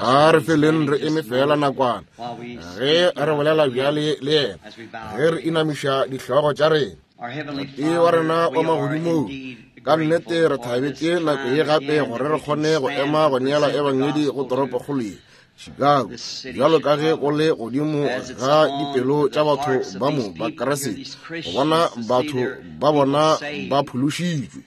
A re feleng re eme fela nakwana ge re bolela bjale le yena, ge re inamiša dihlogo tša rena. Tate wa rena wa magodimong, ka nnete re thabetše nako ye gape gore re kgone go ema go neela ebangedi go toropokgolo ye, Chicago, bjalo ka ge go le godimo ga dipelo tša batho ba mo ba Kriste, go bona batho ba bona ba phološitšwe.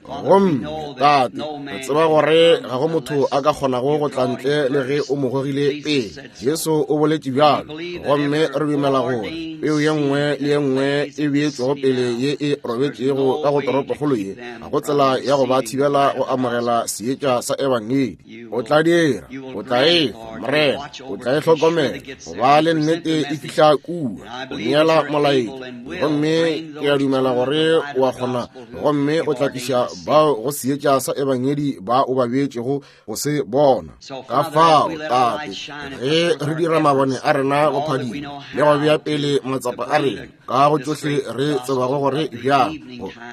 Gomme, Tate, re tseba gore ga go motho a ka kgonago go tla ntle le ge o mo gogile pele. Jesu o boletše bjalo. Gomme re dumela gore peu ye nngwe le ye nngwe e beetšwego pele ye e robetšego ka go toropokgolo ye, ga go tsela ya go ba thibela go amogela seetša sa Ebangedi. O tla dira, o tla e fa, Morena, o tla e hlokomela, go ba le nnete e fihla kua, go neela molaetša. Gomme ke a dumela gore o a kgona gomme o tla tliša bao go seetša sa ebangedi ba o ba beetšego go se bona. Ka fao, Tate, ge re dira mabone a rena go phadima le go bea pele matsapa a rena ka go tšohle re tsebago gore bjang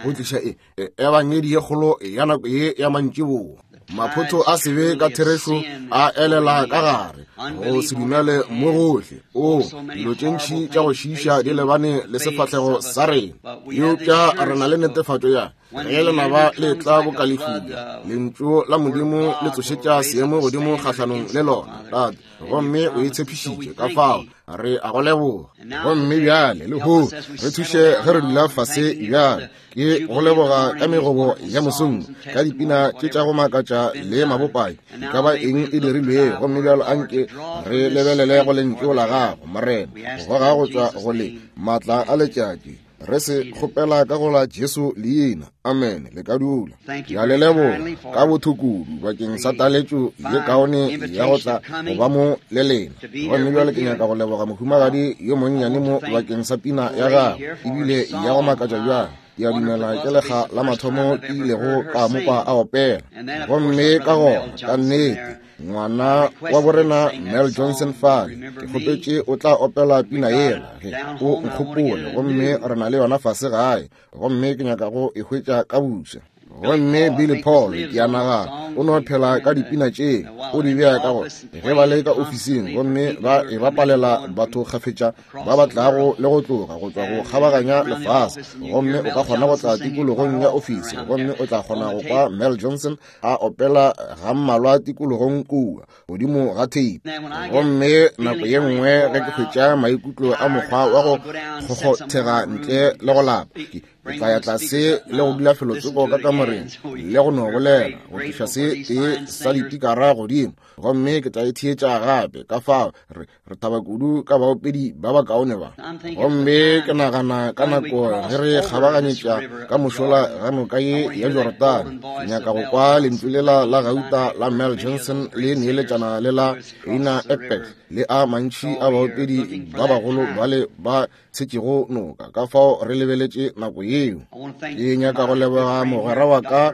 go tliša e, e ebangedi ye kgolo ya nako ye ya mantšiboa, maphotho a sebe ka therešo a elela ka gare go se dumele mo gohle. O dilo tše ntši tša go šiiša di lebane le sefahlego sa rena, eupša re na le netefatšo ya ge lenaba le tla boka lefula, lentšu la Modimo le tsošetša seemo godimo kgahlanong le lona. Tate, gomme o e tshepišitše, ka fao re a go leboga. Gomme bjale lehono re thuše ge re dula fase bjale. Ke go leboga ka megobo ya mosong, ka dipina tše tša go makatša le mabopai, e ka ba eng e dirilwego. Gomme bjalo anke re lebelele go lentšu la gago, Morena, go goga go tšwa go le maatla a letšatši. Re se kgopela ka go la Jesu leina. Amene. Le ka dula. Ke a le leboga ka botho kudu bakeng sa taletšo ye kaone ya go tla go ba mo le lena. Gomme bjale ke nyaka go leboga mohumagadi yo monnyane mo bakeng sa pina ya gagwe, ebile ya go makatša bjang. Ke a dumela ke lekga la mathomo ke ilego ka mo kwa a opela. Gomme ka gona, ka nnete, ngwana wa borena Mel Johnson fale, ke kgopetše o tla opela pina yela ge o nkgopole, gomme re na le yona fase gae, gomme ke nyaka go e hwetša ka buša. Gomme Billy Paul, ke a nagana, o no phela ka dipina tše, o di bea ka go ge ba le ka ofising, gomme ba e bapalela batho kgafetša ba ba tlago le go tloga go tšwa go kgabaganya lefase. Gomme o ka kgona go tla tikologong ya ofisi, gomme o tla kgona go kwa Mel Johnson a opela ga mmalwa tikologong kua godimo ga theipi. Gomme nako ye nngwe ge ke hwetša maikutlo a mokgwa wa go kgokgothega ntle le go lapa, ke tla ya tlase le go dula felotsoko ka kamoreng le go no bolela go tliša se tee sa dipikara godimo, gomme ke tla e theetša gape. Ka fao re, re thaba kudu ka baopedi ba bakaone ba. Gomme ke nagana ka nako ge re kgabaganyetša ka mošola ga noka ye ya Jorodane, ke nyaka go kwa lentšu lela la gauta la Mel Johnson le neeletšana le la Eina Ekberg le a mantši a baopedi ba bagolo bale ba tshetšego noka. Ka fao re lebeletše nako yeo. Ke nyaka go leboga mogwera wa ka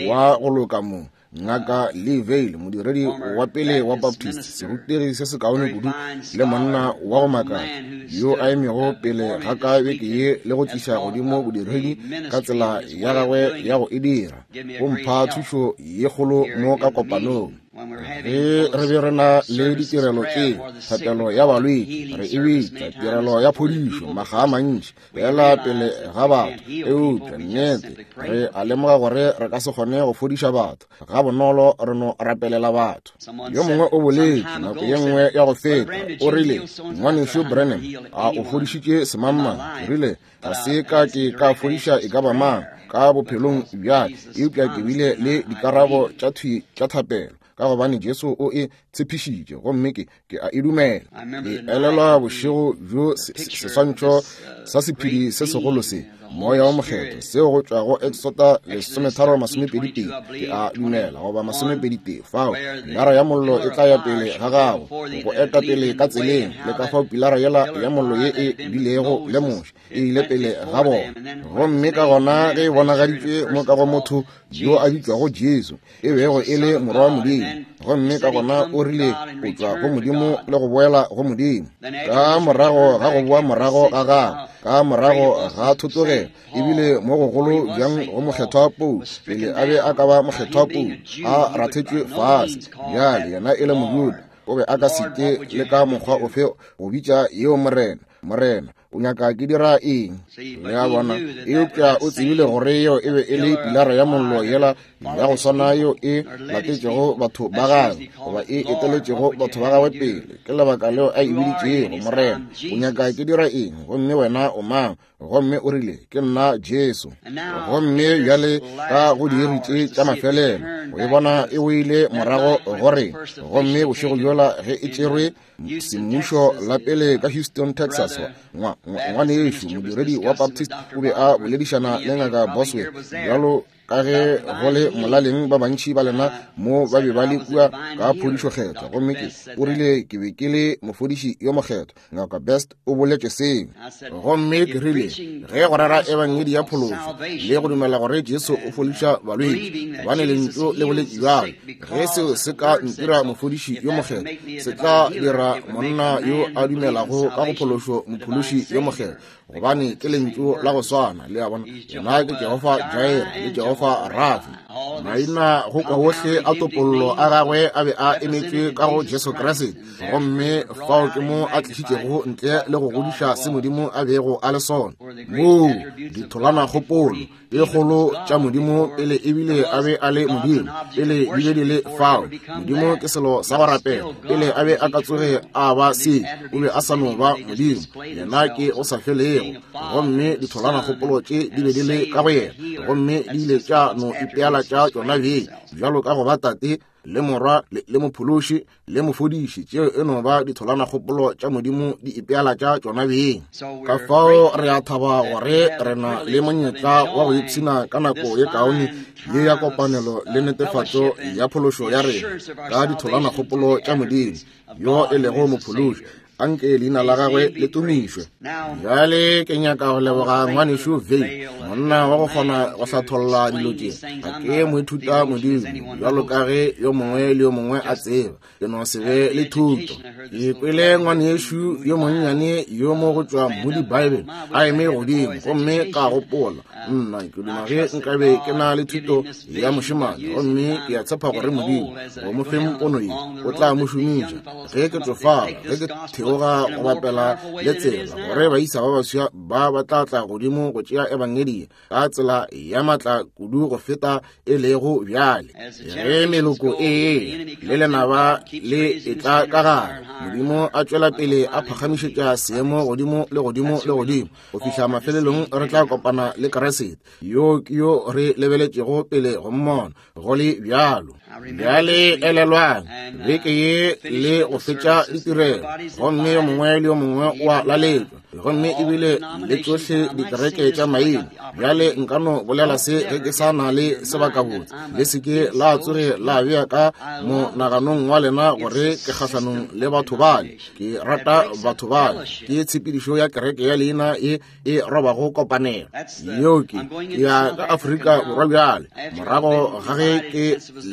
wa go loka mo, Ngaka Lee Vayle, modiredi wa pele wa Baptist, serutegi se sekaone kudu le monna wa go makatša, yo a emego pele ga ka beke ye le go tliša godimo bodiredi ka tsela ya gagwe ya go e dira. O mpha thušo ye kgolo mo ka kopanong. Ge re be re na le ditirelo tše, thapelo ya balwetši, re e bitša tirelo ya phodišo makga a mantši, fela pele ga batho. Eupša nnete re a lemoga gore re ka se kgone go fodiša batho ga bonolo, re no rapelela batho. Yo mongwe o boletše nako ye nngwe ya go feta, o rile, Ngwanešu Branham, a o fodišitše semangmang? Ke rile, Ga se ka ke ka fodiša e ka ba mang ka bophelong bja, eupša ke bile le dikarabo tša thwi tša thapelo, ka gobane Jesu o e tshepišitše, gomme ke, ke a e dumela. Ke elelwa bošego bjo seswantšho sa sephedi se segolo se, Moya wo Mokgethwa, seo go tšwa go Exota 13:22, ke a dumela, goba 21, fao pilara ya mollo e tla ya pele ga gago, go eta pele ka tseleng, le ka fao pilara yela ya mollo ye e bilego le Moshe e ile pele ga bona. Gomme ka gona ge e bonagaditšwe mo ka go motho yo a bitšwago Jesu, e bego e le Morwa wa Modimo. Gomme ka gona o rile o tšwa go Modimo le go boela go Modimo. Ka morago ga go boa morago ga gagwe, ka morago ga thotogelo, ebile mo gogolo bjang go mokgethwa Paulo, pele a be a ka ba mokgethwa Paulo, a rathetšwe fase. Bjale yena e le Mojuda, o be a ka se ke le ka mokgwa ofe go bitša yeo Morena, Morena, o nyaka ke dira eng? Le a bona? Eupša o tsebile gore yeo e be e le pilara ya mollo yela ya go swana yeo e latetšego batho ba gagwe, goba e eteletšego batho ba gagwe pele. Ke lebaka leo a e biditšego Morena, o nyaka ke dira eng? Gomme wena o mang? Gomme o rile, ke nna Jesu. Gomme bjale ka go diiri tše tša mafelelo, o e bona e boile morago go rena. Gomme bošego bjola ge e tšerwe semmušo la pele ka Houston, Texas, ngwanešu modiredi wa Baptist o be a boledišana le Ngaka Bosworth, bjalo ka ge go le molaleng ba bantši ba lena mo ba be ba le kua ka phodišo kgethwa. Gomme ke o rile ke be ke le mofodiši yo mokgethwa. Ngaka Best o boletše seo. Gomme ke rile ge go rera ebangedi ya phološo le go dumela gore Jesu o fodiša balwetši, gobane lentšu le boletše bjalo, ge seo se ka ntira mofodiši yo mokgethwa, se tla dira monna yo a dumelago ka go phološo mophološi yo mokgethwa, gobane ke lentšu la go swana. Le a bona? Yena ke Jehofa Jireh le Jehofa Rafi. Maina go kwa wohle a topollo a gagwe a be a emetšwe ka go Jesu Kriste, gomme fao ke mo a tlišitšego ntle le go godiša se Modimo a bego a le sona. Moo ditholanakgopolo e kgolo tša Modimo pele ebile a be a le Modimo, pele di be di le fao. Modimo ke selo sa go rapela. Pele a be a ka tsoge a ba se, o be a sa no ba Modimo. Yena ke o sa felego. Gomme ditholanakgopolo tše di be di le ka go yena, gomme di ile tša no ipeala tša tšona beng, bjalo ka go ba Tate le Morwa le Mophološi le Mofodiši. Tšeo e no ba ditholanakgopolo tša Modimo di ipeala tša tšona beng. Ka fao re a thaba gore re na le monyetla wa go ipshina ka nako ye kaone ye ya kopanelo le netefatšo ya phološo ya rena ka ditholanakgopolo tša Modimo yo e lego Mophološi. Anke leina la gagwe le tumišwe. Bjale ke nyaka go leboga ngwanešu Vey, monna wa go kgona go hlatholla dilo tše. Ga ke moithuta modimo bjalo ka ge yo mongwe le yo mongwe a tseba, ke no se be le thuto. Ke kwele ngwanešu yo monnyane yo mo go tšwa Moody Bible a eme godimo, gomme ka gopola, nna ke duma ge nkabe ke na le thuto ya mošemane, gomme ke a tshepa gore Modimo go mo feng pono ye o tla mo šomiša ge ke tsofala, ge ke theoga go bapela le tsela, gore baisa ba baswa ba ba tla tla godimo go tšea ebangedi ka tsela ya matla kudu go feta e lego bjale. Ge meloko e le lenaba le etla ka gare, Modimo a tšwela pele a phagamišetša seemo godimo le godimo le godimo go fihla mafelelong re tla kopana le Kriste, yo ke yo re lebeletšego pele go mmona. Go le bjalo, bjale elelwang beke ye le go fetša ditirelo, gomme yo mongwe le yo mongwe o a laletšwa, gomme ebile le tšohle dikereke tša maina. Bjale nka no bolela se ge ke sa na le sebakabotse. Le se ke la tsoge la bea ka monaganong wa lena gore ke kgahlanong le batho bale. Ke rata batho bale. Ke tshepedišo ya kereke ya leina e e robago kopanelo. Yeo ke ya ka Afrika Borwa bjale, morago ga ge ke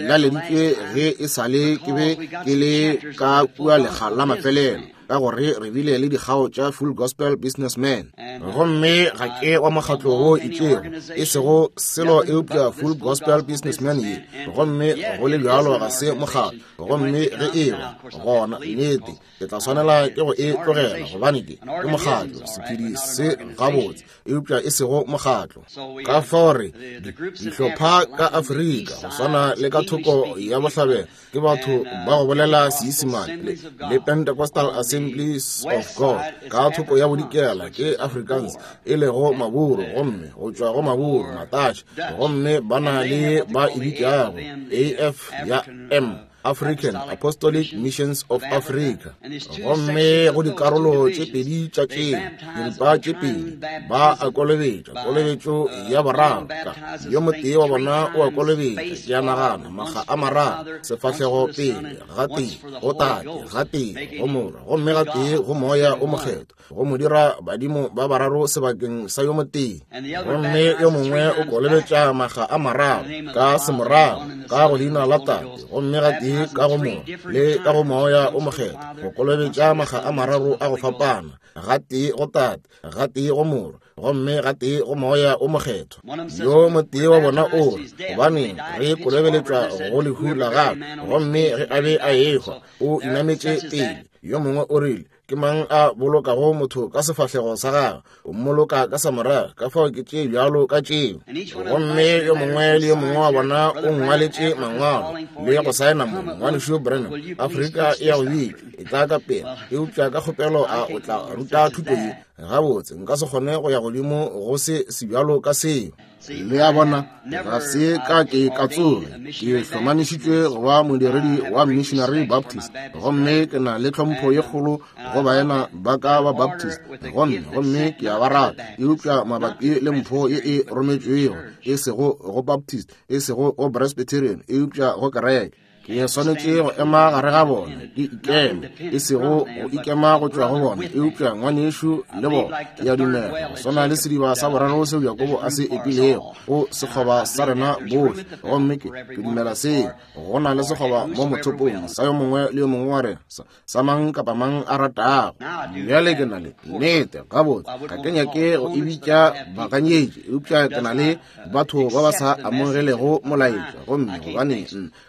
laleditšwe ge e sa le ke be ke le ka kua lekga la mafelelo, ka gore re bile le dikgao tša Full Gospel Businessman. Gomme ga ke wa mokgatlo wo itšego, e sego selo eupša Full Gospel Businessman ye, gomme go le bjalo ga se mokgatlo. Gomme ge e ba gona, nnete ke tla swanela ke go e tlogela, gobane ke mokgatlo, sephedi se gabotse, eupša e sego mokgatlo. Ka fao re dihlopha ka Afrika, go swana le ka thoko ya bohlabela, ke batho ba go bolela Seisemane le Pentecostal Assemblies of God. Ka thoko ya bodikela ke Afrikaans, e lego Maburu, gomme go tšwa go Maburu, Matatšhe, gomme ba na le ba e bitšago AF ya M, African Apostolic Missions of Africa. Gomme go dikarolo tše pedi tša tšeo, diripa tše pedi, ba a kolobetša, kolobetšo ya boraro. Ka yo motee wa bona o a kolobetša, ke a nagana, makga a mararo, sefahlego pele, gatee go Tate, gatee go Morwa, gomme gatee go Moya o Mokgethwa, go mo dira badimo ba bararo sebakeng sa yo motee. Gomme yo mongwe o kolobetša makga a mararo ka semorago ka go leina la Tate, gomme gatee gatee ka go Morwa le ka go Moya o Mokgethwa, go kolobetša makga a mararo a go fapana, gatee go Tate, gatee go Morwa, gomme gatee go Moya o Mokgethwa. Yo motee wa bona o re, Gobaneng re kolobeletšwa go lehu la gagwe, gomme ge a be a ehwa, o inametše pele. Yo mongwe o rile, Ke mang a bolokago motho ka sefahlego sa gagwe, o mmoloka ka sa morago, ka fao ke tše bjalo ka tšeo. Gomme yo mongwe le yo mongwe wa bona o ngwaletše mangwalo le go saena mo, Ngwanešu Branham, Afrika e ya go bitšwa, e tla ka pela, eupša ka kgopelo a o tla ruta thuto ye? Gabotse, nka se kgone go ya godimo go se sebjalo ka seo. Le a bona, ga se ka ke ka tsoge ke hlomamišitšwe go ba modiredi wa Missionary Baptist, gomme ke na le tlhompho ye kgolo go baena ba ka ba Baptist, gomme gomme ke a ba rata, eupša mabapi le mpho ye e rometšwego, e sego go Baptist, e sego go Presbyterian, eupša go kereke. Ke swanetše go ema gare ga bona, ke ikeme, e sego go ikema go tšwa go bona, eupša ngwanešu le bona. Ke a dumela go swana le sediba sa boraro seo Jakobo a se epilego go sekgoba sa rena bohle, gomme ke, ke dumela seo. Go na le sekgoba mo mothopong sa yo mongwe le yo mongwe wa rena, sa, sa mang kapa mang a ratago. Bjale ke na le nnete, gabotse, ga ke nyake go e bitša baganyetši, eupša ke na le batho ba ba sa amogelego molaetša, gomme gobane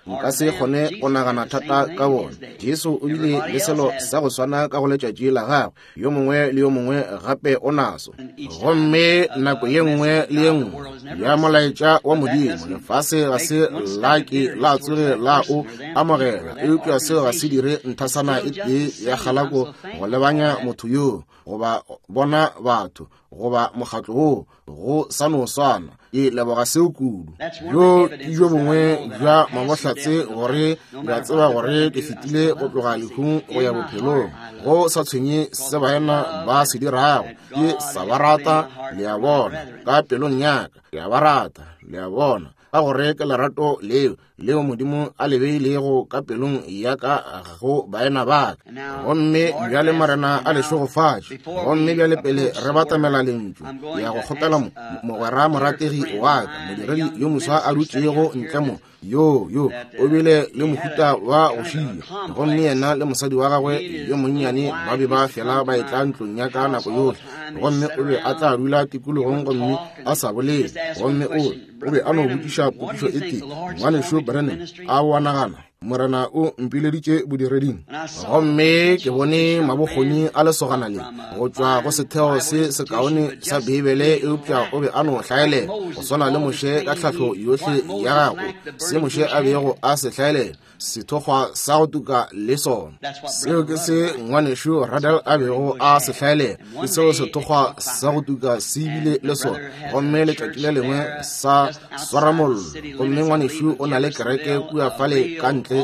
nka se kgone go nagana thata ka bona. Jesu o bile le selo sa go swana ka go letšatši la gagwe, yo mongwe le yo mongwe gape o naso. Gomme nako ye nngwe le ye nngwe ya molaetša wa Modimo, lefase ga se la ke la tsoge la o amogela, eupša seo ga se dire nthasana e tee ya kgalako go lebanya motho yoo, goba bona batho, goba mokgatlo woo, go sa no swana. Ke leboga seo kudu. Bjo ke bjo bongwe bja mabohlatse gore ke a tseba gore ke fetile go tloga lehung go ya bophelong. Go sa tshwenye se baena ba se dirago, ke sa ba rata, le a bona, ka pelong ya ka, ke a ba rata, le a bona, ka gore ke lerato leo leo Modimo a le beilego ka pelong ya ka go baena ba ka. Gomme bjale Morena a le šegofatše. Gomme bjale pele re batamela Lentšu, ke ya go kgopela mogwera morategi wa ka, modiredi yo moswa a dutšego ntle mo, yo, yo o bile le mohuta wa go šia. Gomme yena le mosadi wa gagwe yo monnyane ba be ba fela ba etla ntlong ya ka nako yohle. Gomme o be a tla dula tikologong gomme a sa bolele. Gomme o O be a no botšiša potšišo e tee, Ngwanešu Branham, a o a nagana Morena o mpileditše bodireding? Gomme ke bone mabokgoni a lesogana le go tšwa go setheo se sekaone sa Beibele, eupša o be a no hlaelela go swana le Moshe ka tlhahlo yohle ya gagwe, se Moshe a bego a se hlaelela. Sethokgwa sa go tuka le sona. Seo ke se ngwanešu Radel a bego a se hlaelela, ke seo sethokgwa sa go tuka se bile le sona. Gomme letšatši le lengwe sa swara mollo, gomme ngwanešu o na le kereke kua fale ka ntle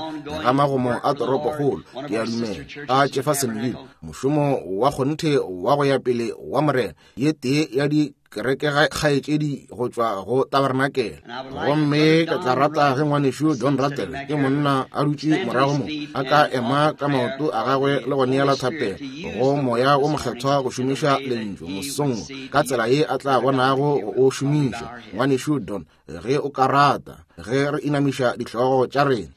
ga magomo a toropokgolo, ke a dumela, a Jeffersonville, mošomo wa kgonthe wa go ya pele wa Morena, ye tee ya di kereke kgaetšedi go tšwa go tabernakel. Gomme ke tla rata ge ngwanešu Don Rattle, ke monna a dutše morago mo, a ka ema ka maoto a gagwe le go neela thapelo go Moya wo Mokgethwa go šomiša Lentšu mosong wo ka tsela ye a tla bonago go o šomiša. Ngwanešu Don, ge o ka rata, ge re inamiša dihlogo tša rena.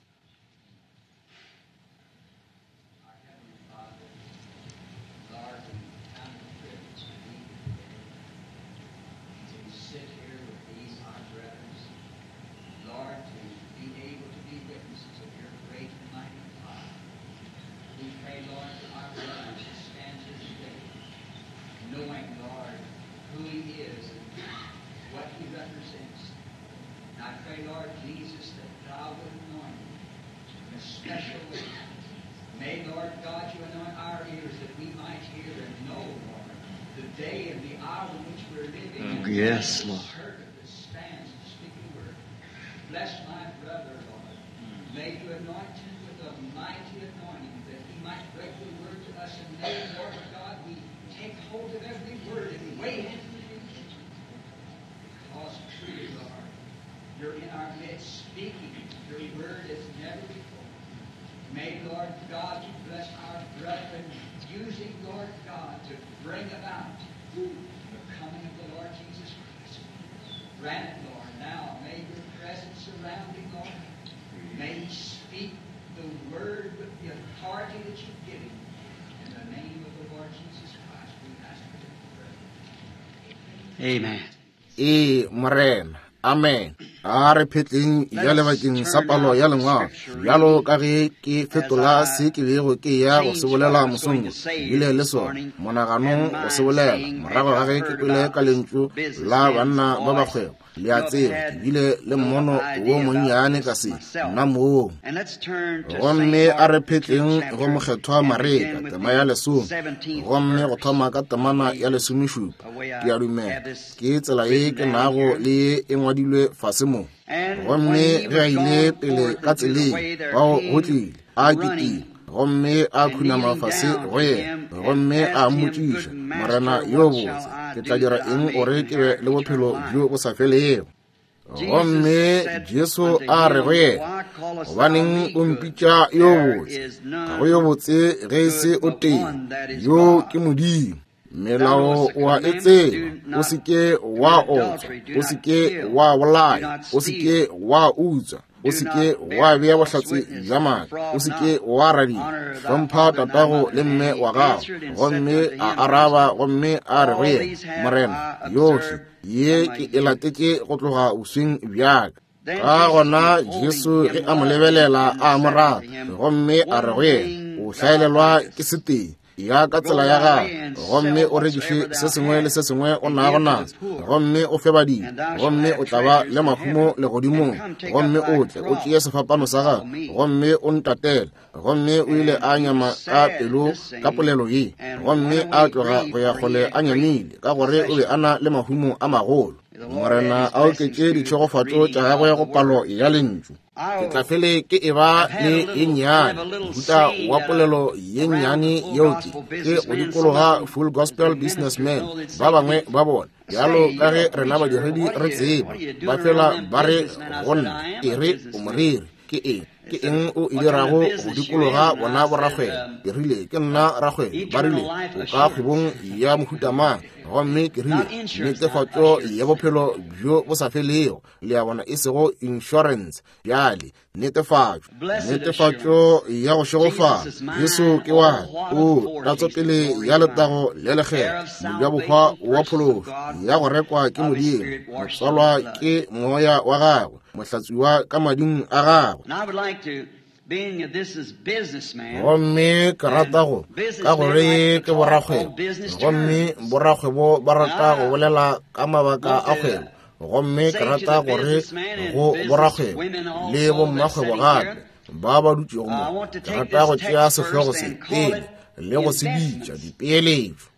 Yes, Lord. Bless my brother, Lord. May you anoint him with a mighty anointing that he might break the word to us. And may, Lord God, we take hold of every word and weigh it. Because truly, Lord, you're in our midst speaking your word as never before. May, Lord God, you bless our brethren, using, Lord God, to bring about the coming of the Lord Jesus Christ. Grant it, Lord, now may your presence surround him, Lord. May he speak the word with the authority that you give him. In the name of the Lord Jesus Christ, we ask it and pray. Amen. Ee, Morena. Amen. A re phetleng ya lebakeng sa palo ya lengwalo, bjalo ka ge ke fetola se ke bego ke ya go se bolela mosong, bile le sona monaganong go se bolela morago ga ge ke kwele ka lentšu la banna ba bakgwebo. Le a tseba, ke bile le mmono wo monnyane ka se nna moo. Gomme a re phetleng go Mokgethwa Mareka, tema ya lesome, gomme go thoma ka temana ya lesomešupa. Ke a dumela ke tsela ye ke nago le ye e ngwadilwe fase mo. Gomme ge a ile pele ka tseleng, bao go tlile a kitima, gomme a khunama fase go yena, gomme a mmotšiša, Morena yo botse, ke tla dira eng gore ke be le bophelo bjo bo sa felego? Gomme Jesu a re go yena, Gobaneng o mpitša yo botse? Ga go yo botse ge e se o tee, yo ke Modimo. Melao o a e tseba, o se ke wa otswa, o se ke wa bolaya, o se ke wa utswa, o se ke wa bea bohlatse bja maaka, o se ke wa radia, hlompha tatago le mme wa gago. Gomme a araba gomme a re go yena, Morena, yohle ye ke e latetše go tloga bosweng bja ka. Ka gona Jesu ge a mo lebelela a mo rata, gomme a re go yena, O hlaelelwa ke setee, ya ka tsela ya gago, gomme o rekiše se sengwe le se sengwe o nago naso, gomme o fe badidi, gomme o tla ba le mahumo legodimong, gomme o tle o tšee sefapano sa gago, gomme o ntatele. Gomme o ile a nyama ka pelo ka polelo ye, gomme a tloga go ya kgole a nyamile, ka gore o be a na le mahumo a magolo. Morena a oketše ditšhegofatšo tša gagwe go palo ya lentšu. Ke tla fele ke e ba le ye nnyane, mohuta wa polelo ye nnyane yeo ke ke go dikologa Full Gospel Businessmen, ba bangwe ba bona, bjalo ka ge rena badiredi re tseba, ba fela ba re go nna, e re o moreri, ke eng? Ke eng o e dirago go dikologa bona borakgwebo? Ke rile, ke nna rakgwebo. Ba rile, o ka kgwebong ya mohuta mang? Gomme ke rile, netefatšo ya bophelo bjo bo sa felego. Le a bona, e sego insurance bjale, netefatšo, netefatšo ya go šegofala. Jesu ke wa o tatsopele ya letago le lekgetho, mojabohwa wa phološo ya go rekwa ke Modimo, motswalwa ke moya wa gagwe, mohlatswiwa ka mading a gagwe. Gomme ke rata go, ka gore ke borakgwebo, gomme borakgwebo ba rata go bolela ka mabaka a kgwebo. Gomme ke rata gore go borakgwebo le bommakgwebo gape ba ba dutšego mo, ke rata go tšea sehlogo se pele le go se bitša dipeeletšo.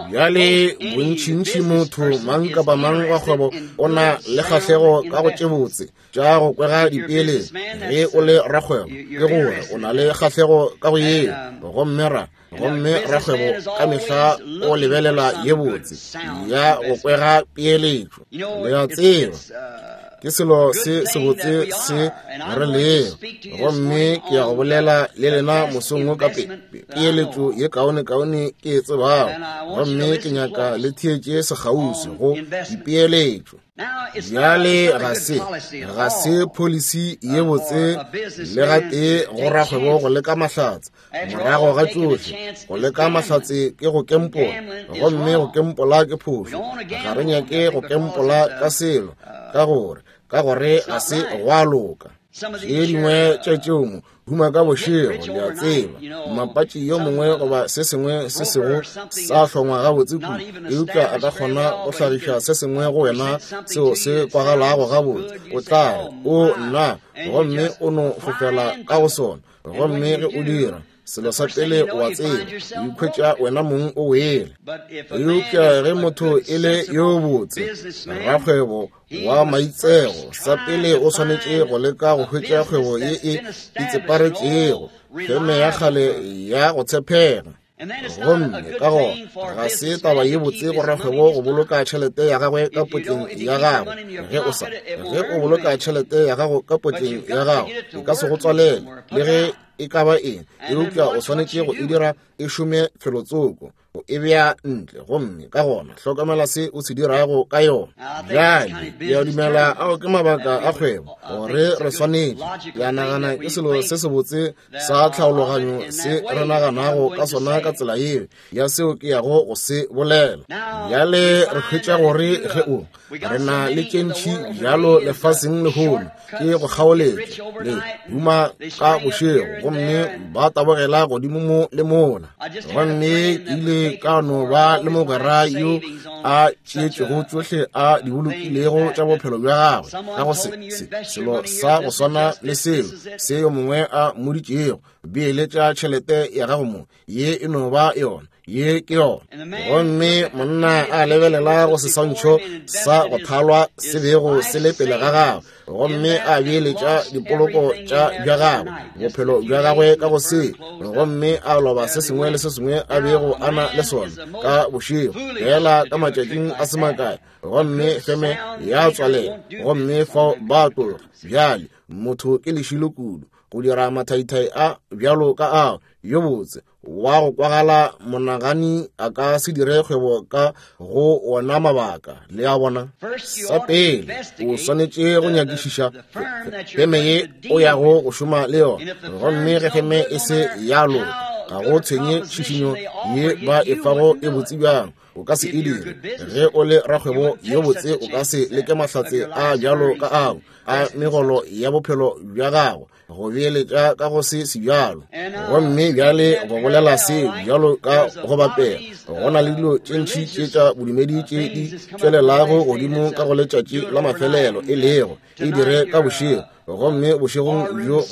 Bjale bontšintši motho mang kapa mang wa kgwebo o na le kgahlego ka go tše botse tša go kwega dipeeletšo. Ge o le rakgwebo, ke gore o na le kgahlego ka go yeo, gomme ra gomme rakgwebo ka mehla o lebelela ye botse ya go kwega peeletšo. Le a tseba, ke selo se sebotse se re lego. Gomme ke ya go bolela le lena mosong wo ka peeletšo ye kaone-kaone ke e tsebago, gomme ke nyaka le theetše sekgauswi go dipeeletšo. Bjale ga se policy ye botse le gatee go rakgwebo go leka mahlatse. Morago ga tšohle, go leka mahlatse ke go kempola, gomme go kempola ke phošo. Ga re nyake go kempola ka selo, ka gore ga se gwa loka. Tše dingwe tša tšeo mo huma ka bošego, le a tseba, mmapatši yo mongwe goba se sengwe se sego sa hlongwa gabotse kudu, eupša a ka kgona go hlagiša se sengwe go wena seo se kwagalago gabotse. O tla re, o nna, gomme o no fofela ka go sona. Gomme ge o dira, selo sa pele o a tseba, o ikhwetša wena mong o wele. Eupša ge motho e le yo botse, rakgwebo wa maitsego, sa pele o swanetše go leka go hwetša kgwebo ye e itseparetšego, feme ya kgale ya go tshepega. Gomme ka gona ga se taba ye botse go rakgwebo go boloka tšhelete ya gagwe ka potleng ya gagwe. Ge o sa, ge o boloka tšhelete ya gago ka potleng ya gago, e ka se go tswalele le ge e ka ba eng, eupša o swanetše go e dira e šome felotsoko. O e bea ntle, gomme ka gona hlokomela se o se dirago ka yona. Bjale, ke a dumela ao ke mabaka a kgwebo, gore re swanetše. Ke a nagana ke selo se sebotse sa tlhaologanyo se re naganago ka sona ka tsela yeo ya seo ke yago go se bolela. Bjale re hwetša gore ge o re na le tše ntši bjalo lefaseng lehono, ke go kgaoletša le huma ka bošego, gomme ba tabogela godimo mo le mola. Gomme ke ile ka no ba le mogwera yo a tšeetšego tšohle a di bolokilego tša bophelo bja gagwe ka go se, se, selo sa go swana le seo se yo mongwe a mmoditšego, beeletša tšhelete ya gago mo, ye e no ba yona, ye ke yona. Gomme monna a lebelela go seswantšho sa go thalwa se bego se le pele ga gagwe, gomme a beeletša dipoloko tša bja gagwe, bophelo bja gagwe ka go se, gomme a loba se sengwe le se sengwe a bego a na le sona ka bošego, fela ka matšatšing a se makae, gomme feme ya tswalela, gomme fao ba tloga. Bjale motho ke lešilo kudu go dira mathaithai a bjalo ka ao. Yo botse wa go kwagala monagani a ka se dire kgwebo ka go wona mabaka. Le a bona? Sa pele, o swanetše go nyakišiša feme ye o yago go šoma le yona, gomme ge feme e se ya loka, ga go tshwenye tšhišinyo ye ba e fago e botse bjang, o ka se e dire. Ge o le rakgwebo yo botse, o ka se leke mahlatse a bjalo ka ao a megolo ya bophelo bja gago go beeletša ka go se sebjalo. Gomme bjale go bolela se bjalo ka go bapela, go na le dilo tše ntši tše tša bodumedi tše di tšwelelago godimo ka go letšatši la mafelelo, e lego e dire ka bošego, gomme bošegong bjo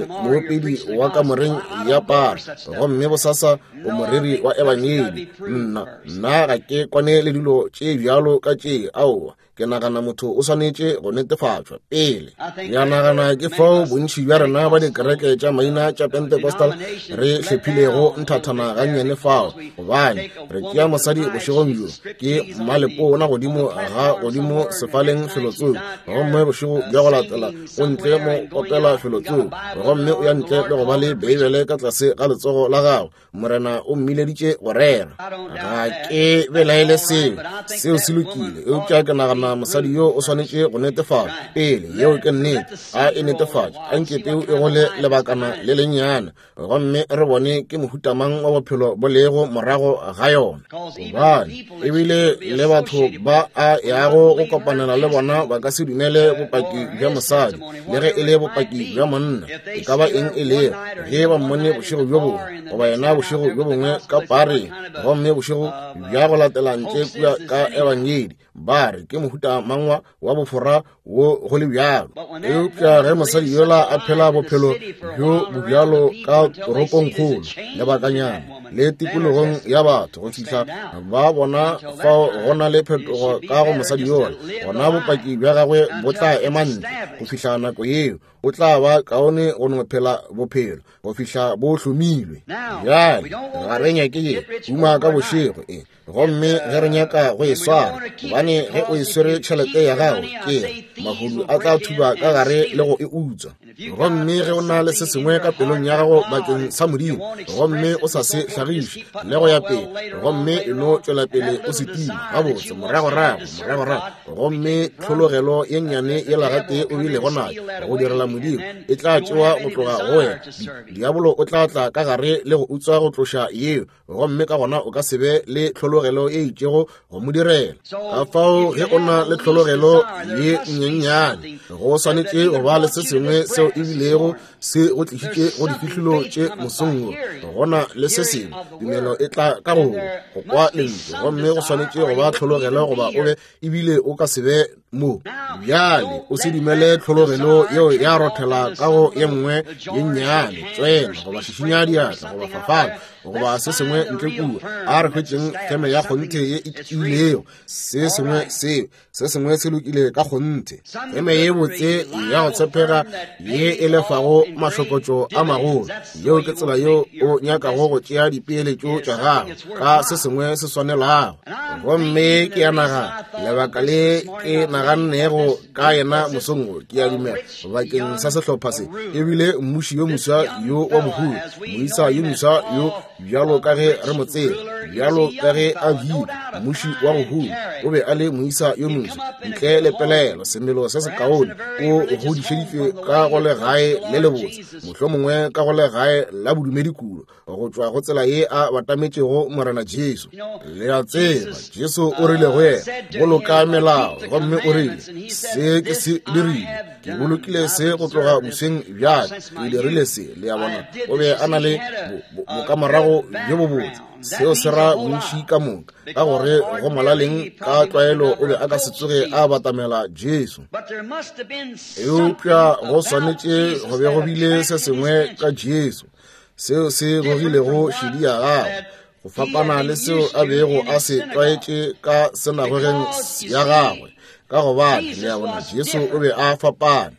moopedi wa kamoreng ya para, gomme bosasa o moreri wa ebangedi. Nna, nna ga ke kwane le dilo tše bjalo ka tše. Aowa, ke nagana motho o swanetše go netefatšwa pele. Ya nagana ke fao bontši bja rena ba dikereke tša maina tša Pentecostal re hlephilego nthathana gannyane fao, gobane re tšea mosadi bošegong bjo ke mmalepona godimo ga godimo sefaleng felotsoko, gomme bošego bja go latela o ntle mo opela felotsoko, gomme o ya ntle le go ba le Beibele ka tlase ga letsogo la gagwe. Morena o mmileditše go rera. Ga ke belaele seo, seo se lokile, eupša ke nagana mosadi yo o swanetše go netefatša pele. Yeo ke nnete, a e netefatše, a nke peu e gole lebakana le lennyane, gomme re bone ke mohuta mang wa bophelo bo lego morago ga yona. Gobane ebile le batho ba a yago go kopanela le bona ba ka se dumele bopaki bja mosadi, le ge e le bopaki bja monna, e ka ba eng e lego. Ge ba mmone bošego bjo bongwe, goba yena bošego bjo bongwe ka pareng, gomme bošego bja go latela ntle kua ka ebangedi, ba re ke mohuta mangwa wa bofora wo go le bjalo. Eupša ge mosadi yola a phela bophelo bjo bo bjalo ka toropongkgolo lebakanyana le tikologong ya batho, go fihla ba bona fao go na le phetogo ka go mosadi yola, gona bopaki bja gagwe bo tla ema ntle. Go fihla nako yeo, o tla ba kaone go no phela bophelo go fihla bo hlomilwe. Bjale ga re nyake ye huma ka bošego e, gomme ge re nyaka go e swara, gobane ge o e swere tšhelete ya gago, ke mahodu a tla thuba ka gare le go e utswa. Gomme ge o na le se sengwe ka pelong ya gago bakeng sa Modimo, gomme o sa se hlagiše le go ya pele, gomme e no tšwela pele o se tima gabotse moragorago, moragorago, gomme tlhologelo ye nnyane yela gatee o bilego nayo go direla Modimo e tla tšewa go tloga go wena. Diabolo o tla tla ka gare le go utswa go tloša yeo, gomme ka gona o ka se be le tlhologelo e itšego go mo direla. Ka fao ge o na le tlhologelo ye nyenyane, go swanetše go ba le se sengwe seo e bilego se go tlišitše go difihlolo tše mosong wo. Go na le se sengwe, tumelo e tla ka go go kwa lentšu, gomme go swanetše go ba tlhologelo goba o be ebile o ka se be mo. Bjale o se dumele tlhologelo yeo ya rothela ka go ye nngwe ye nnyane, tswena goba šišinya diatla goba fafala goba se sengwe ntle kua. A re hwetšeng feme ya kgonthe ye e tiilego, se sengwe seo, se sengwe se lokile ka kgonthe, feme ye botse ya go tshepega ye e lefago mahlokotšo a magolo. Yeo ke tsela yeo o nyakago go tšea dipeeletšo tša gago ka se sengwe se swanelago. Gomme ke ya naga lebaka le ke na nagannego ka yena mosong wo, ke a dumela, bakeng sa sehlopha se, e bile mmuši yo moswa yo wa mohumi, moisa yo moswa yo bjalo ka ge re mo tseba, bjalo ka ge a bile mmuši wa go huma, o be a le moisa yo moswa, ntle le pelaelo, semelo se sekaone, o godišeditšwe ka go legae le lebotse, mohlomongwe ka go legae la bodumedi kudu, go tšwa go tsela ye a batametšego Morena Jesu. Le a tseba, Jesu o rile go yena, boloka melao, gomme o rile, se ke se dirile, ke bolokile se go tloga bosweng bja ka, ke dirile se. Le a bona, o be a na le bokamorago bjo bobotse. Seo se ra bontši ka moka, ka gore go molaleng ka tlwaelo o be a ka se tsoge a batamela Jesu. Eupša go swanetše go be go bile se sengwe ka Jesu seo se gogilego šedi ya gagwe, go fapana le seo a bego a se tlwaetše ka senagogeng ya gagwe, ka gobane le a bona Jesu o be a fapane.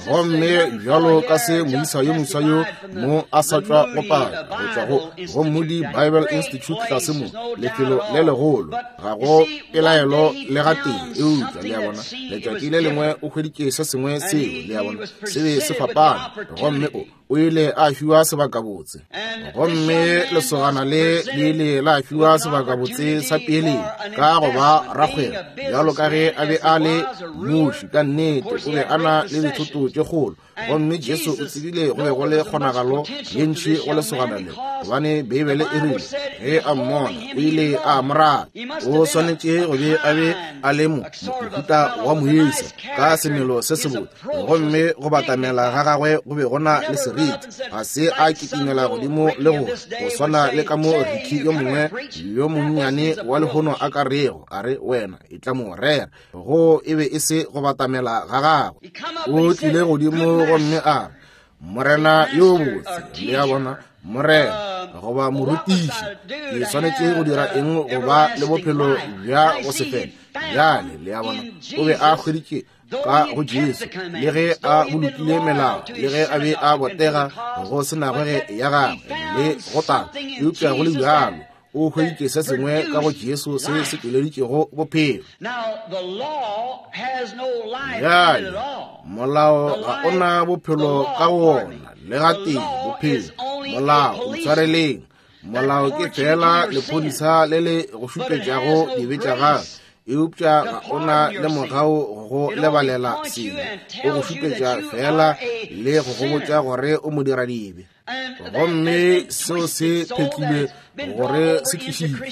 Gomme bjalo ka se moisa yo moswa yo mo a sa tšwa go paka go tšwa go go Moody Bible Institute tlase mo, lefelo le legolo, ga go pelaelo le gatee, eupša le a bona letšatši le lengwe o hweditše se sengwe seo, le a bona, se be se fapane, gomme o o ile a fiwa sebakabotse. Gomme lesogana le le ile la fiwa sebakabotse sa peeletšo ka go ba rakgwebo, bjalo ka ge a be a le mmuši. Ka nnete o be a na le dithoto tše kgolo. Gomme Jesu o tsebile go be go le kgonagalo ye ntši go lesogana le, gobane Beibele e rile ge a mmona o ile a mo rata. O swanetše go be a be a le mohuta wa moisa ka semelo se sebotse, gomme go batamela ga gagwe go be go na le seriti. Ga se a kitimela godimo le go go swana le ka mo Ricky yo mongwe yo monnyane wa lehono a ka rego, a re, Wena e tla mo rera. Go e be e se go batamela ga gagwe. O tlile godimo gomme a re, Morena yo botse, le a bona, Morena goba morutiši, ke swanetše go dira eng go ba le bophelo bja go se fele? Bjale, le a bona, o be a hweditše ka go Jesu, le ge a bolokile melao, le ge a be a botega go senagwege ya gagwe le go tala, eupša go le bjalo o hweditše se sengwe ka go Jesu se se tšweleditšego bophelo. Bjale, molao ga o na bophelo ka wona le gatee, bophelo, molao, ntshwareleng, molao ke fela lephodisa le le go šupetšago dibe tša gago, eupša ga o na le mogau go lebalela sebe, o go šupetša fela le go go botša gore o modiradibe. Gomme seo se phetlilwe gore se tlišitšwe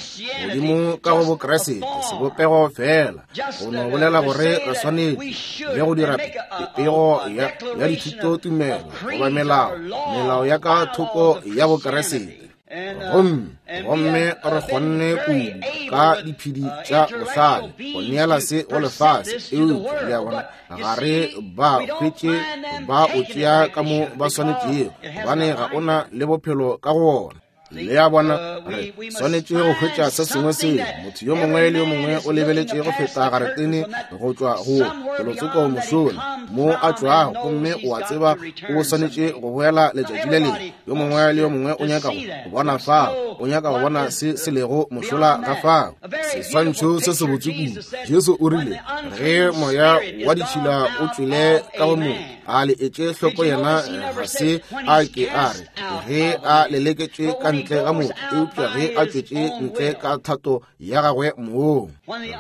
godimo ka go Bokriste, sebopego fela, go no bolela gore re swanetše le go dira pego ya dithutotumelo goba melao, melao ya ka thoko ya Bokriste. Gomme, gomme re kgonne kudu ka diphedi tša bohlale go neela se go lefase, eupša le a bona ga re ba hwetše ba o tšea ka mo ba swanetšego, gobane ga o na le bophelo ka go ona. Le a bona, re swanetše go hwetša se sengwe seo motho yo mongwe le yo mongwe o lebeletše go feta garetene go tšwa go felotsoko mošola mo a tšwago, gomme o a tseba o swanetše go boela letšatši le lengwe. Yo mongwe le yo mongwe o nyaka go bona fao, o nyaka go bona se se lego mošola ga fao. Seswantšho se sebotse kudu. Jesu o rile, ge moya wa ditšhila o tšwele ka go motho, a le etše hloko yena ga se a ke a re ge a leleketšwe ka ntle ga motho, eupša ge a tšwetše ntle ka thato ya gagwe mong.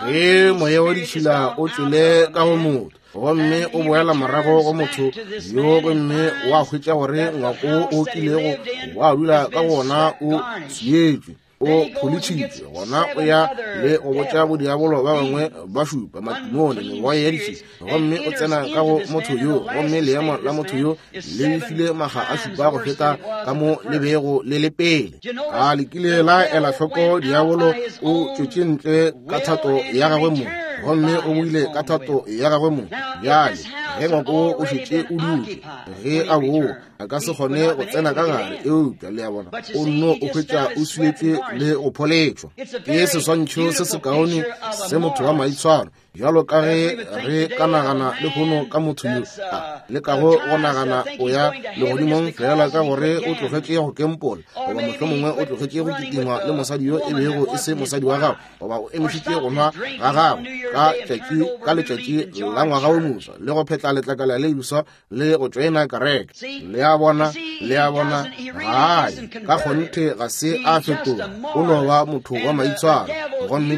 Ge moya wa ditšhila o tšwele ka go motho, gomme o boela morago go motho yo, gomme wa hwetša gore ngwako o kilego wa dula ka gona o swietšwe, o pholitšhitšwe, gona o ya le go botša bodiabolo ba bangwe ba šupa, matimone, megoya ya ditšhila, gomme o tsena ka go motho yo, gomme leemo la motho yo le befile maga a šupa go feta ka mo le bego le le pele. A le kile la ela hloko diabolo o tšwetše ntle ka thato ya gagwe mong, gomme o boile ka thato ya gagwe mong. Bjale ge ngwako o šetše o dutše, ge a boa a ka se kgone go tsena ka gare, eupša le a bona o nno o hwetša o swietšwe le go pholetšwa. Ke seswantšho se sekaone se motho wa maitshwaro, bjalo ka ge re ka nagana lehono ka motho yo a lekago go nagana o ya legodimong fela ka gore o tlogetše go kempola, goba mohlomongwe o tlogetše go kitima le mosadi yo e bego e se mosadi wa gagwe, goba o emišitše go nwa ga gagwe. ka tšatši ka letšatši la ngwaga wo moswa le go phetla letlakala le leswa le go tšoena kereke. Le a bona, le a bona, gae ka kgonthe ga se a fetoga, o no ba motho wa maitshwaro. Gomme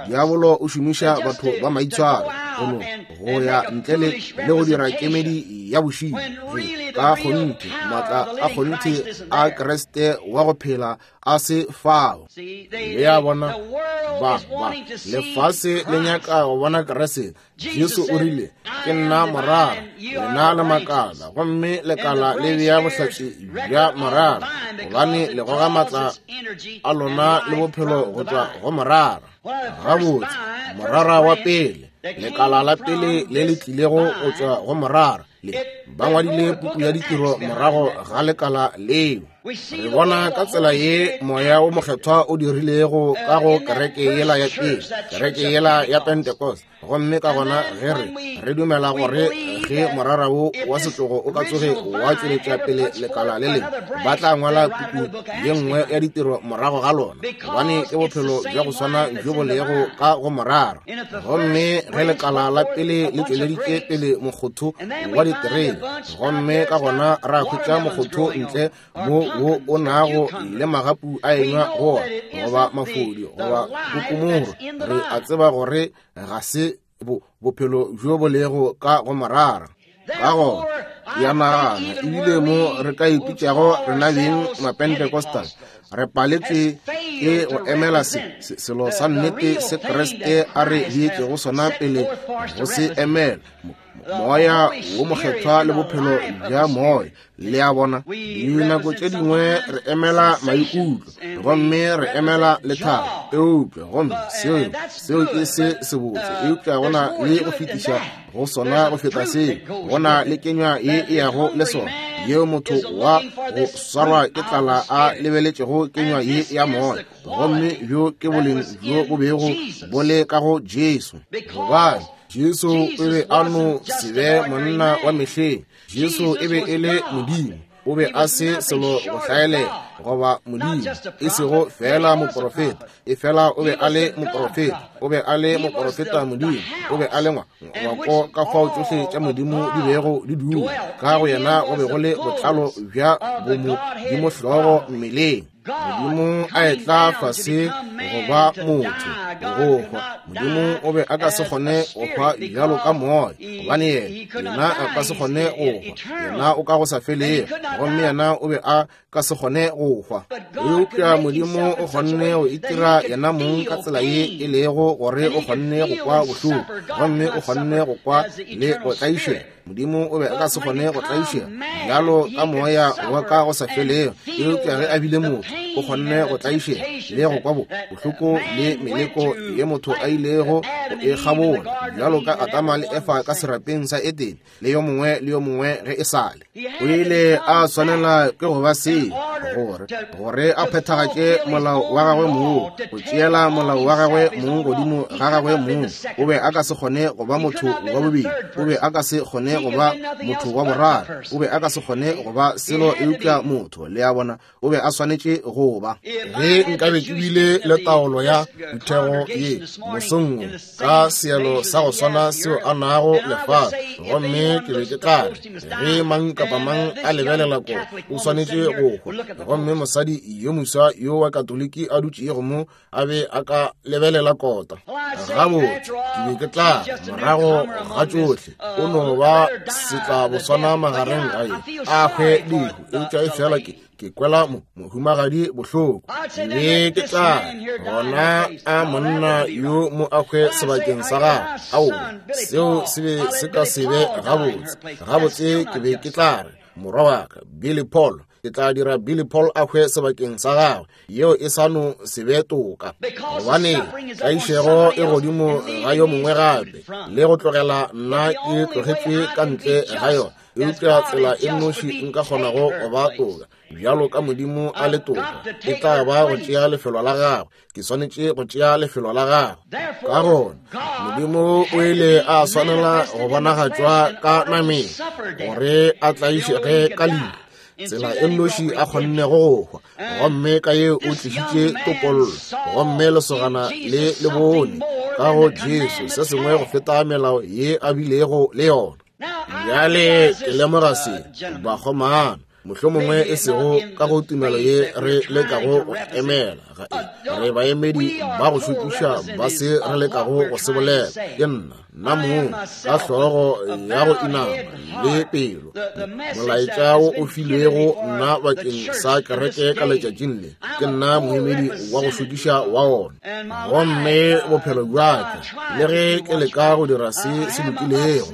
diabolo o šomiša batho ba maitshwaro go no go ya ntle le le go dira kemedi ya bošilo. Ka kgonthe maatla a kgonthe a Kriste wa go phela a se fao. Le a bona, ba ba lefase le nyaka go bona Kriste. Jesu o rile, ke nna morara, lena le makala, gomme lekala le bea bohlatse bja morara, gobane le goga maatla a lona le bophelo go tšwa go morara. Gabotse, morara wa pele, lekala la pele le le tlilego go tšwa go morara, le ba ngwadile puku ya ditiro morago ga lekala leo. Re bona ka tsela ye moya wo mokgethwa o dirilego ka go kereke yela ya pele, kereke yela ya Pentecost. Gomme ka gona ge re re dumela gore ge morara wo wa setlogo o ka tsoge wa tšweletša pele lekala le lengwe, ba tla ngwala puku ye nngwe ya ditiro morago ga lona, gobane ke bophelo bja go swana bjo bo lego ka go morara. Gomme ge lekala la pele le tšweleditše pele mokgotho wa diterebe, gomme ka gona ra hwetša mokgotho ntle mo wo o nago le magapu a enywa go ona, goba mafodi goba kokomoro, re a tseba gore ga se bophelo bjo bo lego ka go morara. Ka gona ya nagana ebile mo re ka ipitšago rena beng Mapentecostal, re paletswe ke go emela selo sa nnete se Kriste a re beetšego sona pele go se emela, moya wo mokgethwa le bophelo bja moya. Le a bona, dinako tše dingwe re emela maikutlo gomme re emela lethabo, eupša gomme seo seo ke se sebotse, eupša go na le go fetiša go sona go feta seo. Go na le kenywa ye e yago le sona, yeo motho wa go swarwa ke tlala a lebeletšego kenywa ye ya moya, gomme bjo ke boleng bjo bo bego bo le ka go Jesu. Gobane Jesu o be a no se be monna wa mehleng, Jesu e be e le Modimo. O be a se selo go hlaelela goba Modimo, e sego fela moprofeta, e fela o be a le moprofeta, o be a le moprofeta Modimo, o be a le ngwako ka fao tšohle tša Modimo di bego di dula ka go yena, go be go le botlalo bja bomodimo hlogo mmeleng. Modimo a etla fase go ba motho, go hwa. Modimo o be a ka se kgone go hwa bjalo ka moya, gobane yena a ka se kgone go hwa, yena o ka go sa felego, gomme yena o be a ka se kgone go hwa. Eupša Modimo o kgonne go itira yena mong ka tsela ye e lego gore o kgonne go kwa bohloko, gomme o kgonne go kwa le go tlaišega. Modimo o be a ka se kgone go tlaišega bjalo ka moya wa ka go sa felego, eupša ge a bile motho o kgonne go tlaišega le go kwa bohloko le meleko ye motho a ilego go e kgabola, bjalo ka Adama le Efa ka serapeng sa Edene le yo mongwe le yo mongwe ge e sale. O ile a swanela ke go ba se gore gore a phethagatše molao wa gagwe mong, go tšeela molao wa gagwe mong godimo ga gagwe mong. O be a ka se kgone go ba motho wa bobedi, o be a ka se kgone go ba motho wa boraro, o be a ka se kgone go ba selo eupša motho. Le a bona, o be a swanetše go ba. Ge nkabe ke bile le taolo ya phuthego ye mosong wo ka seelo sa go swana seo a nago lefase, gomme ke be ke tla re ge mang kapa mang a lebelela ko o swanetše go hwa, gomme mosadi yo moswa yo wa Katoliki a dutšego mo a be a ka lebelela kota, gabotse ke be ke tla morago ga tšohle o no ba setlaboswana magareng ga ye a hwe lehu, eupša e fela ke kwela mohumagadi bohloko, be ke tla gona a monna yo mo a hwe sebakeng sa gagwe. Aowa, seo se be se ka se be gabotse. Gabotse ke be ke tla re morwa wa ka Billy Paul, ke tla dira Billy Paul a hwe sebakeng sa gagwe, yeo e sa no se be toka, gobane tlaišego e godimo ga yo mongwe gape, le go tlogela nna ke tlogetšwe ka ntle ga yona. Eupša tsela e nnoši nka kgonago go ba toka bjalo ka Modimo a le toka e tla ba go tšea lefelo la gagwe. Ke swanetše go tšea lefelo la gagwe. Ka gona Modimo o ile a swanela go bonagatšwa ka nameng gore a tlaišege ka lehu, tsela e nnoši a kgonnego go hwa, gomme ka yeo o tlišitše topollo. Gomme lesogana le le bone ka go Jesu, se sengwe go feta melao ye a bilego le yona. Bjale ke lemoga se, bakgomana, mohlomongwe e sego ka go tumelo ye re lekago go emela, ga e re baemedi ba go šokiša ba se re lekago go se bolela. Ke nna, nna mong, ka hlogo ya go inama le pelo, molaetša wo o filwego nna bakeng sa kereke ka letšatšing le, ke nna moemedi wa go šokiša wa ona. Gomme bophelo bja ka, le ge ke leka go dira se se lokilego,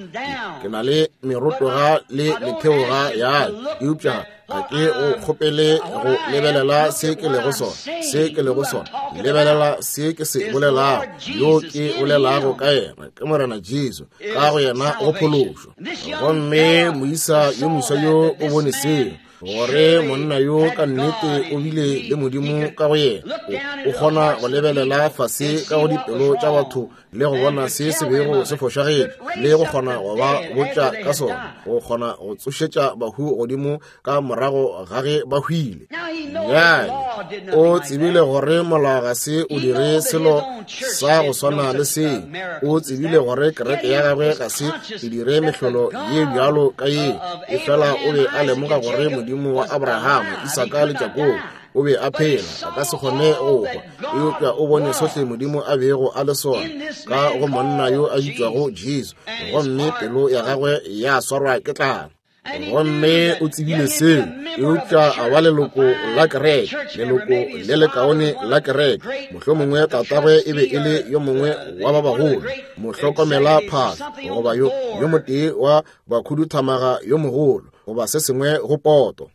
ke na le merotoga le metheoga ya ka, eupša ga ke go kgopele go lebelela se ke lego sona, se ke lego sona, lebelela se ke se bolelago, yo ke bolelago ka yena ke Morena Jesu, ka go yena go phološo. Gomme moisa yo moswa yo o bone seo, gore monna yo ka nnete o bile le Modimo ka go yena, o kgona go lebelela fase ka go dipelo tša batho le go bona se se bego se fošagetše, le go kgona go ba botša ka sona, go kgona go tsošetša bahu godimo ka morago ga ge ba hwile. Bjale o tsebile gore molao ga se o dire selo sa go swana le seo. O tsebile gore kereke ya gagwe ga se e dire mehlolo ye bjalo ka ye, efela o be a lemoga gore Modimo wa Abrahama, Isaka le Jakobo o be a phela, a ka se kgone go hwa. Eupša o bone sohle Modimo a bego a le sona ka go monna yo a bitšwago Jesu, gomme pelo ya gagwe ya swarwa ke tlala. Gomme o tsebile seo, eupša a ba leloko la kereke, leloko le lekaone la kereke. Mohlomongwe tatagwe e be e le yo mongwe wa ba bagolo, mohlokomela phahlo, goba yo motee wa bakhuduthamaga yo mogolo, goba se sengwe go poto.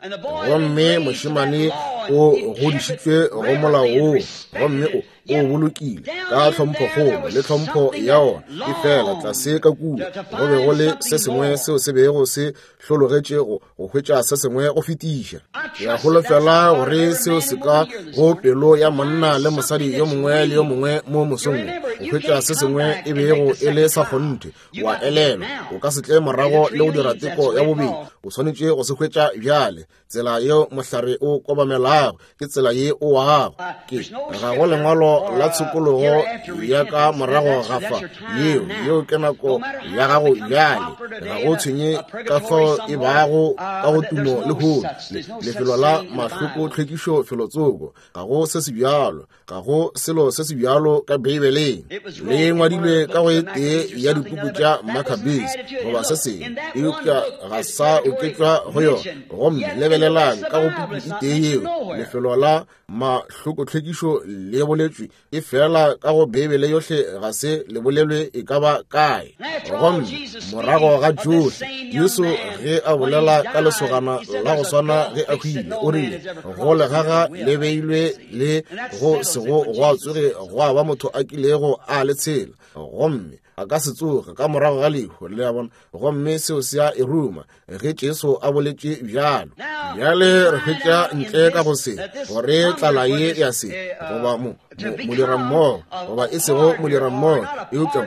Gomme mošemane o godišitšwe go molao woo, gomme o bolokile ka tlhomphokgolo le tlhompho ya ona. Efela tlase ka kua go be go le se sengwe seo se bego se hlologetše go hwetša se sengwe go fetiša. Ke a holofela gore seo se ka go pelo ya monna le mosadi yo mongwe le yo mongwe mo mosong wo, go hwetša se sengwe e bego e le sa kgonthe. Wa elelwa, o ka se tle morago le go dira teko ya bobedi, o swanetše go se hwetša bjale. Tsela yeo mohlare o kobamelago ke tsela ye o wago. Ke ga go lengwalo la tshokologo ya ka morago ga fa, yeo ke nako ya gago bjale. Ga go tshwenye ka fao e bago ka go tumo lehono, lefelo la mahloko tlhwekišo felotsoko, ga go se se bjalo. Ga go selo se se bjalo ka Beibeleng. Le ngwadilwe ka go e tee ya dipuku tša Maccabees goba se sengwe, eupša ga sa oketšwa go yona. Gomme lebelelang ka go puku e tee yeo, lefelo la mahlokotlhwekišo le boletšwe, efela ka go Beibele yohle ga se le bolelwe e ka ba kae. Gomme morago ga tšohle, Jesu ge a bolela ka lesogana la go swana ge a hwile, o rile, Go legaga le beilwe le go sego gwa tsoge gwa ba motho a kilego a le tshela, gomme a ka se tsoge ka morago ga lehu. Le a bona? Gomme seo se a e ruma ge Jesu a boletše bjalo. Bjale re hwetša ntle ka go se gore tlala ye ya se goba modirammogo, goba e sego modirammogo, eupša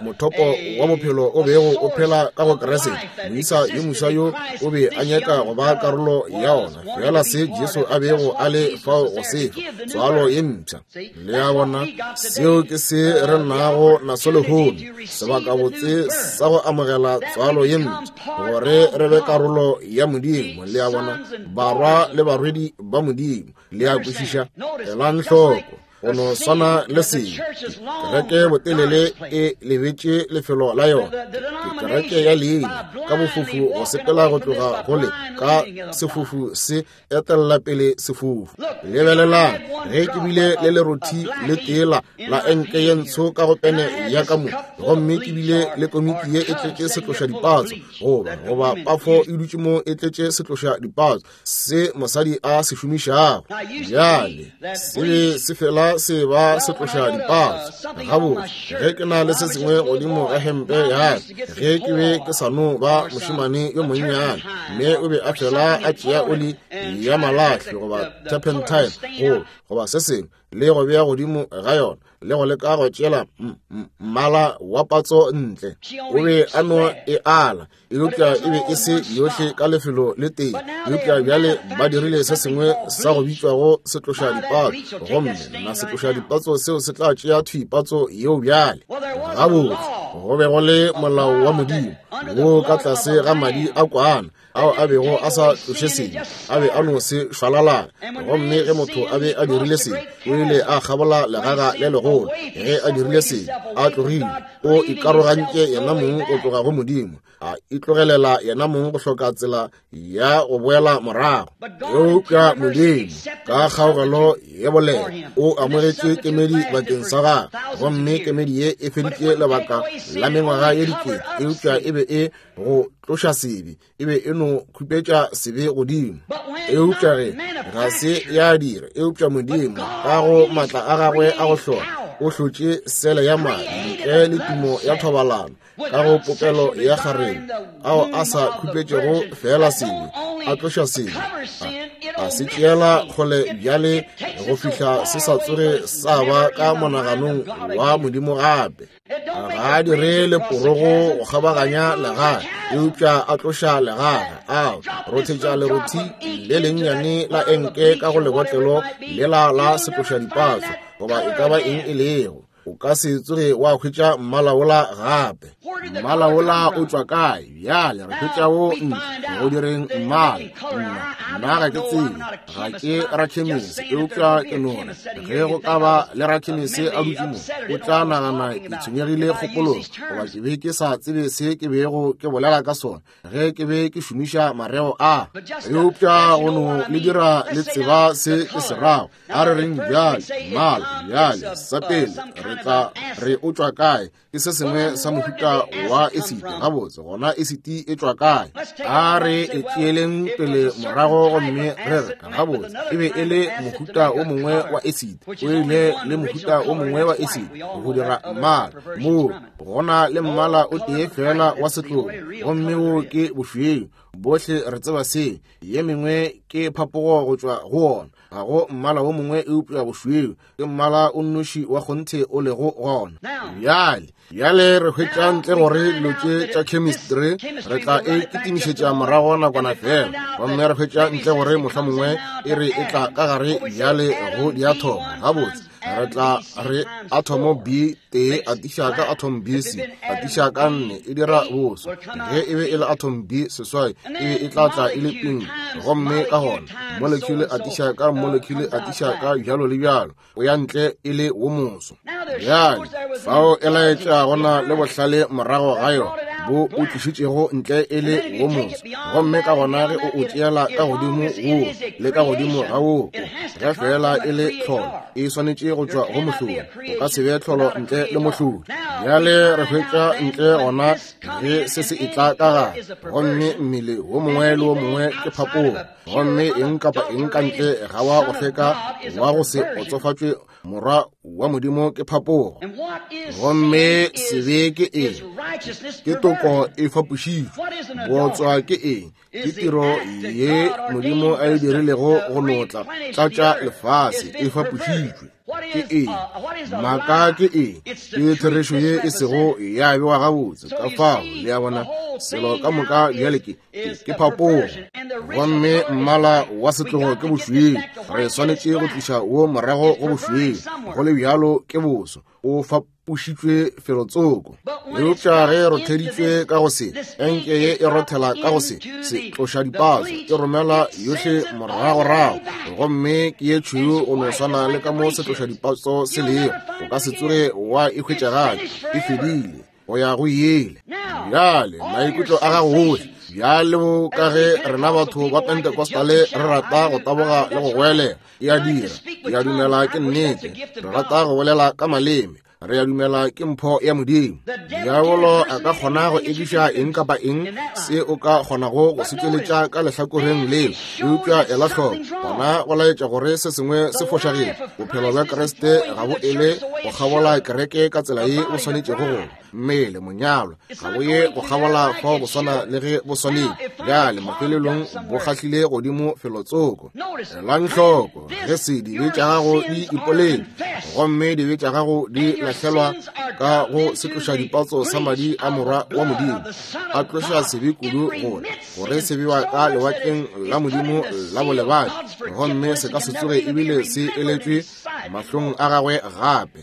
mothopo wa bophelo o bego o phela ka go Kriste. Moisa yo moswa yo o be a nyaka go ba karolo ya ona, fela se Jesu a bego a le fao go se fa, tswalo ye mpsha. Le a bona, seo ke se re nago naso lehono, sebakabotse sa go amogela tswalo ye mpsha, gore re be karolo ya Modimo. Le a bona, barwa le barwedi ba Modimo. Le a kwešiša? Elang hloko, go no swana le sengwe. Kereke botelele e lebetše lefelo la yona. Ke kereke ya leina ka bofofu go sepela go tloga go le ka sefofu se etella pele sefofu. Lebelelang, ge ke bile le lerothi le tee la enke ye ntsho ka go pene ya ka mo, gomme ke bile le komiki ye e tletše setloša dipatso, goba pafo e dutše mo e tletše setloša dipatso se mosadi a se šomišago. Bjale se be se fela se ba se tloša dipatso. Gabotse, ge ke na le se sengwe godimo ga hempe ya ka, ge ke be ke sa no ba mošemane yo monnyane, mme o be a fela a tšea oli ya malahle goba turpentine goba se sengwe. le go bea godimo ga yona, le go leka go tšeela mmala wa patso ntle. O be a no e ala, eupša e be e se yohle ka lefelo le tee. Eupša bjale ba dirile se sengwe sa go bitšwago setloša dipatso, gomme na setloša dipatso seo se tla tšea thwi patso yeo bjale. Gabotse, go be go le molao wa Modimo wo ka tlase ga madi a kwana ao a bego a sa tloše sebe, a be a no se šwalalana. Gomme ge motho a be a dirile sebe, o ile a kgabola legaga le legolo. Ge a dirile sebe, a tlogile, o ikarogantše yena mong go tloga go Modimo, a itlogelela yena mong go hloka tsela ya go boela morago. Eupša Modimo ka kgaogelo ye boleta o amogetše kemedi bakeng sa gagwe, gomme kemedi ye e feditše lebaka la mengwaga ye dikete, eupša e be e go tloša sebe, e be e no khupetša sebe godimo. Eupša ge ga se ya dira, eupša Modimo ka go maatla a gagwe a go hlola o hlotše sele ya madi ntle le tumo ya thobalano ka go popelo ya kgareng, ao a sa khupetšego feela sebe, a tloša sebe, a se tšeela kgole bjale go fihla se sa tsoge sa ba ka monaganong wa Modimo gape. Ga a dire leporogo go kgabaganya legaga, eupša a tloša legaga, a rothetša lerothi le lennyane la enke ka go lebotlelo lela la setlošadipatso, goba e ka ba eng e lego. O ka se tsoge wa hwetša mmala wola gape. Mmala wola o tšwa kae? Bjale re hwetša wo ntle go direng mmala. Nna ga ke tsebe, ga ke rakhemisi, eupša ke no re ge go ka ba le rakhemisi a dutše mo, o tla nagana ke tshwenyegile kgopolong, goba ke be ke sa tsebe se ke bego ke bolela ka sona ge ke be ke šomiša mareo a. Eupša go no le dira le tseba se ke se rago. A re reng bjale, mmala. Bjale, sa pele re tla re o tšwa kae? Ke se sengwe sa mohuta wa esiti. Gabotse, gona esiti e tšwa kae? A re e tšeeleng pele morago gomme re re, gabotse, e be e le mohuta o mongwe wa esiti, o ile le mohuta o mongwe wa esiti go dira mmala. Moo gona le mmala o tee fela wa setlogo, gomme wo ke bošweu. Bohle re tseba se. Ye mengwe ke phapogo go tšwa go wona. Ga go mmala wo mongwe eupša bošweu, ke mmala o nnoši wa kgonthe o lego gona. Bjale, bjale re hwetša ntle gore dilo tše tša chemistry re tla e kitimišetša morago nakwana fela, gomme re hwetša ntle gore mohlomongwe e re e tla ka gare bjale go diathomo. Gabotse, re tla re athomo B tee atiša ka atom B C atiša ka nne e dira boso. Ge e be e le atom B seswai, e be e tla tla e le pink, gomme ka gona molecule atiša ka molecule atiša ka bjalo le bjalo, o ya ntle e le wo moso. Bjale fao e laetša gona le bohlale morago ga yona bo o tlišitšego ntle e le wo moso, gomme ka gona ge o o tšeela ka godimo wo le ka godimo ga wo, ge fela e le tlholo e swanetše go tšwa go mohlodi. O ka se be tlholo ntle le mohlodi. Bjale re hwetša ntle gona ge se se etla ka gare, gomme mmele wo mongwe le wo mongwe ke phapogo, gomme eng kapa eng ka ntle ga wa go hlweka wa go se kgotsofatšwe morwa wa Modimo ke phapogo. Gomme sebe ke eng? Ke toko e fapošitšwe. Bootswa ke eng? Ke tiro ye Modimo a e dirilego go notla tlatša lefase, e fapošitšwe. Ke eng? Maaka ke eng? Ke therešo ye e sego ya bewa gabotse. Ka fao, le a bona, selo ka moka bjale ke ke phapogo, gomme mmala wa setlogo ke bošweu. Re swanetše go tliša wo morago go bošweu, go le bjalo ke boso. O fapošitšwe felotsoko. Eupša ge e rotheditšwe ka go se, enke ye e rothela ka go se, se tloša dipatso, e romela yohle moragorago, gomme ke ye tšhweu go no swana le ka mo se tloša dipatso se lego. O ka se tsoge wa e hwetša gape, e fedile go ya go yele. Bjale maikutlo a gago ohle bjalo ka ge rena batho ba Pentecostale re rata go taboga le go goelela, e a dira, ke a dumela ke nnete, re rata go bolela ka maleme. Re a dumela ke mpho ya Modimo. Diabolo a ka kgona go ekiša eng kapa eng se o ka kgonago go se tšweletša ka lehlakoreng leo, eupša ela hloko, gona go laetša gore se sengwe se fošagile. Bophelo bja Kriste ga bo ele go kgabola kereke ka tsela ye bo swanetšego go ba. Mmele, monyalwa, ga bo ye go kgabola fao go swana le ge bo swanetše. Bjale, mafelelong bo kgahlile godimo felotsoko. Elang hloko, ge se dibe tša gago di ipoletše gomme dibe tša gago di lahlelwa ka go setlošadipatso sa madi a Morwa wa Modimo, a tloša sebe kudu gore gore se bewa ka lewatleng la Modimo la bolebadi, gomme se ka se tsoge ebile se eletšwe mahlong a gagwe gape.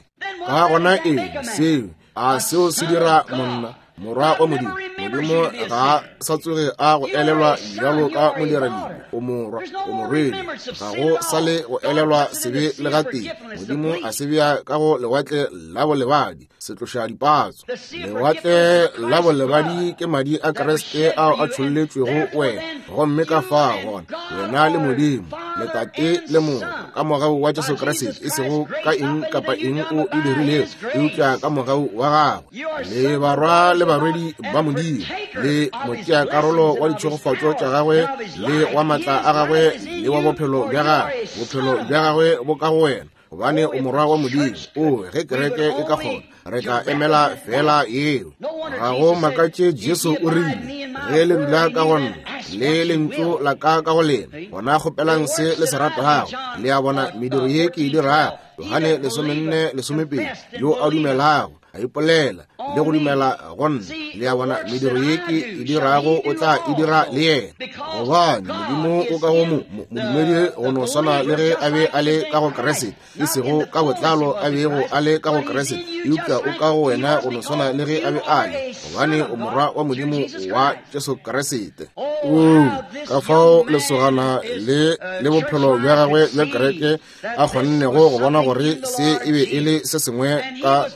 Ka gona eng seo? A seo se dira monna Morwa wa Modimo? Modimo ga a sa tsoge a go elelwa bjalo ka modiradibe. O morwa, o morwedi. Ga go sa le go elelwa sebe le gatee. Modimo a se bea ka go lewatle la bolebadi, setlošadipatso. Lewatle la bolebadi ke madi a Kriste ao a tšholletšwego wena. Gomme ka fao gona, wena le Modimo, le Tate le Morwa, ka mogau wa Jesu Kriste, e sego ka eng kapa eng o e dirilego, eupša ka mogau wa gagwe. Le barwa le barwedi ba Modimo, le motšeakarolo wa ditšhegofatšo tša gagwe, le wa matla a gagwe, le wa bophelo bja gagwe. Bophelo bja gagwe bo ka go wena, gobane o morwa wa Modimo. O, ge kereke e ka kgona, re tla emela fela yeo. Ga go makatše Jesu o rile, ge le dula ka go nna, le lentšu la ka ka go lena, gona kgopelang se le se ratago. Le a bona, mediro ye ke e dirago, Johane 14:12, yo a dumelago a ipolela le go dumela go nna, le a bona, mediro ye ke e dirago o tla e dira le yena, gobane Modimo o ka go modumedi go no swana le ge a be a le ka go Kriste, e sego ka botlalo a bego a le ka go Kriste, eupša o ka go wena go no swana le ge a be a le, gobane o morwa wa Modimo wa Jesu Kriste. Oo, ka fao lesogana le le bophelo bja gagwe bja kereke a kgonnego go bona gore se e be e le se sengwe ka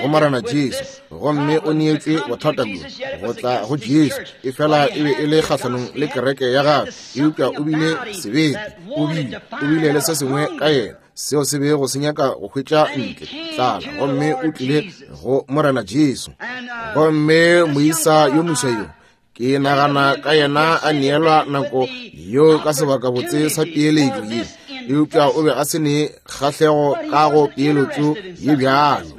go Morena Jesu, gomme o neetšwe bothata bjo go tla go Jesu, efela e be e le kgahlanong le kereke ya gagwe, eupša o bile sebete, o bile le se sengwe ka yena seo se bego se nyaka go hwetša ntle tlala, gomme o tlile go Morena Jesu. Gomme moisa yo moswa yo, ke nagana ka yena a neelwa nako yo ka sebakabotse sa peeletšo ye, eupša o be a se ne kgahlego ka go peeletšo ye bjalo.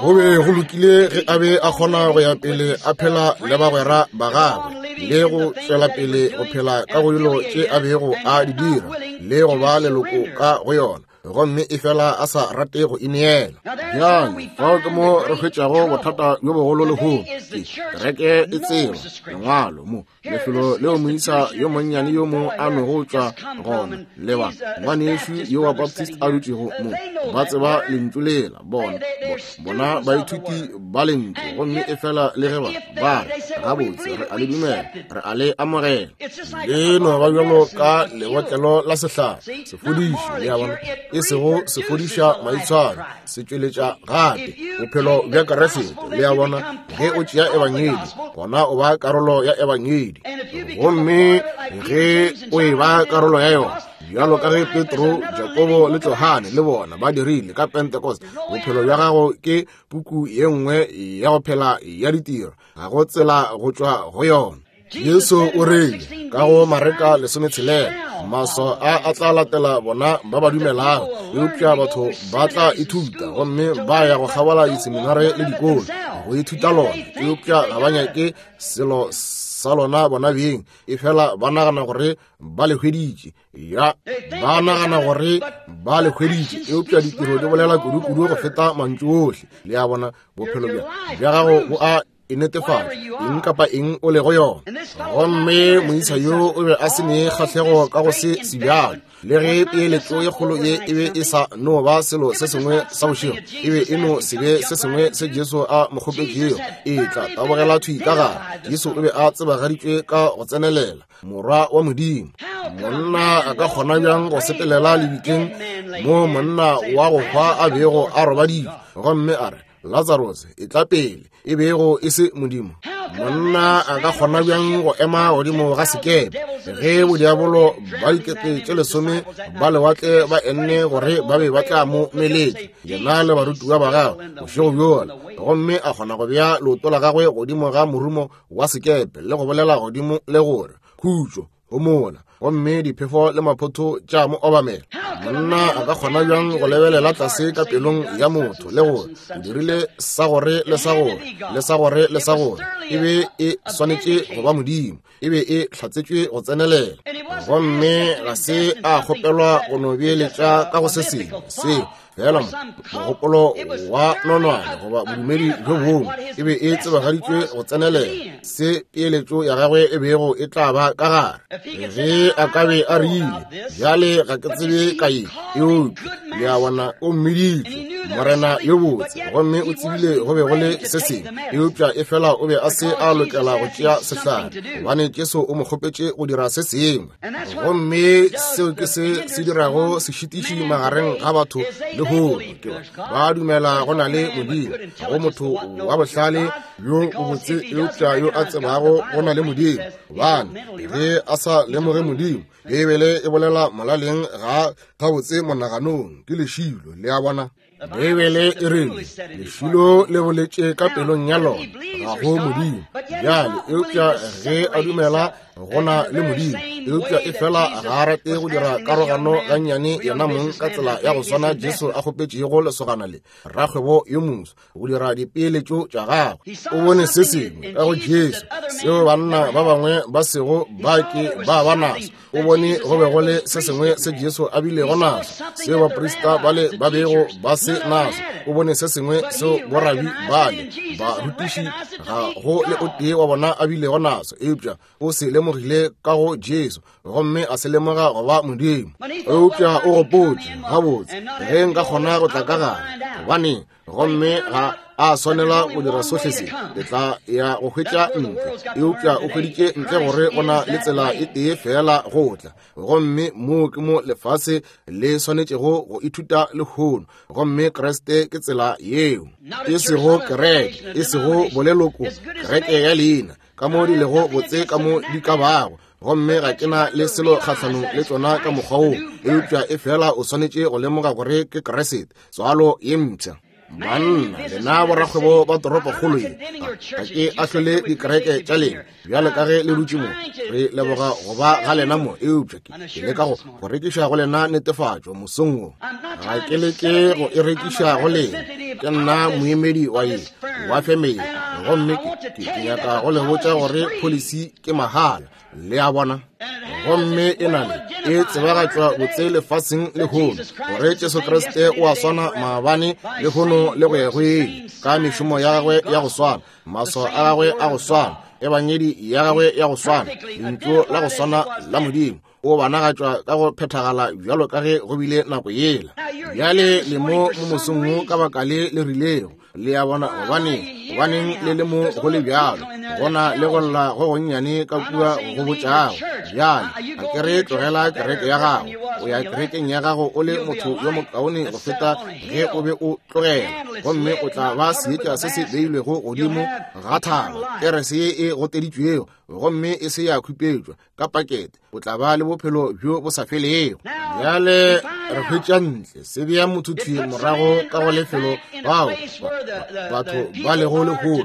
Go be go lokile ge a be a kgona go ya pele a phela le bagwera ba gagwe le go tšwela pele go phela ka go dilo tše a bego a di dira le go ba leloko ka go yona, gomme efela a sa rate go ineela. Bjale fao ke mo re hwetšago bothata bjo bogolo lehono. Ke kereke e tseba lengwalo mo lefelo leo moisa yo monnyane yo mo a nogo tšwa gona, leba ngwanešu yo wa Baptist a dutšego mo, ba tseba lentšu lela, bona bona baithuti ba lentšu, gomme efela le ge ba ba re gabotse re a le dumela, re a le amogela, le no ba bjalo ka lebotlelo la sehlare sefodiši, le a bona, e sego sefodiša maitshwaro, se tšweletša gape bophelo bja Kriste. Le a bona, ge o tšea ebangedi, gona o ba karolo ya ebangedi, gomme ge o e ba karolo ya yona, bjalo ka ge Petro, Jakobo le Johane le bona ba dirile ka Pentecost, bophelo bja gago ke puku ye nngwe ya go phela ya ditiro, ga go tsela go tšwa go yona. Jesu o rile ka go Mareka 16, maswao a a tla latela bona ba ba dumelago, eupša batho ba tla ithuta gomme ba ya go kgabola diseminare le dikolo go ithuta lona, eupša ga ba nyake selo sa lona bona beng, efela ba nagana gore ba le hweditše. Ya, ba nagana gore ba le hweditše, eupša ditiro di bolela kudu-kudu go feta mantšu ohle. Le a bona, bophelo bja gago bo a e netefatša eng kapa eng o lego yona. Gomme moisa yo o be a se ne kgahlego ka go se sebjalo, le ge peeletšo ye kgolo ye e be e sa no ba selo se sengwe sa bošego, e be e no se be se sengwe se Jesu a mo kgopetšego. E tla tabogela thwi ka gare. Jesu o be a tsebagaditšwe ka go tsenelela, Morwa wa Modimo. Monna a ka kgona bjang go sepelela lebitleng mo monna wa go hwa a bego a robaditšwe, gomme a re, Lazarus, etla pele, e bego e se Modimo? Monna a ka kgona bjang go ema godimo ga sekepe ge bodiabolo ba dikete tše lesome ba lewatle ba enne gore ba be ba tla mo meletša, yena le barutiwa ba gagwe, bošego bjola, gomme a kgona go bea leoto la gagwe godimo ga morumo wa sekepe le go bolela godimo le gore, Khutšo, homola, gomme diphefo le maphotho tša mo obamela? Monna a ka kgona bjang go lebelela tlase ka pelong ya motho le gore o dirile sa gore le sa gore le sa gore le sa gore? E be e swanetše go ba Modimo, e be e hlatsetšwe go tsenelela, gomme ga se a kgopelwa go no beeletša ka go se sengwe se fela mogopolo wa nonwane goba bodumedi bjo bongwe. E be e tsebagaditšwe go tsenelela se peeletšo ya gagwe e bego e tla ba ka gare. Ge a ka be a rile, bjale ga ke tsebe ka ye, eupša le a bona o mmiditše Morena yo botse, gomme o tsebile go be go le se sengwe, eupša e fela o be a se a lokela go tšea sehlare, gobane Jesu o mo kgopetše go dira se sengwe. Gomme seo ke se se dirago sešitiši magareng ga batho le hono, ke ba dumela go na le Modimo, go motho wa bohlale yo botse, eupša yo a tsebago go na le Modimo, gobane ge a sa lemoge Modimo, Beibele e bolela molaleng ga gabotse monaganong, ke lešilo. Le a bona? Beibele e rile lešilo le boletše ka pelong ya lona, ga go Modimo. Bjale, eupša ge a dumela go na le Modimo, eupša e fela ga a rate go dira karogano gannyane yena mong ka tsela ya go swana Jesu a kgopetšego lesogana le rakgwebo yo moso go dira dipeeletšo tša gagwe. O bone se sengwe ka go Jesu seo banna ba bangwe ba sego ba ke ba ba naso. O bone go be go le se sengwe se Jesu a bilego naso seo baprista bale ba bego ba se naso. O bone se sengwe seo borabi bale barutiši ga go le o tee wa bona a bilego naso, eupša o se lemogile ka go Jesu gomme a se lemoga go ba Modimo. Eupša o gopotše, gabotse, ge nka kgona go tla ka gare, gobaneng, gomme ga a swanela go dira sohle se, ke tla ya go hwetša ntle. Eupša o hweditše ntle gore go na le tsela e tee feela go tla, gomme moo ke mo lefase le swanetšego go ithuta lehono, gomme Kriste ke tsela yeo. E sego kereke, e sego boleloko, kereke ya leina, ka mo di lego botse ka mo di ka bago, gomme ga ke na le selo kgahlanong le tšona ka mokgwa woo, eupša e fela o swanetše go lemoga gore ke Kriste, tswalo ye mpsha. Banna, lena borakgwebo ba toropokgolo ye, ga ke ahlole dikereke tša lena bjalo ka ge le dutše mo. Re leboga go ba ga lena mo, eupša ke leka go rekiša go lena netefatšo mosong wo. Ga ke leke go e rekiša go lena, ke nna moemedi wa ye wa femele, gomme ke nyaka go le botša gore pholisi ke mahala. Le a bona? Gomme e na le e tsebagatšwa botse lefaseng lehono gore Jesu Kriste o a swana maabane, lehono le go ya go ile, ka mešomo ya gagwe ya go swana, maswao a gagwe a go swana, ebangedi ya gagwe ya go swana, lentšu la go swana la Modimo o banagatšwa ka go phethagala bjalo ka ge go bile nako yela. Bjale le mo mo mosong wo ka baka le le rilego. Le a bona? Gobaneng, gobaneng le le mo go le bjalo? Go na le go lla go gonnyane ka kua go botšago. Bjale, a ke re tlogela kereke ya gago, o ya kerekeng ya gago o le motho yo mokaone go feta ge o be o tlogela, gomme o tla ba seetša se se beilwego godimo ga thaba, kerese ye e goteditšwego gomme e se ya khupetšwa ka pakete, o tla ba le bophelo bjo bo sa felego. Bjale re hwetša ntle se bea motho thwi morago ka go lefelo bao batho ba lego lehono.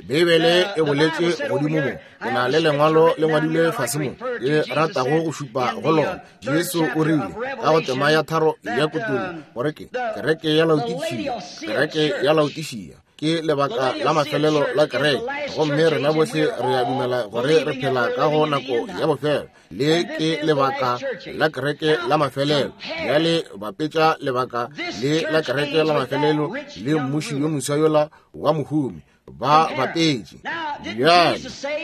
Beibele e boletše godimo mo, ke na le lengwalo le ngwadilwe fase mo ke ratago go šupa go lona. Jesu o rile ka go tema ya tharo ya Kutullo gore ke kereke ya Laodikia, kereke ya Laodikia ke lebaka la mafelelo la kereke, gomme rena bohle re a dumela gore re phela ka go nako ya bofelo. Le ke lebaka la kereke la mafelelo. Bjale bapetša lebaka le la kereke la mafelelo le mmuši yo moswa yola wa mohumi, ba bapetše. Bjale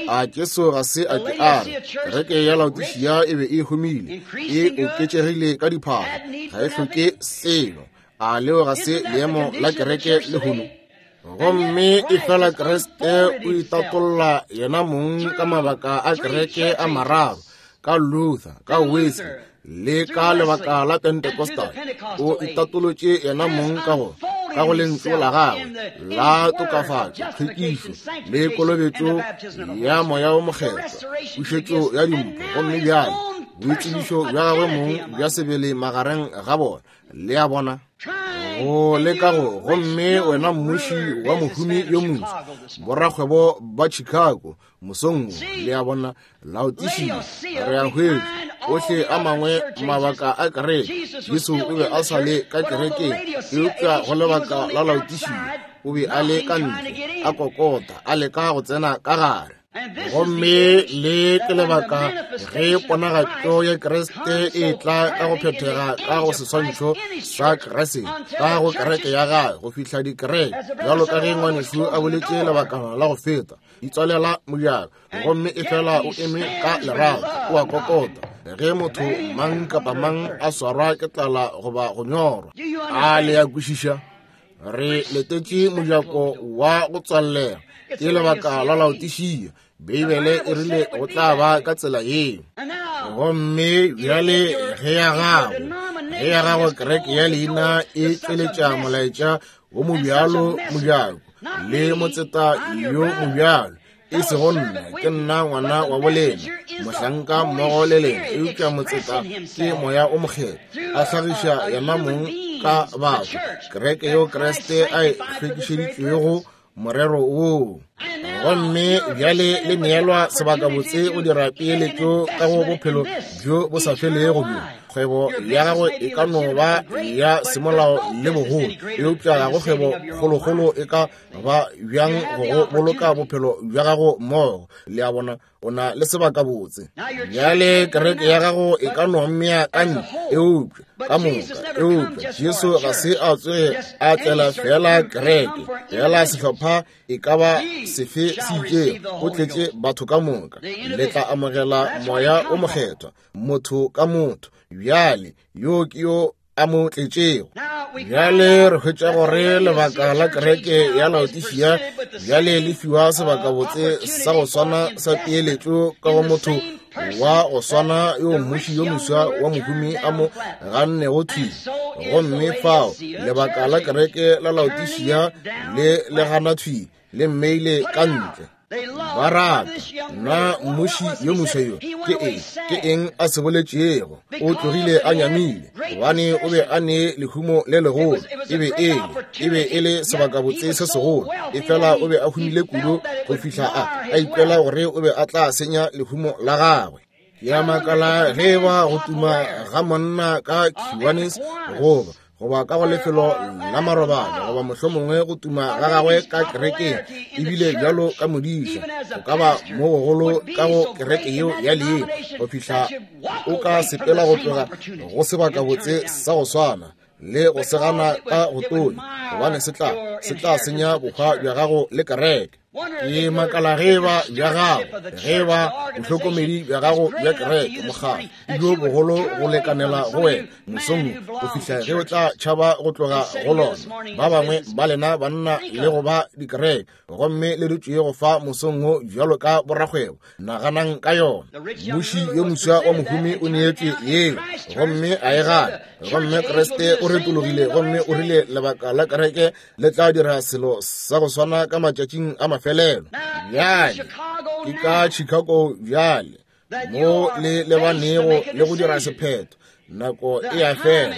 a Jesu ga se a ke a re kereke ya Laodikia e be e humile, e oketšegile ka diphahlo, ga e hloke selo? A leo ga se leemo la kereke lehono? Gomme e fela Kriste o itatolla yena mong ka mabaka a kereke a mararo, ka Luther, ka Wesley, le ka lebaka la Pentecostal. O itatolotše yena mong ka go ka go lentšu la gagwe la tokafatšo, tlhwekišo le kolobetšo ya Moya wo Mokgethwa, pušetšo ya dimpho, gomme bjale boitsebišo bja gagwe mong bja sebele magareng ga bona. Le a bona? Go leka go, gomme wena mmuši wa mohumi yo montsi, borakgwebo ba Chicago mosong wo, le a bona, Laodišia, re a hwetša ohle a mangwe mabaka a kereke. Jesu o be a sa le ka kerekeng, eupša go lebaka la Laodišia o be a le ka ntle, a kokota, a leka go tsena ka gare. Gomme le ke lebaka ge ponagatšo ya Kriste e tla ka go phethega ka go seswantšho sa Kriste ka go kereke ya gagwe, go fihla dikereke, bjalo ka ge ngwanešu a boletše lebakana la go feta, di tswalela mojako, gomme e fela o eme ka lerato, o a kokota. Ge motho mang kapa mang a swarwa ke tlala goba go nyorwa, a le a kwešiša? Re letetše mojako wa go tswallega, ke lebaka la Laodišia. Beibele e rile go tla ba ka tsela yeo. Gomme bjale ge ya gago, ge ya gago kereke ya leina e tšweletša molaetša wo mobjalo mojako le motseta yo mobjalo, e sego nna, ke nna ngwana wa bolena, mohlanka mmogo le lena, eupša motseta ke Moya o Mokgethwa, a hlagiša yena mong ka batho, kereke yeo Kriste a e hlwekišeditšwego morero woo. Gomme bjale le neelwa sebakabotse go dira peeletšo ka go bophelo bjo bo sa felego bjo. Kgwebo ya gago e ka no ba ya semolao le bogolo, eupša ga go kgwebo kgolokgolo e ka ba bjang go go boloka bophelo bja gago mmogo. Le a bona, o na le sebakabotse. Bjale kereke ya gago e ka no mmea ka ntle, eupša ka moka, eupša Jesu ga se a tsoge a tlela fela kereke, fela sehlopha e ka ba sefe se itšego, o tletše batho ka moka. Le tla amogela Moya o Mokgethwa, motho ka motho. Bjale yo ke yo a mo tletšego. Bjale re hwetša gore lebaka la kereke ya Laodišia bjale le fiwa sebakabotse sa go swana sa peeletšo ka go motho wa go swana yo mmuši yo moswa wa mohumi a mo gannego thwi. Gomme fao lebaka la kereke la Laodišia le le gana thwi, le mmeile ka ntle. Ba rata na mmuši yo moswa yo ke eng, ke eng a se boletšego? O tlogile a nyamile, gobane o be a ne lehumo le legolo. E be e e be e le sebakabotse se segolo, efela o be a humile kudu go fihla a ikwela gore o be a tla senya lehumo la gagwe. Ke a makala ge e ba go tuma ga monna ka Kiwanis goba goba ka go lefelo la marobalo, goba mohlomongwe go tuma ga gagwe ka kerekeng, ebile bjalo ka modiša, go ka ba mo gogolo ka go kereke yeo ya leina, go fihla o ka sepela go tloga go sebakabotse sa go swana le go segana ka go tonya, gobane se tla senya bohwa bja gago le kereke. Ke makala ge eba bja gago, ge eba bohlokomedi bja gago bja kereke, mokgatlo, e bjo bogolo go lekanela go wena mosong wo, go fihla ge o tla tšhaba go tloga go lona. Ba bangwe ba lena banna le go ba dikereke, gomme le dutše go fa mosong wo bjalo ka borakgwebo. Naganang ka yona. Mmuši yo moswa wa mohumi o neetšwe yeo, gomme a e gana. Gomme Kriste o retologile gomme o rile lebaka la kereke le tla dira selo sa go swana ka matšatšing a mafelelo. Bjale ke ka Chicago bjale mo le lebanego le go dira sephetho. Nako e a fela,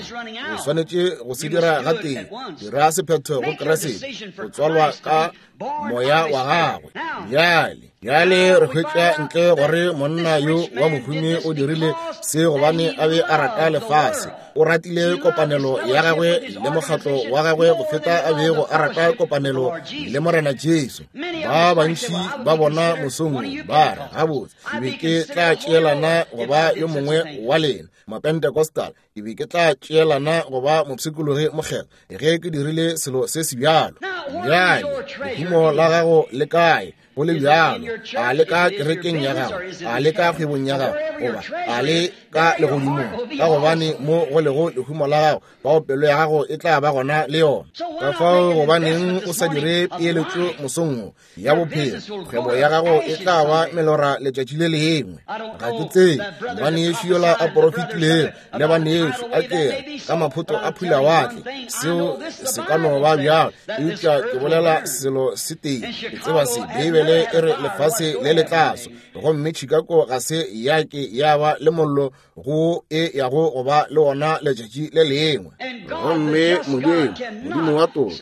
o swanetše go se dira gatee. Dira sephetho go Kriste, go tswalwa ka Moya wa gagwe. Bjale, bjale re hwetša ntle gore monna yo wa mohumi o dirile se gobane a be a rata lefase. O ratile kopanelo ya gagwe le mokgatlo wa gagwe go feta a bego a rata kopanelo le Morena Jesu. Ba bantši ba bona mosong ba re, gabotse, ke be ke tla tšeelana go ba yo mongwe wa lena Mapentecostal, ke be ke tla tšeelana go ba mopshikologi mokgethwa ge ke dirile selo se se bjalo. Bjale lehumo la gago le kae? Go le bjalo, a le ka kerekeng ya gago, a le ka kgwebong ya gago, goba a le ka legodimong? Ka gobane mo go lego lehumo la gago, bao pelo ya gago e tla ba gona le yona. Ka fao gobaneng o sa dire peeletšo mosong wo ya bophelo? Kgwebo ya gago e tla ba melora letšatši le lengwe. Ga ke tsebe ngwanešu yola a porofetilego le banešu Ngwanešu, a ke re, ka maphoto a phulawatle, seo se ka no ba bjalo, eupša ke bolela selo se tee, ke tseba se, Beibele e re lefase le le tla swa, gomme Chicago ga se ya ke ya ba le mollo go e yago go ba le wona letšatši le lengwe. Gomme Modimo, Modimo wa toka,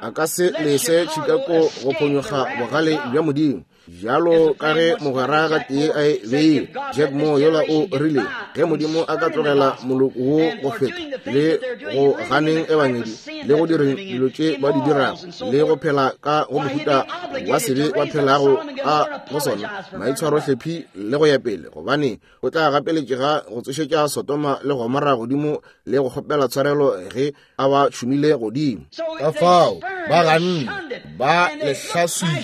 a ka se lese Chicago go phonyokga bogale bja Modimo. Bjalo ka ge mogwera gatee a e beile, Jack Moore yola o rile, ge Modimo a ka tlogela moloko wo go feta, le go ganeng ebangedi, le go direng dilo tše ba di dirago, le go phela ka go mohuta wa sebe ba phelago ka go sona, maitshwarohlephi le go ya pele, gobane o tla gapeletšega go tsošetša Sodoma le Gomora godimo le go kgopela tshwarelo ge a ba tšhumile godimo. Ka fao ba ganne, ba lehlaswile,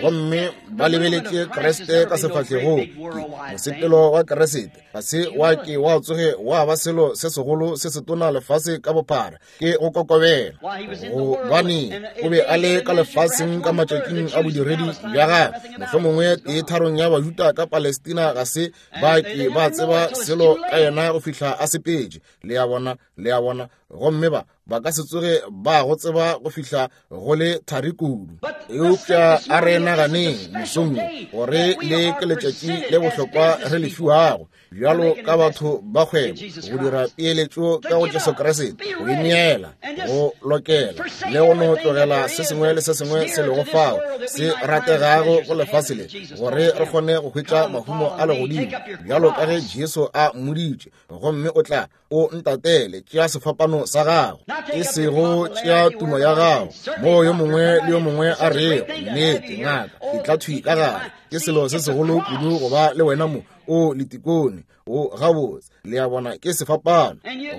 gomme ba lebeletše Kriste ka sefahlegong. Mosepelo wa Kriste ga se wa ke wa tsoge wa ba selo se segolo se setona lefase ka bophara, ke go kokobela, gobane o be a le ka lefaseng ka matšatšing a bodiredi bja gagwe. Mohlomongwe tee tharong ya Bajuda ka Palestina ga se ba ke ba tseba selo ka yena go fihla a sepetše. Le a bona, le a bona, gomme ba ka se tsoge ba go tseba go fihla go le thari kudu. Eupša a re naganeng mosong wo gore le ke letšatši le bohlokwa re le fiwago bjalo ka batho ba kgwebo go dira peeletšo ka go Jesu Kriste, go ineela, go lokela le go no tlogela se sengwe le se sengwe se lego fao se rategago go lefase le, gore re kgone go hwetša mahumo a legodimo bjalo ka ge Jesu a mmoditše, gomme o tla o ntatele, tšea sefapano sa gago, e sego tšea tumo ya gago, moo yo mongwe le yo mongwe a rego, nnete ngaka, ke tla thwi ka gare, ke selo se segolo kudu go ba le wena mo, o letikone, o gabotse, le a bona, ke sefapano.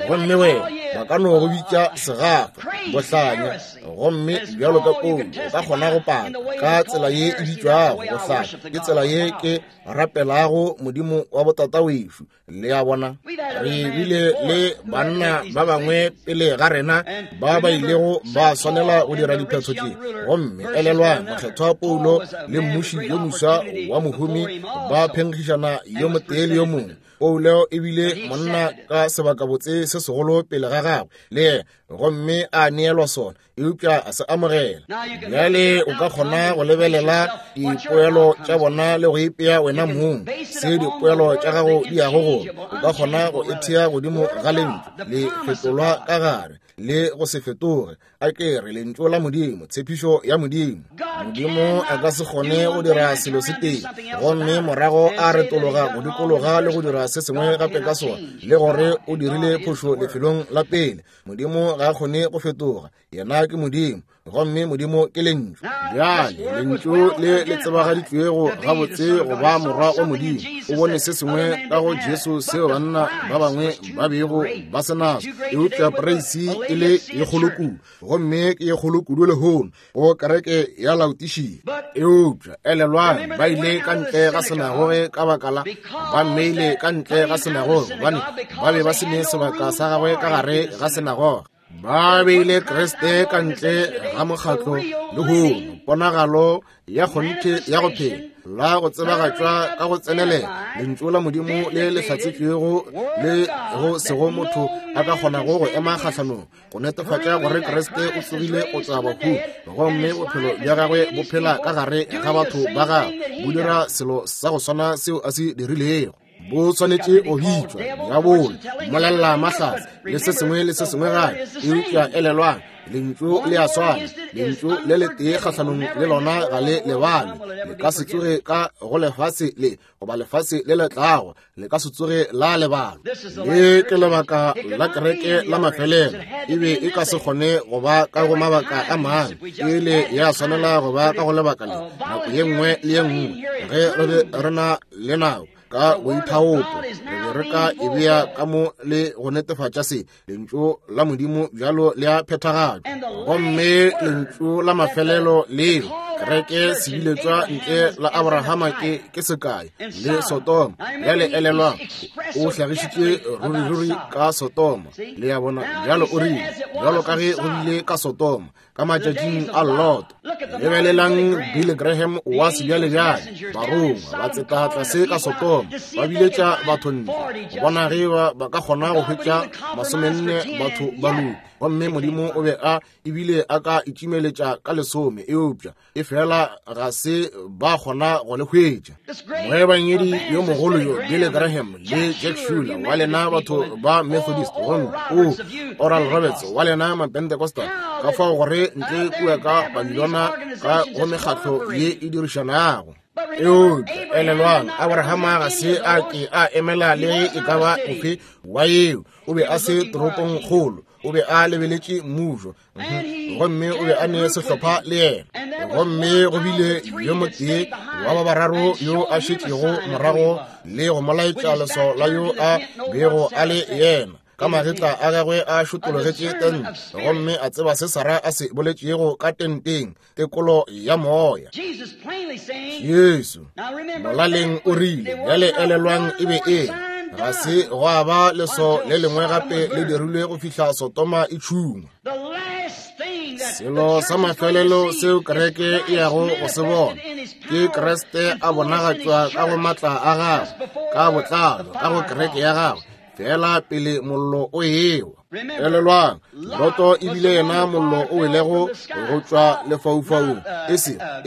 Gomme wena, ba ka no go bitša segafa, bohlanya, gomme bjalo ka Paulo, o ka kgona go paka ka tsela ye e bitšwago bohlanya, ke tsela ye ke rapelago Modimo wa botatawešo. Le a bona, re bile le banna ba bangwe pele ga rena ba ba ilego ba swanela go dira diphetho tše. Gomme elelwang, mokgethwa Paulo le mmuši yo moswa wa mohumi ba phenkgišana yo motee le yo mongwe. Paulo e bile monna ka sebakabotse se segolo pele ga gagwe le yena, gomme a neelwa sona, eupša a se amogela. Bjale o ka kgona go lebelela dipoelo tša bona le go ipea wena mong se dipoelo tša gago di yago go. O ka kgona go ethea godimo ga lentšu le fetolwa ka gare le go se fetoge. A ke re lentšu la Modimo, tshepišo ya Modimo. Modimo a ka se kgone go dira selo se tee gomme morago a retologa go dikologa le go dira se sengwe gape ka sona, le gore o dirile phošo lefelong la pele. Modimo ga a kgone go fetoga, yena ke Modimo, gomme Modimo ke Lentšu. Bjale Lentšu le le tsebagaditšwego gabotse go ba Morwa wa Modimo, o bone se sengwe ka go Jesu seo banna ba bangwe ba bego ba se naso, eupša poreisi e le ye kgolo kudu, gomme ke ye kgolo kudu lehono go kereke ya Laodišia. Eupša elelwang, ba ile ka ntle ga sinagoge ka baka la, ba mmeile ka ntle ga sinagoge gobane ba be ba se ne sebaka sa gagwe ka gare ga sinagoge. Ba beile Kriste ka ntle ga mokgatlo lehono, ponagalo ya kgonthe ya go phela la go tsebagatšwa ka go tsenelela lentšu la Modimo le le hlatsetšwego le go sego motho a ka kgonago go ema kgahlanong, go netefatša gore Kriste o tsogile go tšwa bahung, gomme bophelo bja gagwe bo phela ka gare ga batho ba gagwe, bo dira selo sa go swana seo a se dirilego. Bo swanetše go bitšwa diabolo, mmolelela mahlatse le se sengwe le se sengwe gape, eupša elelwang, lentšu le a swana, lentšu le letee kgahlanong le lona ga le lebale, le ka se tsoge ka go lefase le goba lefase le le tlago, le ka se tsoge la lebalwa. Le ke lebaka la kereke la mafelelo, e be e ka se kgone go ba ka go mabaka a mangwe, e ile ya swanela go ba ka go lebaka le nako ye nngwe le ye nngwe ge re be re na le nako ka boithaopo, re be re ka e bea ka mo le go netefatša se lentšu la Modimo bjalo le a phethagatšwa. Gomme lentšu la mafelelo leo kereke sebiletšwa ntle la Abrahama ke sekai le Sodoma. Bjale elelwang, o hlagišitše ruriruri ka Sodoma, le a bona. Bjalo o rile, bjalo ka ge go bile ka Sodoma ka matšatšing a Lot. Lebelelang Billy Graham wa sebjalebjale, barongwa ba tseta tlase ka Sodoma, ba biletša batho ntle go bona ge ba ka kgona go hwetša 40 batho ba loka. Gomme Modimo o be a ebile a ka itšimeletša ka 10, eupša e fela ga se ba kgona go le hwetša. Moebangedi yo mogolo yo Billy Graham le Jack Schuler wa lena batho ba Methodist, gomme o Oral Roberts wa lena Mapentecostal, ka fao gore ntle kua ka Babilona ka go mekgatlo ye e dirišanago. Eupša elelwang, Abrahama ga se a ke a emela le e ka ba ofe wa yeo. O be a se toropong kgolo, o be a lebeletše mmušo, gomme o be a ne sehlopha le yena. Gomme go bile yo motee wa ba bararo yo a šetšego morago le go mo laetša leswao la yo a bego a le yena. Ka magetla a gagwe a šotologetše tente, gomme a tseba se Sara a se boletšego ka tenteng, tekolo ya moya. Jesu molaleng o rile, bjale elelwang e be e ga se gwa ba leso le lengwe gape le dirilwe go fihla Sodoma e tšhungwa. Selo sa mafelelo seo kereke e yago go se bona ke Kriste a bonagatšwa ka go matla a gagwe ka botlalo ka go kereke ya gagwe, fela pele mollo o ewa. Elelwang, Loto ebile yena mollo o welego go tšwa lefaufaung, e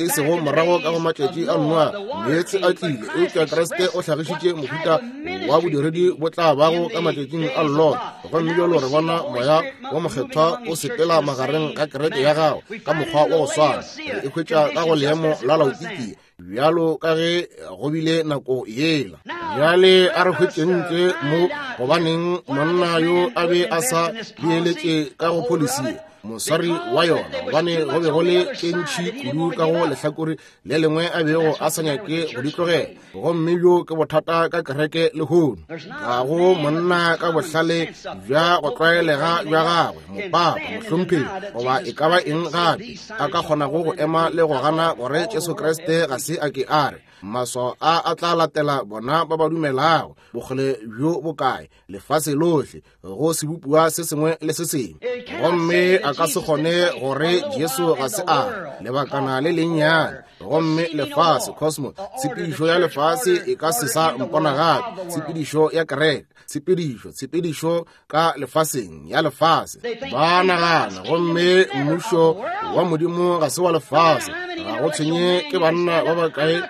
sego morago ka go matšatši a Noa, meetse a tlile, eupša Kriste o hlagišitše mohuta wa bodiredi bo tla bago ka matšatšing a Lot. Gomme bjalo re bona moya wa mokgethwa o sepela magareng ga kereke ya gagwe ka mokgwa wa go swana, re e hwetša ka go leemo la Laodikia bjalo ka ge go bile nako yela. Bjale a re hwetšeng ntle mo gobaneng monna yo a be a sa beeletše ka go pholisi moswari wa yona, gobane go be go le tše ntši kudu ka go lehlakore le lengwe a bego a sa nyake go di tlogela. Gomme bjo ke bothata ka kereke lehono. Ga go monna ka bohlale bja go tlwaelega bja gagwe, mopapa, mohlomphegi, goba e ka ba eng gape, a ka kgonago go ema le go gana gore Jesu Kriste ga se a ke a re maswao a a tla latela bona ba ba dumelago, bokgole bjo bokae, lefase lohle, go sebopiwa se sengwe le se sengwe. Gomme a ka se kgone gore Jesu ga se a re lebakana le lennyane, gomme lefase, cosmos, tshepedišo ya lefase e ka se sa mpona gape, tshepedišo ya kereke, tshepedišo ka lefaseng ya lefase, ba nagana gomme mmušo wa Modimo ga se wa lefase. Ga go tshwenye ke banna ba bakae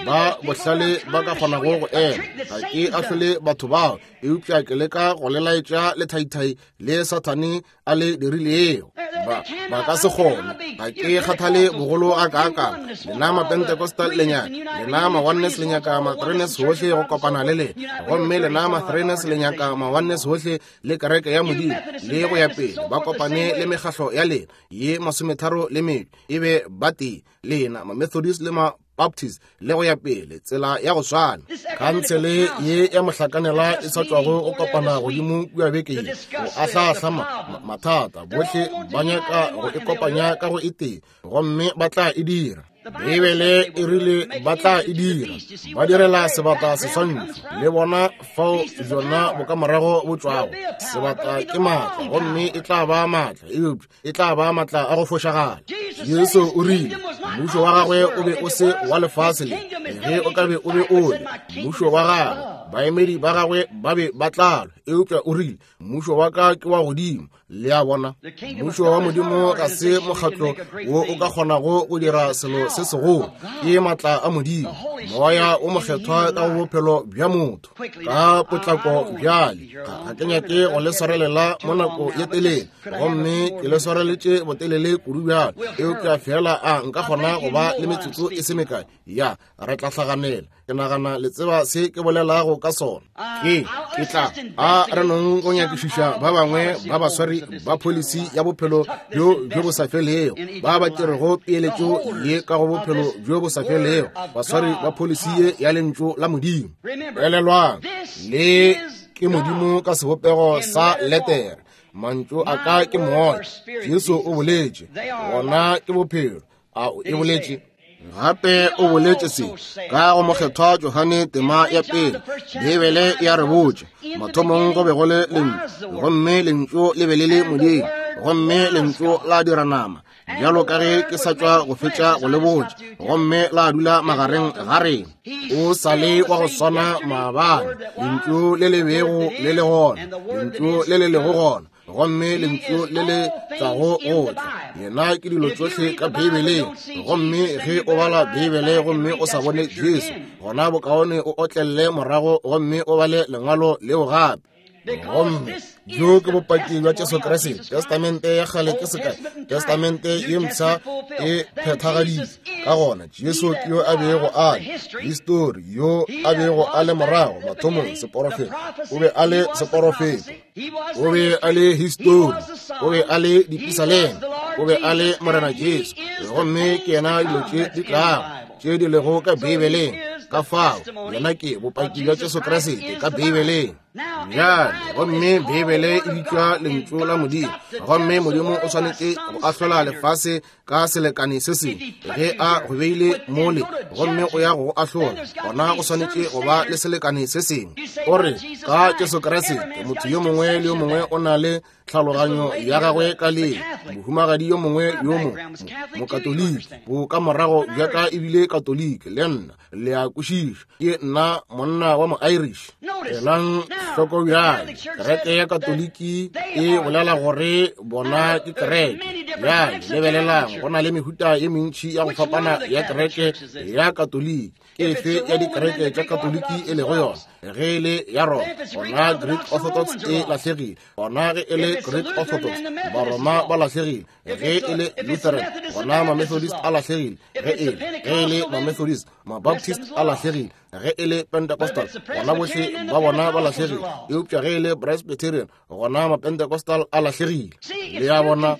ba bohlale ba ka kgonago go ema. Ga ke ahlole batho bao, eupša ke leka go le laetša lethaithai le Sathane a le dirilego. Ba ka se kgone. Ga ke kgathale bogolo a kaakang. Lena Mapentecostal le nyaka, lena ma-Oneness le nyaka ma-Threeness hohle go kopana le lena, gomme lena ma-Threeness le nyaka ma-Oneness hohle le kereke ya Modimo le go ya pele, ba kopane le mekgahlo ya lena ye 32 e be ba tee, lena ma-Methodist le ma Baptist le go ya pele, tsela ya go swana. Khansele ye ya mohlakanela e sa tšwago go kopana godimo kua beke ye go ahlaahla mathata, bohle ba nyaka go e kopanya ka go e tee, gomme ba tla e dira. Beibele e rile ba tla e dira, ba direla sebata seswantšho, le bona fao bjona bokamorago bo tšwago. Sebata ke maatla, gomme e tla ba maatla, eupša e tla ba maatla a go fošagala. Jesu o rile mmušo wa gagwe o be o se wa lefase le, ge o ka be o be o le mmušo wa gagwe, baemedi ba gagwe ba be ba tla lwa, eupša o rile mmušo wa ka ke wa godimo. Le a bona, mmušo wa Modimo ga se mokgatlo wo o ka kgonago go dira selo se segolo, ke maatla a Modimo, moya o mokgethwa ka go bophelo bja motho ka potlako. Bjale ga ke nyake go le swarelela mo nako ye telele, gomme ke le swareletše botelele kudu bjale, eupša fela a nka kgona go ba le metsotso e se mekae ya re tla hlaganela. Ke nagana le tseba se ke bolelago ka sona. Ke tla a re nong go nyakišiša ba bangwe ba baswari ba pholisi ya bophelo bjo bjo bo sa felego, ba ba tšerego peeletšo ye ka go bophelo bjo bo sa felego, baswari ba pholisi ye ya lentšu la Modimo. Elelwang, le ke Modimo ka sebopego sa letere. Mantšu a ka ke moya, Jesu o boletše, wona ke bophelo. A e boletše gape, o boletše se ka go mokgethwa Johane tema ya pele. Beibele ya re botša, mathomong go be go le lentšu, gomme lentšu le be le le Modimo, gomme lentšu la dira nama. bjalo ka ge ke sa tšwa go fetša go le botša, gomme la dula magareng ga rena. O sa le wa go swana maabane, lentšu le le bego le le gona, lentšu le le lego gona, gomme lentšu le le tlago go tla. Yena ke dilo tšohle ka Beibeleng. Gomme ge o bala Beibele gomme o sa bone Jesu, gona bokaone o otlelle morago gomme o bale lengwalo leo gape. Gomme bjo ke bopaki bja Jesu Kriste. Testamente ya kgale ke sekai, Testamente ye mpsha e phethagaditše. Ka gona Jesu ke yo a bego a le histori, yo a bego a le morago mathomong, seporofeto. O be a le seporofeto, o be a le histori, o be a le dipisalema, o be a le Morena Jesu, gomme ke yena dilo tše di tlago tše di lego ka Beibeleng. Ka fao yena ke bopaki bja Jesu Kriste ka Beibeleng. Bjale, gomme Beibele e bitšwa Lentšu la Modimo, gomme Modimo o swanetše go ahlola lefase ka selekane se sengwe. Ge a go beile mole gomme o ya go go ahlola, gona go swanetše go ba le selekane se sengwe. O re ka Jesu Kriste, motho yo mongwe le yo mongwe o na le tlhaloganyo ya gagwe ka le mohumagadi yo mongwe yo mo mokatoliki, bo ka morago bja ka ebile katoliki le nna, le a kwešiša, ke nna monna wa mo-Irish. Elang hloko bjale, kereke ya katoliki e bolela gore bona ke kereke. Bjale lebelelang, go na le mehuta ye mentši ya go fapana ya kereke ya katoliki. Ke efe ya dikereke tša katoliki e lego yona? Ge e le ya Roma, gona Greek Orthodox e lahlegile. Gona ge e le Greek Orthodox, Baroma ba lahlegile. Ge e le Lutheran, gona ma-Methodist a lahlegile. Ge e ge e le ma-Methodist, ma-Baptist a lahlegile. Ge e le Pentecostal, gona bohle ba bona ba lahlegile. Eupša ge e le Presbyterian, gona ma-Pentecostal a lahlegile. Le ya bona,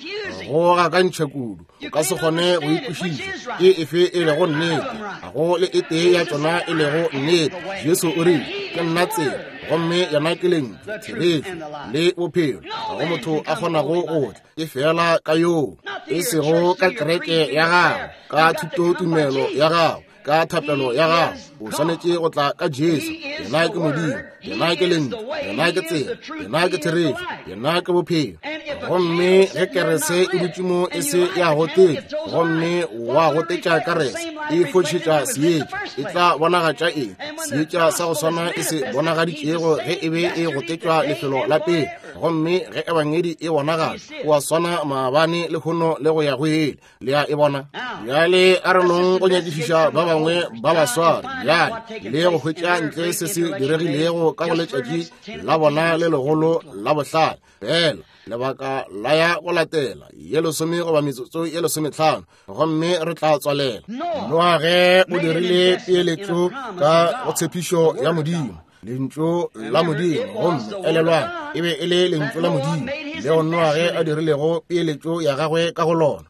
go gakantšha kudu, o ka se kgone go ikwešiša ke efe e lego nnete. Ga go le e tee ya tšona e lego nnete. Jesu o rile, ke nna tsela, gomme yena ke lentšu, therešo le bophelo. Ga go motho a kgonago go tla ke fela ka yoo, e sego ka kereke ya gago, ka thutotumelo ya gago, ka thapelo ya gago. O swanetše go tla ka Jesu. Yena ke Modimo, yena ke lentšu, yena ke tsela, yena ke therešo, yena ke bophelo. Gomme ge kerese e dutše mo e se ya gotetša, gomme wa gotetša kerese, e fošetša seetša, e tla bonagatša eng? Seetša sa go swana e se bonagaditšego ge e be e gotetšwa lefelo la pele. Gomme ge ebangedi e bonagala, o a swana maabane, lehono le go ya go ile. Le a e bona? Bjale a re nong go nyakišiša ba bangwe ba baswari bjale le go hwetša ntle se se diregilego ka go letšatši la bona le legolo la bohlale. Fela lebaka la ya go latela ye lesome goba metsotso ye lesometlhano, gomme re tla tswalela. Noage o dirile peeletšo ka go tshepišo ya Modimo, lentšu la Modimo. Gomme elelwang, e be e le lentšu la Modimo leo Noage a dirilego peeletšo ya gagwe ka go lona.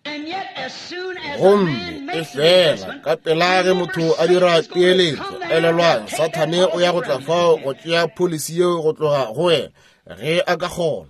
Gomme e fela ka pela ge motho a dira peeletšo, elelwang, Sathane o ya go tla fao go tšea pholisi yeo go tloga go wena ge a ka kgona.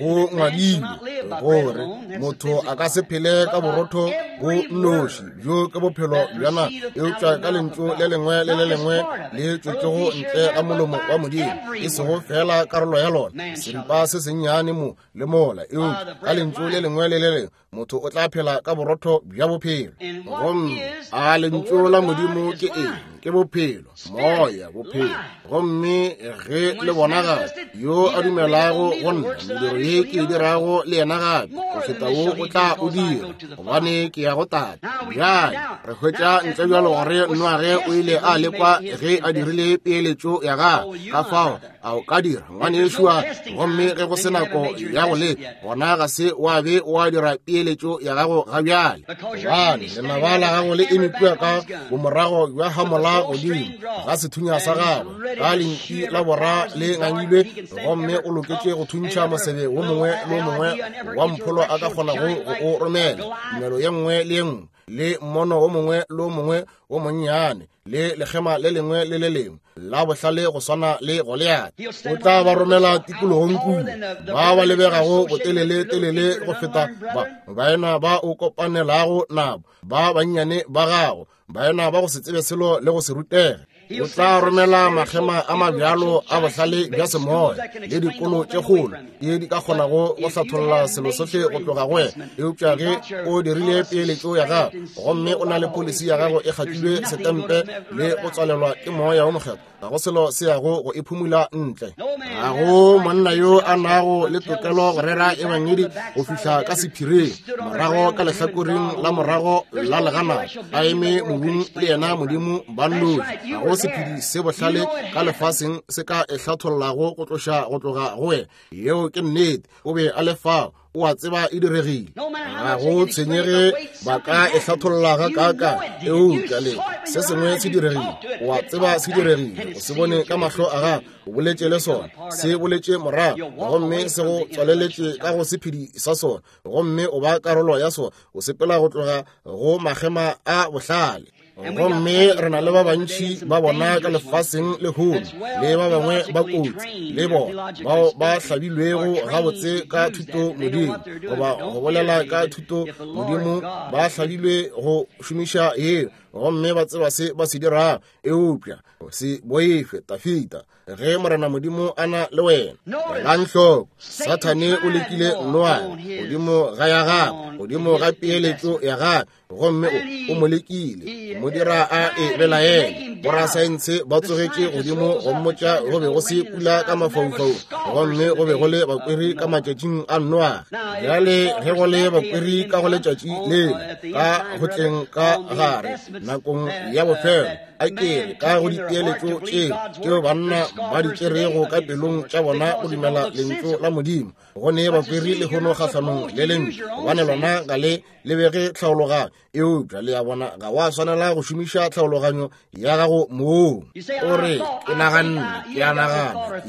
Go ngwadilwe gore motho a ka se phele ka borotho bo nnoši, bjo ke bophelo bja nama, eupša ka lentšu le lengwe le le lengwe le tšwetšego ntle ga molomo wa Modimo, e sego fela karolo ya lona, seripa se sennyane mo le mola, eupša ka lentšu le lengwe le le lengwe motho o tla phela ka borotho bja bophelo. Gomme a lentšu la Modimo ke eng? Ke bophelo, moya, bophelo. Gomme ge le bonagala, yo a dumelago go nna, mediro ye ke e dirago le yena gape go feta wo o tla o dira, gobane ke ya go Tate. Bjale re hwetša ntle bjalo gore Noage o ile a lekwa ge a dirile peeletšo ya gagwe. Ka fao a o ka dira, ngwanešua? Gomme ge go se nako ya go leka, gona ga se wa be wa dira peeletšo ya gago ga bjale, gobane lenaba la gago le eme kua ka bomorago bja hamola godimo ga sethunya sa gagwe, ka lenti la bora le ngangilwe, gomme o loketše go thuntšha mosebe wo mongwe le wo mongwe wa mpholo a ka kgonago go o romela, tumelo ye nngwe le ye nngwe le mmono wo mongwe le wo mongwe wo monnyane le lekgema le lengwe le le lengwe la bohlale go swana le Goliate. O tla ba romela tikologong kudu, ba ba lebegago botelele telele go feta ba baena ba o kopanelago nabo, ba bannyane ba gago, baena ba go se tsebe selo le go se rutege. O tla romela makgema a mabjalo a bohlale bja semoya le dikolo tše kgolo ye di ka kgonago go hlatholla selo sohle go tloga go wena. Eupša ge o dirile peeletšo ya gago gomme o na le polisi ya gago e kgatlilwe setempe le go tswalelwa ke Moya wo Mokgethwa, ga go selo se yago go e phumula ntle. Ga go monna yo a nago le tokelo go rera ebangedi go fihla ka sephiring, morago ka lehlakoreng la morago la legana, a eme mobung le yena Modimo ba nnoši. Ga go sephedi se bohlale ka lefaseng se ka e hlathollago go tloša go tloga go wena. Yeo ke nnete. O be a le fao. O a tseba e diregile. Ga go tshwenyege ba ka e hlatholla ga kaka, eupša le se sengwe se diregile. O a tseba se diregile. O se bone ka mahlo a gago. O boletše le sona. Se boletše morago, gomme se go tswaleletše ka go sephedi sa sona, gomme o ba karolo ya sona. O sepela go tloga go makgema a bohlale. Gomme re na le ba bantši ba bona ka lefaseng lehono, le ba bangwe ba kotsi le bona bao ba hlabilwego gabotse ka thuto modimo, goba go bolela ka thuto modimo, ba hlabilwe go šomiša yeo, gomme ba tseba se ba se dirago. Eupša se boife, Tafita, ge Morena Modimo a na le wena. Elang hloko, Sathane o lekile Noa godimo ga ya gagwe, godimo ga peeletšo ya gagwe, gomme o mo lekile, mo dira a e belaele. Borasaense ba tsogetše godimo go mmotša go be go se pula ka mafaufaung, gomme go be go le bakweri ka matšatšing a Noage. Bjale ge go le bakweri ka go letšatši lela, ka go tleng ka gare nakong ya bofelo, a ke re ka go dipeeletšo tše tšeo banna ba di tšerego ka pelong tša bona go dumela lentšu la Modimo, go ne bakweri lehono kgahlanong le lentšu, gobane lona ga le lebege tlhaologanyo. Eupša le a bona, ga wa swanela go šomiša tlhaologanyo ya gago moo. O re, ke naganne, ke a nagana.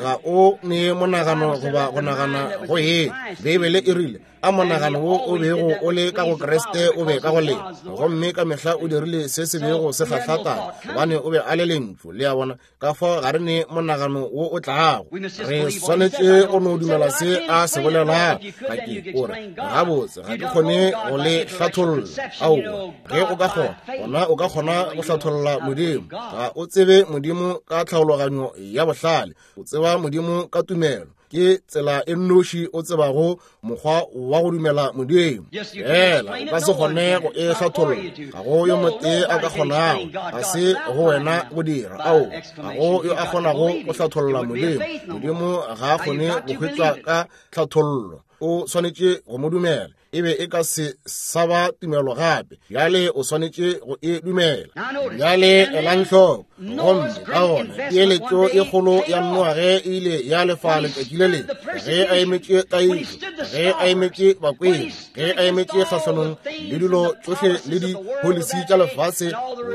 Ga o ne monagano goba go nagana go ye. Beibele e rile, a monagano wo o bego o le ka go Kriste o be ka go lena, gomme ka mehla o dirile se se bego se kgahla Tate, gobane o be a le Lentšu. Le a bona? Ka fao ga re ne monagano wo o tlago. Re swanetše go no dumela se a se bolelago. Ga ke o re, gabotse, ga ke kgone go le hlatholla. Aowa, ge o ka kgona, gona o ka kgona go hlatholla Modimo. Ga o tsebe Modimo ka tlhaologanyo ya bohlale, o tseba Modimo ka tumelo. Ke tsela e nnoši o tsebago mokgwa wa go dumela Modimo. Fela o ka se kgone go e hlatholla. Ga go yo motee a ka kgonago. Ga se go wena go dira. Ao, ga go yo a kgonago go hlatholla Modimo. Modimo ga a kgone go hwetšwa ka tlhathollo. O swanetše go mo dumela. E be e ka se sa ba tumelo gape. Bjale o swanetše go e dumela. Bjale elang hloko. Gomme ka gona peeletšo e kgolo ya Noage e ile ya lefa letšatši le lengwe, ge a emetše tlaišo, ge a emetše bakweri, ge a emetše kgahlanong le dilo tšohle le dipolisi tša lefase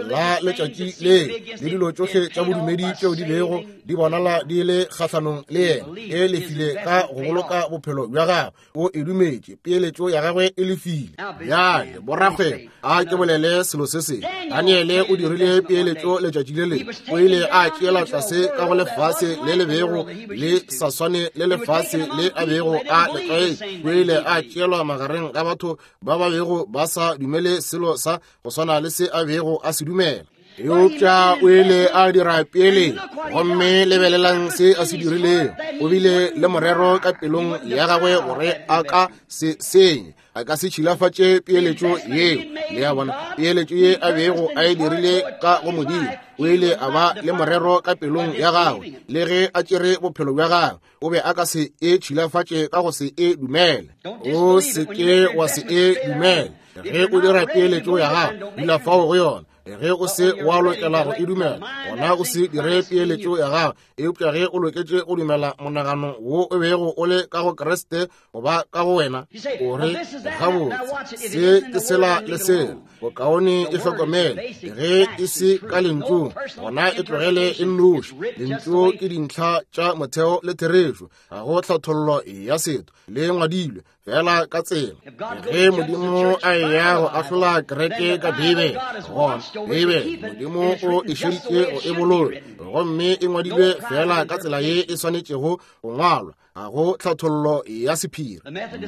la letšatši le, le dilo tšohle tša bodumedi tšeo di bego di bonala di le kgahlanong le yena, e lefile ka go boloka bophelo bja gagwe. O e dumetše, peeletšo ya gagwe e lefile. Bjale, borakgwebo, a ke bolele selo se sengwe. Daniele o dirile peeletšo letšatši le lengwe. O ile a tšeela tlase ka go lefase le le bego le sa swane le lefase le a bego a le tlwaetše. O ile a tšeelwa magareng ga batho ba ba bego ba sa dumele selo sa go swana le se a bego a se dumela. Eupša o ile a dira pele, gomme lebelelang se a se dirilego. O bile le morero ka pelong ya gagwe gore a ka se senye, a ka se tšhilafatše peeletšo yeo. Le a bona, peeletšo ye a bego a e dirile ka go Modimo, o ile a ba le morero ka pelong ya gagwe, le ge a tšere bophelo bja gagwe, o be a ka se e tšhilafatše ka go se e dumele. O se ke wa se e dumele. Ge o dira peeletšo ya gago, dula fao go yona. Ge o se wa lokela go e dumela, gona o se dire peeletšo ya gago. Eupša ge o loketše go dumela monagano wo o bego o le ka go Kriste goba ka go wena, o re, gabotse, se ke sela le sela, bokaone e hlokomele. Ge e se ka lentšung, gona e tlogele e nnoši. Lentšu ke dintlha tša motheo le therešo. Ga go tlhathollo ya setho, le ngwadilwe fela ka tsela ge Modimo a eya go ahlola kereke ka Beibele, gona Beibele Modimo o e šeditše go e boloka, gomme e ngwadilwe fela ka tsela ye e swanetšego go ngwalwa. Ga go tlhathollo ya sephiri.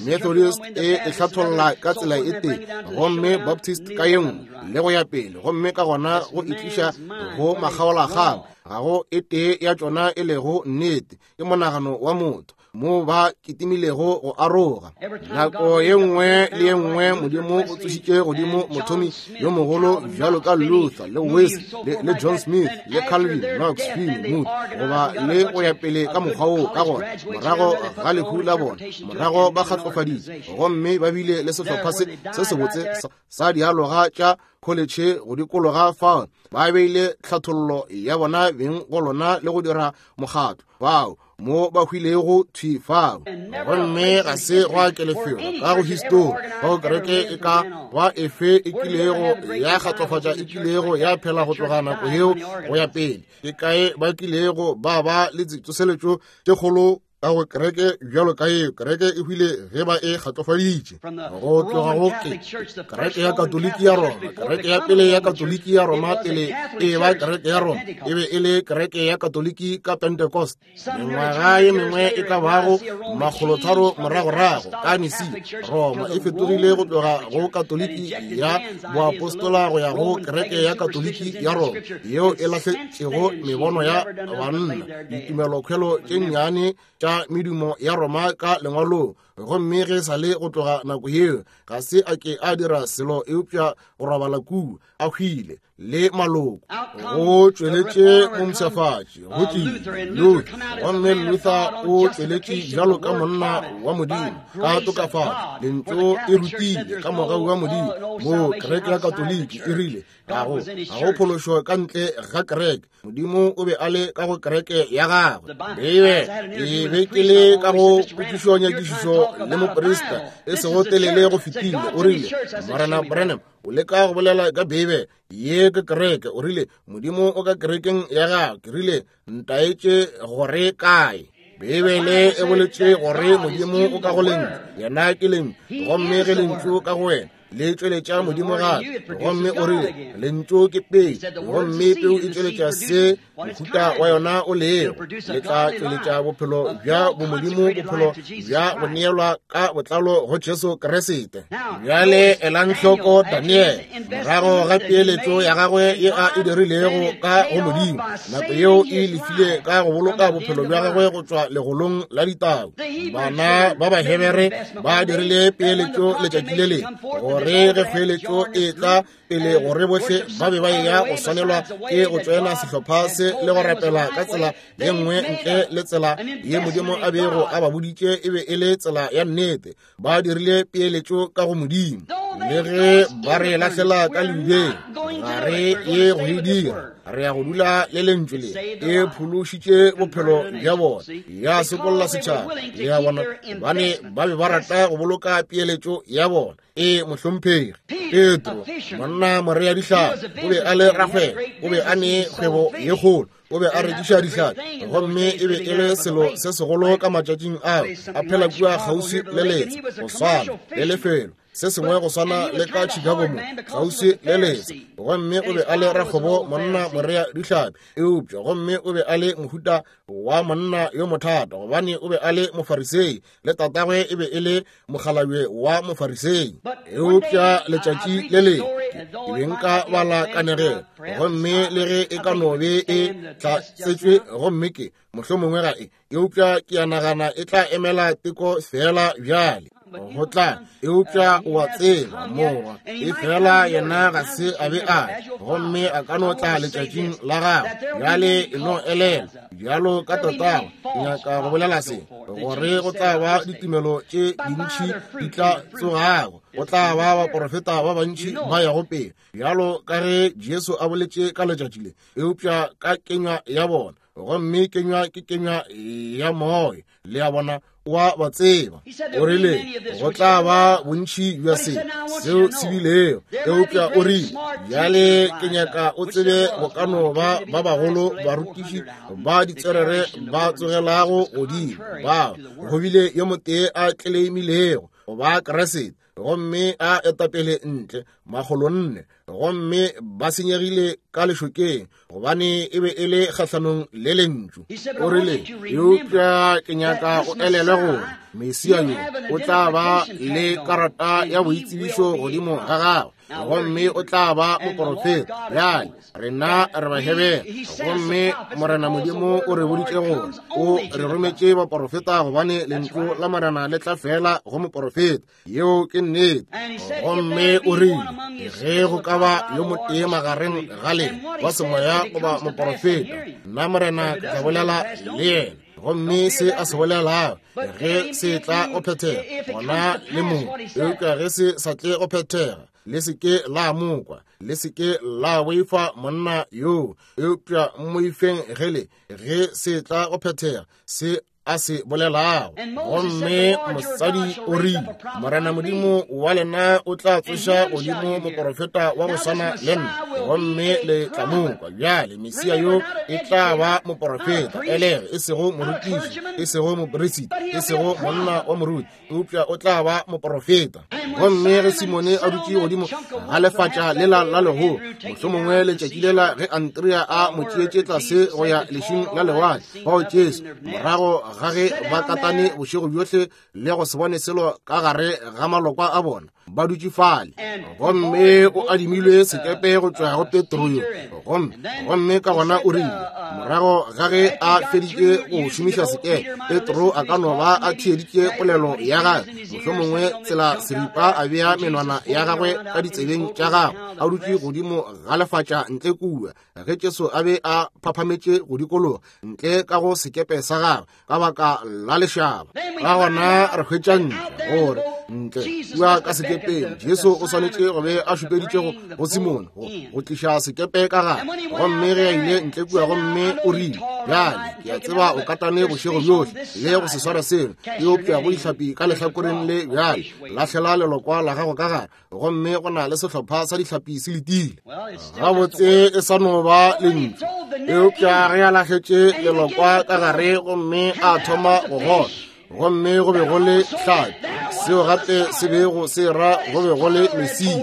Methodist e e hlatholla ka tsela e tee, gomme Baptist ka ye nngwe, le go ya pele, gomme ka gona go e tliša go makgaolakgang. Ga go e tee ya tšona e lego nnete. Ke monagano wa motho mo ba kitimilego go aroga. Nako ye nngwe le ye nngwe Modimo o tsošitše godimo mothomi yo mogolo bjalo ka Luther le Wesley le John Smith le Calvin, Knox, Finney, Moody, goba le go ya pele ka mokgwa woo. Ka gona morago ga lehu la bona, morago ba kgatlofaditše gomme ba bile le sehlopha se se sebotse sa dialoga tša kholetšhe go dikologa fao, ba beile tlhathollo ya bona beng go lona le go dira mokgatlo bao mo ba hwilego thwi fao. Gomme ga se gwa ke lefelo ka go histori fao kereke e ka ba efe e kilego ya kgatlofatša, e kilego ya phela go tloga nako yeo go ya pele. Ke kae ba kilego ba ba le tsoseletšo tše kgolo ka go kereke bjalo ka yeo? Kereke e hwile ge ba e kgatlofaditše go tloga go ke kereke ya Katoliki ya Roma. Kereke ya pele ya Katoliki ya Roma, pele e ba kereke ya Roma, e be e le kereke ya Katoliki ka Pentecost, mengwaga ye mengwe e ka bago 300 moragorago ka Nisia. Roma e fetogile go tloga go Katoliki ya boapostola go ya go kereke ya Katoliki ya Roma, yeo e lahletšego mebono ya banna, ditumelokhwelo tše nnyane tša medumo ya Roma ka lengwalong. Gomme ge sa le go tloga nako yeo ga se a ke a dira selo eupša go robala kua a hwile le maloko. Go tšweletše mompshafatši, go tlile Luther, gomme Luther o tšweletše bjalo ka monna wa Modimo ka tokafatšo. Lentšu e rutile ka mogau wa Modimo moo kereke ya Katoliki e rile ga go phološo ka ntle ga kereke. Modimo o be a le ka go kereke ya gagwe. Beibe ke be ke le ka go potšišonyakišišo le moprista e sego telele go fetile. O rile, Morena Branham, o leka go bolela ka Beibe ye ke kereke. O rile, Modimo o ka kerekeng ya gagwe. Ke rile, ntaetše gore kae. Beibele e boletše gore Modimo o ka go Lentšu, yena ke Lentšu, gomme ge Lentšu ka go wena le tšweletša Modimo gape. Gomme o rile Lentšu ke peu, gomme peu e tšweletša se mohuta wa yona o lego. Le tla tšweletša bophelo bja bomodimo, bophelo bja go neelwa ka botlalo go Jesu Kriste. Bjale elang hloko Daniele, morago ga peeletšo ya gagwe ye a e dirilego ka go Modimo, nako yeo e lefile ka go boloka bophelo bja gagwe go tšwa legolong la ditau. Bana ba Bahebere ba dirile peeletšo letšatši le lengwe, gore ge peeletšo e tla pele, gore bohle ba be ba eya go swanelwa ke go tšoena sehlopha se le go rapela ka tsela ye nngwe ntle le tsela ye Modimo a bego a ba boditše e be e le tsela ya nnete. Ba dirile peeletšo ka go Modimo. Le ge ba re lahlela ka leubeng, ga re ye go e dira. Re ya go dula le Lentšu le. E phološitše bophelo bja bona, ya sokolla setšhaba. Le ya bona, gobane ba be ba rata go boloka peeletšo ya bona. E mohlomphegi Petro, monna morea dihlapi, o be a le rakgwebo, o be a ne kgwebo ye kgolo, o be a rekiša dihlapi, gomme e be e le selo se segolo ka matšatšing ao, a phela kua kgauswi le letsha, go swana le lefelo se sengwe go swana le ka Chicago mo, kgauswi le letsha. Gomme o be a le rakgwebo, monna morea dihlapi, eupša gomme o be a le mohuta wa monna yo mothata, gobane o be a le Mofarisei, le tatagwe e be e le mokgalabje wa Mofarisei. Eupša letšatši le lengwe ke be nka bala kanegelo, gomme le ge e ka no be e tlatsetšwe, gomme ke mohlomongwe ga e, eupša ke a nagana e tla emela teko feela bjale go tla. Eupša o a tseba, morwa e fela yena ga se a be a, gomme a ka no tla letšatšing la gagwe. Bjale e no elela bjalo ka tatago, ke nyaka go bolela se, gore go tla ba ditumelo tše dintši di tla tsogago, go tla ba baporofeta ba bantši ba yago pele, bjalo ka ge Jesu a boletše ka letšatši le, eupša ka kenywa ya bona. Gomme kenywa ke kenywa ya moya, le a bona, wa ba tseba. O rile go tla ba bontši bja se seo se bilego, eupša o rile bjale ke nyaka o tsebe go ka no ba ba bagolo barutiši ba ditswerere ba tsogelago godimo, bao go bile yo motee a tleleimilego go ba Kriste, gomme a etapele ntle. 400, gomme ba senyegile ka lešokeng, gobane e be e le kgahlanong le lentšu. O rile, eupša ke nyaka o elelwe gore Mesia yo o tla ba le karata ya boitsebišo godimo ga gagwe, gomme o tla ba moporofeta. Bjale rena re Bahebere, gomme Morena Modimo o re boditše gore o re rometše baporofeta, gobane lentšu la Morena le tla fela go moporofeta. Yeo ke nnete. Gomme o rile, ge go ka ba yo motee magareng ga lena wa semoya goba moporofeta, nna Morena ke tla bolela le yena. Gomme se a se bolelago, ge se tla go phethega, gona le mo. Eupša ge se sa tle go phethega, le se ke la mokwa, le se ke la boifa monna yoo, eupša mmoifeng ge le, ge se tla go phethega, se a se bolelago. Gomme mosadi o rile, Morena Modimo wa lena o tla tsoša godimo moporofeta wa go swana le nna, gomme le tla mo kwa. Bjale Mesia yo e tla ba moporofeta, elege e sego morutiši, e sego moperisita, e sego monna wa moruti, eupša o tla ba moporofeta. Gomme ge Simone a dutše godimo ga lefatša lela la legolo, mohlomongwe letšatši lela ge Andrea a mo tšeetše tlase go ya lešing la lewatle, fao Jesu, morago ga ge ba katane bošego bjohle le go se bone selo ka gare ga malokwa a bona, ba dutše fale, gomme o adimilwe sekepe go tšwa go Petro yo, gomme ka gona o rile, morago ga ge a feditše go šomiša sekepe, Petro a ka no ba a theeditše polelo ya gagwe, mohlomongwe tsela seripa a bea menwana ya gagwe ka ditsebeng tša gagwe, a dutše godimo ga lefatša ntle kua, ge Jesu a be a phaphametše go dikologa ntle ka go sekepe sa gagwe ka baka la lešaba. Ka gona re hwetša ntle gore ntle kua ka sekepeng Jesu o swanetše go be a šupeditše go Simone go tliša sekepe ka gare. Gomme ge a ile ntle kua, gomme o rile, bjale ke a tseba o katane bošego bjohle le go se swara selo, eupša go dihlapi ka lehlakoreng le, bjale lahlela lelokwa la gago ka gare, gomme go na le sehlopha sa dihlapi se letile. Gabotse e sa no ba lentšu, eupša ge a lahletše lelokwa ka gare gomme a thoma go gola, gomme go be go le hlapi, seo gape se bego se ra go be go le Mesia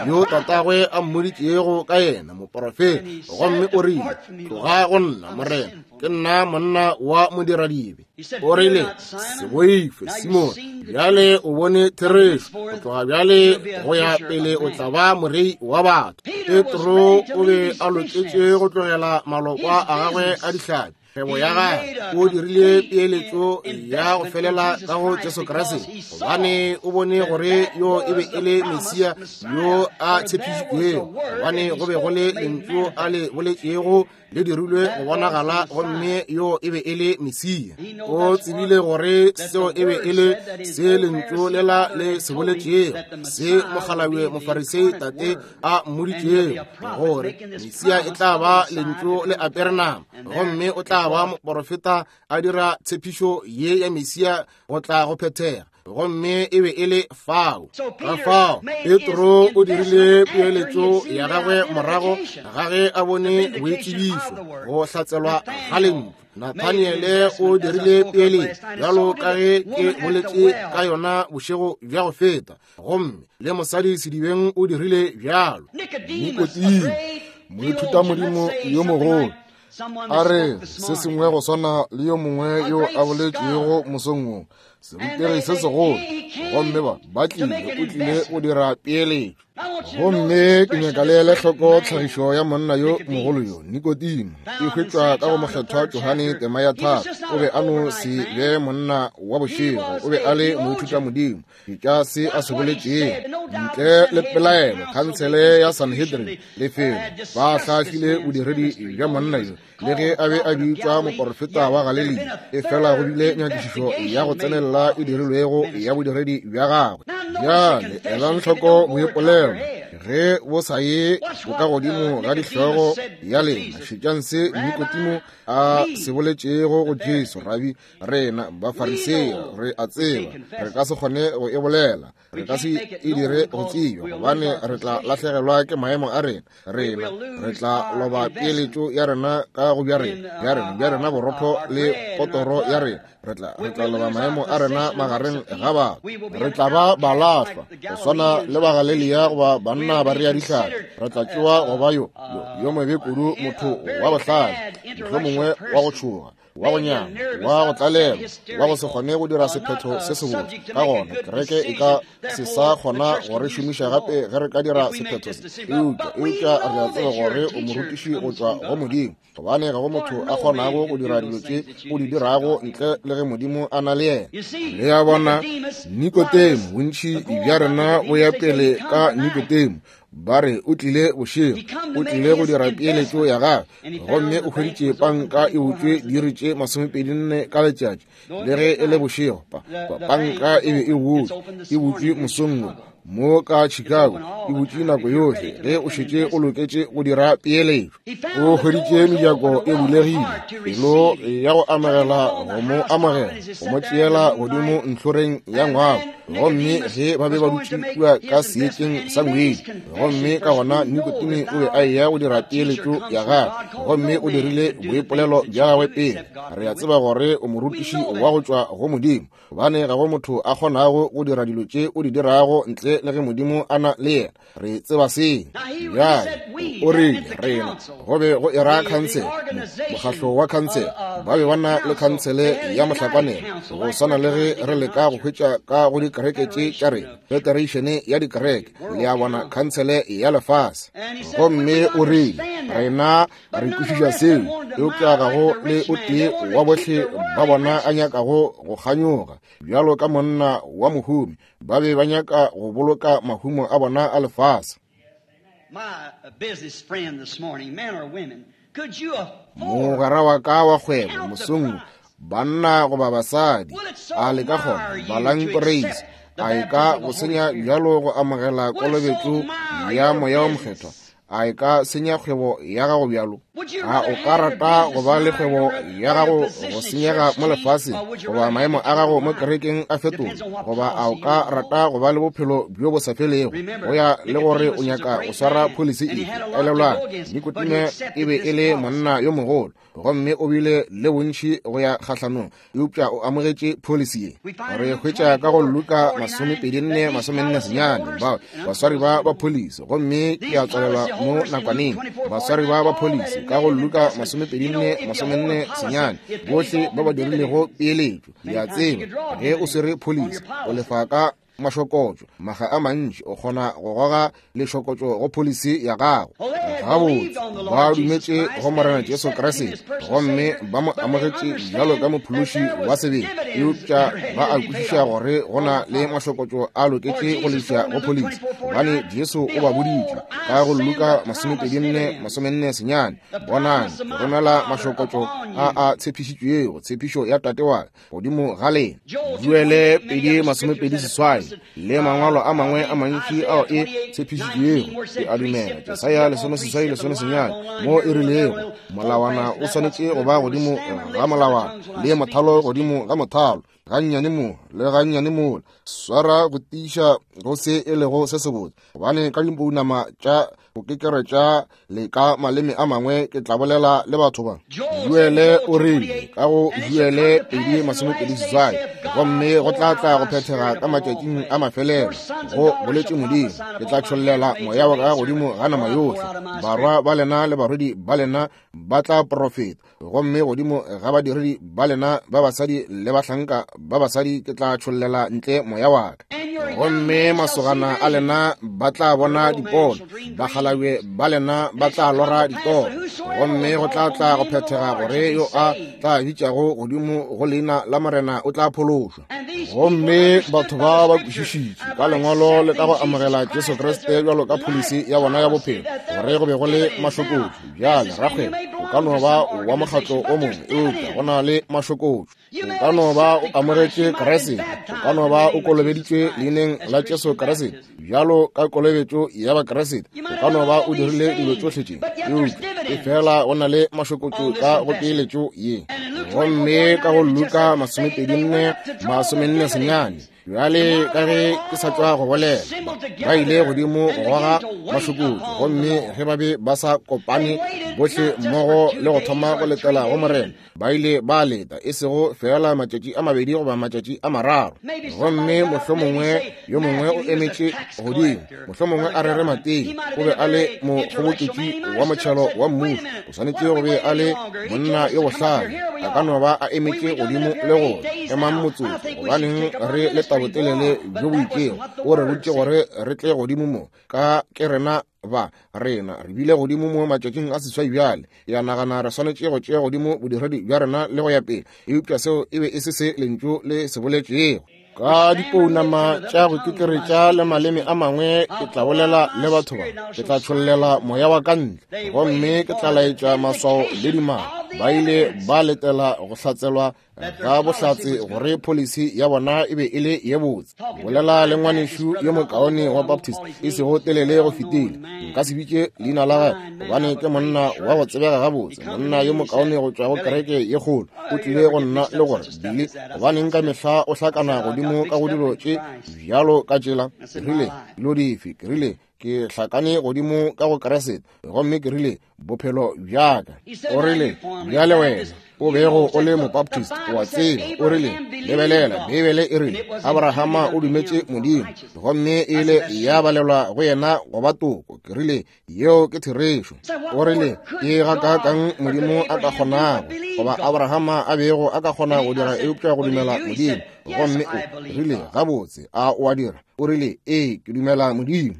yo tatagwe a mmoditšego ka yena, moporofeta. Gomme o rile, tloga go nna, Morena, ke nna monna wa modiradibe. O rile, se boife, Simone, bjale o bone therešo, go tloga bjale go ya pele o tla ba morei wa batho. Petro o be a loketše go tlogela malokwa a gagwe a dihlapi, kgwebo ya gagwe. O dirile peeletšo ya go felela ka go Jesu Kriste, gobane o bone gore yo e be e le Mesia yo a tshepišitšwego, gobane go be go le lentšu a le boletšego le dirilwe go bonagala, gomme yo e be e le Mesia. O tsebile gore seo e be e le se lentšu lela le se boletšego, se mokgalabje Mofarisei tate a mmoditšego, gore Mesia e tla ba lentšu le apere nama, gomme o tla ba moporofeta a dira tshepišo ye ya Mesia go tla go phethega. Gomme e be e le fao. Ka fao Petro o dirile peeletšo ya gagwe morago ga ge a bone boitsebišo go hlatselwa ga lentšu. Nathaniele o dirile peeletšo bjalo ka ge ke boletše ka yona bošego bja go feta, gomme le mosadi sedibeng o dirile bjalo. Nikodimo, moithutamodimo yo mogolo, a re se sengwe go swana le yo mongwe yo a boletšego mosong wo, serutegi se segolo, gomme ba tlile, o tlile go dira peeletšo. Gomme ke nyaka le ele hloko tlhagišo ya monna yo mogolo yo, Nikodimo, e hwetšwa ka go Mokgethwa Johane tema ya 3. O be a no se be monna wa bošego, o be a le moithutamodimo. Tša se a se boletšego, ntle le pelaelo, khansele ya Sanhedrin, lefelo, ba hlahlile bodiredi bja monna yo, le ge a be a bitšwa moporofeta wa Galilea, efela go bile nyakišišo ya go tsenelela e dirilwego ya bodiredi bja gagwe. Bjale elang hloko boipolelo ge bo sa ye bokagodimo ga dihlogo ya lena. Šetšang se Nikodimo a se boletšego go Jesu, Rabi, rena Bafarisei re a tseba re ka se kgone go e bolela. Re ka se e dire go tsebja, gobane re tla lahlegelwa ke maemo a rena. Rena re tla loba peeletšo ya rena ka go bja rena, bja rena, bja rena borotho le potoro ya rena. Re tla, re tla loba maemo a rena magareng ga batho. Re tla ba balahlwa go swana le Bagalelia goba banna ba rea dihlare. Re tla tšewa go ba yo, yo, yo mobe kudu, motho wa bohlale, mohlomongwe wa go tšhoga, wa go nyama, wa go tlalelwa, wa go se kgone go dira sephetho se sebotse. Ka gona kereke e ka se sa kgona go re šomiša gape ge re ka dira sephetho se. Eupša, eupša re a tseba gore o morutiši go tšwa go Modimo, gobane ga go motho a kgonago go dira dilo tše o di dirago ntle le ge Modimo a na le yena. Le a bona, Nikodemo, bontši bja rena bo ya pele ka Nikodemo. Ba re o tlile bošego, o tlile go dira peeletšo ya gagwe, gomme o hweditše panka e butšwe diiri tše 24 ka letšatši, le ge e le bošego. Pa, pa, panka e be e butšwe, e butšwe mosong wo mo ka Chicago, e butšwe nako yohle ge o šetše o loketše go dira peeletšo. O hweditše mejako e bulegile, pelo ya go amogela go mo amogela, go mo tšeela godimo ntlhoreng ya ngwako. Gomme ge ba be ba dutše kua ka seetšeng sa ngwedi, gomme ka gona Nikodemo o be a eya go dira peeletšo ya gagwe, gomme o dirile boipolelo bja gagwe pele. Re a tseba gore o morutiši wa go tšwa go Modimo, gobane ga go motho a kgonago go dira dilo tše o di dirago ntle le ge Modimo a na le yena. Re tseba seo. Bjale o rile rena go be go era khansele, mokgahlo wa khansele. Ba be ba na le khansele ya mohlakwanelo, go swana le ge re leka go hwetša ka go dikereke tše tša rena, federation ya dikereke, le a bona, khansele ya lefase. Gomme o rile rena re kwešiša seo, eupša ga go le o tee wa bohle ba bona a nyakago go kganyoga bjalo ka monna wa mohumi. Ba be ba nyaka go boloka mahumo a bona a lefase. Mogwera wa ka wa kgwebo mosong, banna goba basadi, a le ka kgona balang poreisi, a e ka go senya bjalo go amogela kolobetšo ya Moya wo Mokgethwa? A e ka senya kgwebo ya gago bjalo? A o ka rata go ba le kgwebo ya gago go senyega mo lefaseng, goba maemo a gago mo kerekeng a fetoga, goba a o ka rata go ba le bophelo bjo bo sa felego, go ya le gore o nyaka go swara pholisi efe? Elelwang, Nikodemo e be e le monna yo mogolo, gomme o bile le bontši go ya kgahlanong, eupša o amogetše pholisi ye. Re hwetša ka go Luka 24, 49, ba baswari ba ba pholisi, gomme ke a tswalelwa mo nakwaneng. Baswari ba ba pholisi ka go Luka 24, 49, bohle ba ba dirilego peeletšo. Le a tseba, ge o swere pholisi, o lefa ka mašokotšo maga a mantši, o kgona go goga lešokotšo go pholisi ya gago. Gabotse, ba dumetše go Morena Jesu Kriste gomme ba mo amogetše bjalo ka mophološi wa sebele, eupša ba a kwešiša gore go na le mašokotšo a loketše go leša go pholisi, gobane Jesu o ba boditše ka go Luka 24, 49, bonang, ke romela mašokotšo a a tshepišitšwego, tshepišo ya Tate wa ka, godimo ga lena. Joele 2:28 le mangwalo a mangwe a mantši ao e tshepišitšwego. Ke a dumela Jesaya 18:19 mo e rilego molawana o swanetše go ba godimo ga molawana le mothalo godimo ga mothalo, gannyane mo le gannyane mola. Swara go tiiša go se e lego se sebotse, gobane ka dipounama tša go kekeretša le ka maleme a mangwe ke tla bolela le batho ba. Joele o rile ka go Joele 2:28, gomme go tla tla go phethega ka matšatšing a mafelelo, go boletše Modimo, ke tla tšhollela moya wa ka godimo ga nama yohle, barwa ba lena le barwedi ba lena ba tla profeta, gomme godimo ga badiredi ba lena ba basadi le bahlanka ba basadi ke tla tšhollela ntle moya wa ka, gomme masogana a lena ba tla bona dipono, bakgalabje ba lena ba tla lora ditoro, gomme go tla tla go phethega gore yo a tla bitšago godimo go leina la Morena o tla phološwa. Gomme batho ba ba kwešišitše ka lengwalo le ka go amogela Jesu Kriste bjalo ka pholisi ya bona ya bophelo, gore go be go le mašokotšo. Bjale rakgwebo, o ka no ba wa mokgatlo o mongwe, eupša go na le mašokotšo. O ka no ba o amogetše Kriste, o ka no ba o kolobeditšwe leineng la Jesu Kriste bjalo ka kolobetšo ya Bakriste, o ka no ba o dirile dilo tšohle tše, eupša e fela go na le mašokotšo ka go peeletšo ye. Gomme ka go Luka 24, 49. Bjale ka ge ke sa tšwa go bolela, ba ile godimo go goga mašokotšo, gomme ge ba be ba sa kopane bohle mmogo le go thoma go letela go Morena, ba ile ba leta e sego feela matšatši a mabedi goba matšatši a mararo. Gomme mohlomongwe yo mongwe o emetše godimo, mohlomongwe a rere Mateo, o be a le mokgoboketši wa motšhelo wa mmušo, o swanetše go be a le monna yo bohlale, a ka no ba a emetše godimo le go emang motsotso, gobaneng re le tabotelele bjo bo itšego, o re botše gore re tle godimo mo, ka ke rena ba rena re bile godimo mo matšatšing a seswai bjale. Ya nagana re swanetše go tšea godimo bodiredi bja rena le go ya pele, eupša seo e be e se se lentšu le se boletšego. Ka dipounama tša go kekeretša le maleme a mangwe ke tla bolela le batho ba, ke tla tšhollela moya wa ka ntle, gomme ke tla laetša maswao le dimaka. Ba ile ba letela go hlatselwa ga bohlatse gore policy ya bona e be e le ye botse. Bolela le ngwanešu yo mokaone wa Baptist e sego telele go fetile, nka se bitše leina la gagwe gobane ke monna wa go tsebega gabotse, monna yo mokaone go tšwa go kereke ye kgolo. O tlile go nna le gore, Billy, gobaneng ka mehla o hlakana godimo ka go dilo tše bjalo ka tšela? Ke rile, Dilo dife? Ke rile, Ke hlakane godimo ka go Kriste, gomme ke rile, bophelo bjaka. O rile, bjale wena o bego o le Mobaptist, o a tseba. O rile, lebelela, Beibele e rile Abrahama o dumetše Modimo, gomme e ile ya balelwa go yena go ba toko. Ke rile, yeo ke therešo. O rile, ke gakaakang Modimo a ka kgonago, goba Abrahama a bego a ka kgona go dira eupša go dumela Modimo. Gomme o rile, gabotse, a o a dira? O rile, ee, ke dumela Modimo.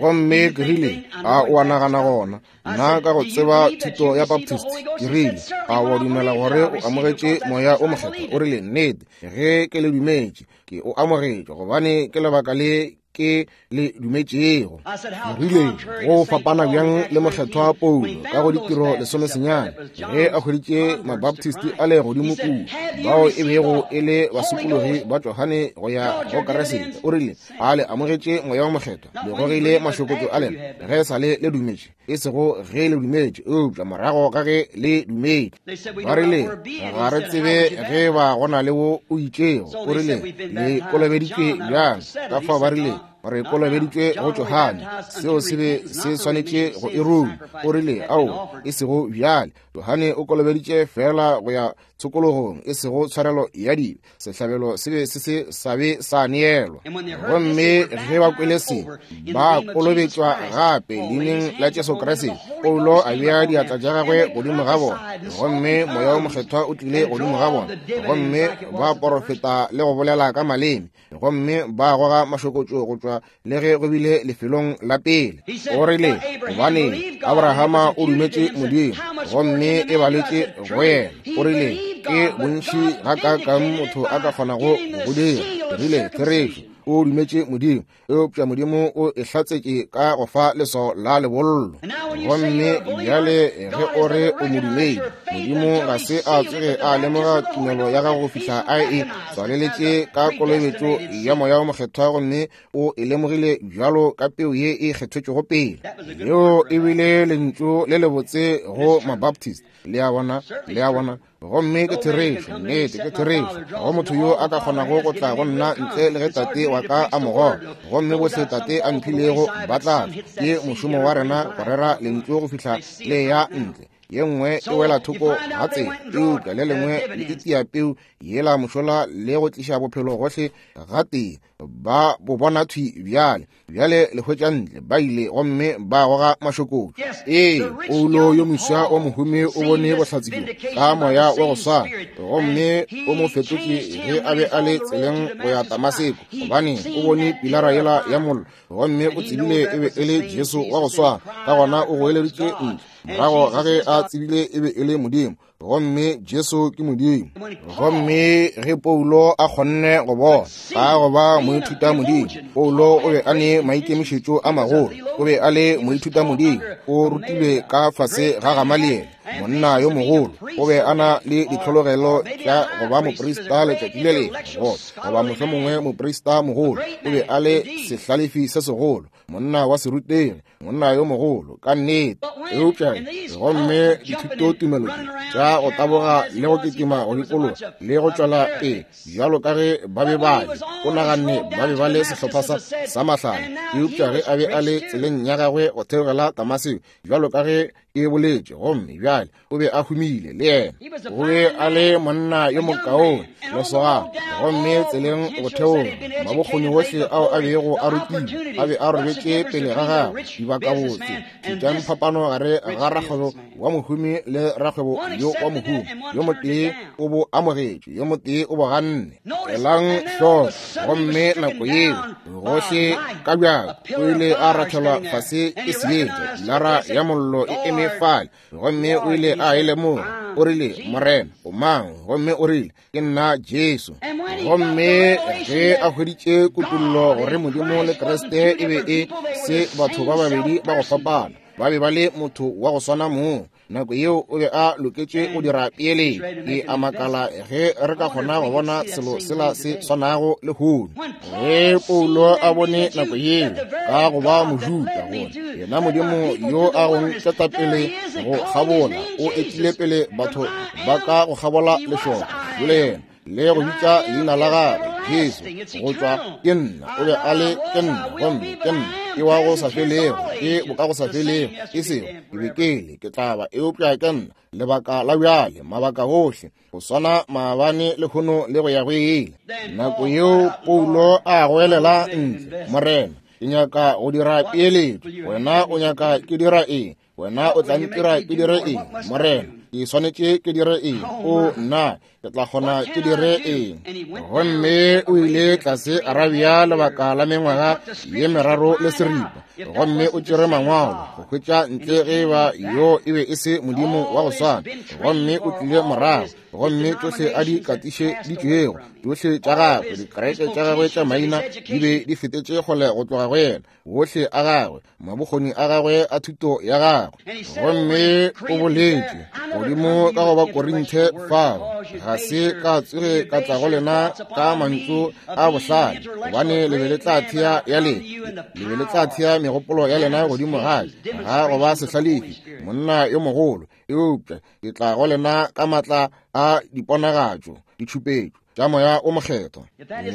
Gomme ke rile, a o a nagana gona, nna ka go tseba thuto ya Baptist, ke rile, a o a dumela gore o amogetše Moya o Mokgethwa? O rile, nnete, ge ke le dumetše, ke o amogetše, gobane ke lebaka le ke le dumetšego. Ke rile, go fapana bjang le Mokgethwa Paulo ka go Ditiro 19, ge a hweditše Mabaptist a le godimo kua, bao e bego e le basokologi ba Johane go ya go Kriste. O rile, a le amogetše Moya wo Mokgethwa, le gogile mašokotšo a lena ge sa le le dumetše, e sego ge le dumetše, eupša morago ga ge le dumetše. Ba rile, ga re tsebe ge ba go na le wo o itšego. O rile, le kolobeditšwe bjang? Ka fao ba rile, re kolobeditšwe go Johane. Seo se be se swanetše go e ruma. O rile, ao, e sego bjale. Johane o kolobeditše feela go ya tshokologong, e sego tshwarelo ya dibe. Sehlabelo se be se se sa be sa neelwa. Gomme ge ba kwele se, ba kolobetšwa gape leineng la Jesu Kriste. Paulo a bea diatla tša gagwe godimo ga bona, gomme Moya wo Mokgethwa o tlile godimo ga bona, gomme ba porofeta le go bolela ka maleme, gomme ba goga mašokotšo go tšwa le ge go bile lefelong la pele. O rile, gobane Abrahama o dumetše Modimo, gomme e baletše go yena. O rile, ke bontši gakaakang motho a ka kgonago go dira. Ke rile, therešo, o dumetše Modimo, eupša Modimo o e hlatsetše ka go fa leswao la lebollo. Gomme bjale ge o re o modumedi, Modimo ga se a tsoge a lemoga tumelo ya gago go fihla a e tswaleletše ka kolobetšo ya Moya wo Mokgethwa, gomme o e lemogile bjalo ka peu ye e kgethetšwego pele. Leo e bile lentšu le lebotse go Mabaptist. Le a bona? Le a bona? Gomme ke therešo, nnete ke therešo. Ga go motho yo a ka kgonago go tla go nna ntle le ge Tate wa ka a mo goga. Gomme bohle Tate a mphilego ba tla tla. Ke mošomo wa rena go rera lentšu go fihla le ya ntle. Ye nngwe e wela thoko ga tsela, eupša le lengwe le itia peu yela mošola le go tliša bophelo gohle gatee. Ba bo bona thwi bjale. Bjale le hwetša ntle, ba ile gomme ba goga mašokotšo. Ee, Paulo yo moswa wa mohumi o bone bohlatse bjo ka moya wa go swana, gomme o mo fetotše ge a be a le tseleng go ya Damaseko, gobane o bone pilara yela ya mollo, gomme o tsebile e be e le Jesu wa go swana. Ka gona o goeleditše ntle, morago ga ge a tsebile e be e le Modimo, gomme Jesu ke Modimo. Gomme ge Paulo a kgonne go bona ka go ba moithuta Modimo, Paulo o be a ne maikemišetšo a magolo. O be a le moithuta Modimo, o rutilwe ka fase ga Gamaliele, monna yo mogolo. O be a na le ditlhologelo tša go ba moprista letšatši le lengwe, goba mohlomongwe moprista mogolo. O be a le sehlalefi se segolo, monna wa serutegi, monna yo mogolo ka nnete. Eupša gomme dithutotumelo tša Ka go taboga le go kitima go dikologa le go tšwela pele bjalo ka ge ba be ba le, o naganne ba be ba le sehlopha sa, sa mahlale. Eupša ge a be a le tseleng ya gagwe go theogela Damaseko, bjalo ka ge ke boletše, gomme bjale o be a humile le yena, o be a le monna yo mokaone, lesogana, gomme tseleng go theoga, mabokgoni gohle ao a bego a rutilwe a be a robetše pele ga gagwe, dibakabotse. Šetšang phapano gare ga rakgwebo wa mohumi le rakgwebo yo wa mohumi. Yo motee o bo amogetše, yo motee o bo ganne. Elang hloko. Gomme nako yeo, gohle ka bjako, o ile a rathelwa fase ke seetša, pilara ya mollo e eme fale, gomme o ile a e lemoga. O rile, Morena, o mang? Gomme o rile, Ke nna Jesu. Gomme ge a hweditše kutollo gore Modimo le Kriste e be e se batho ba babedi ba go fapana, ba be ba le motho wa go swana mong, nako yeo o be a loketše go dira peeletšo. Ke a makala ge re ka kgona go bona selo sela se swanago lehono. Ge Paulo a bone nako yeo ka go ba Mojuda gore yena Modimo yo a go nketapele go kgabola o etile pele batho ba ka go kgabola lešoka, jole yena le go bitša leina la gagwe Jesu, go tšwa ke nna, o be a le ke nna, gomme ke nna ke wa go sa felego, ke boka go sa felego, e sego ke be ke le, ke tla ba, eupša ke nna lebaka la bjale, mabaka gohle, go swana maabane lehono le go ya go ile. Nako yeo Paulo a goelela ntle, Morena, ke nyaka go dira peeletšo, wena o nyaka ke dira eng? Wena o tla ntira ke dire eng? Morena, ke swanetše ke dire eng? O nna, ke tla kgona ke dire eng? Gomme o ile tlase Arabia lebaka la mengwaga ye meraro le seripa, gomme o tšere mangwalo go hwetša ntle ge ba yo e be e se Modimo wa go swana. Gomme o tlile morago, gomme tšohle a di katišeditšwego, tšohle tša gagwe, dikereke tša gagwe tša maina di be di fetetše kgole go tloga go yena, wohle a gagwe, mabokgoni a gagwe a thuto ya gagwe. Gomme o boletše godimo ka go ba Korinthe fao, ga se ka tsoge ka tla go lena ka mantšu a bohlale, gobane le be le tla thea ya lena, le be le tla thea megopolo ya lena godimo ga ga go ba sehlalefi, monna yo mogolo, eupša ke tla go lena ka matla a diponagatšo, ditšhupetšo tša Moya o Mokgethwa.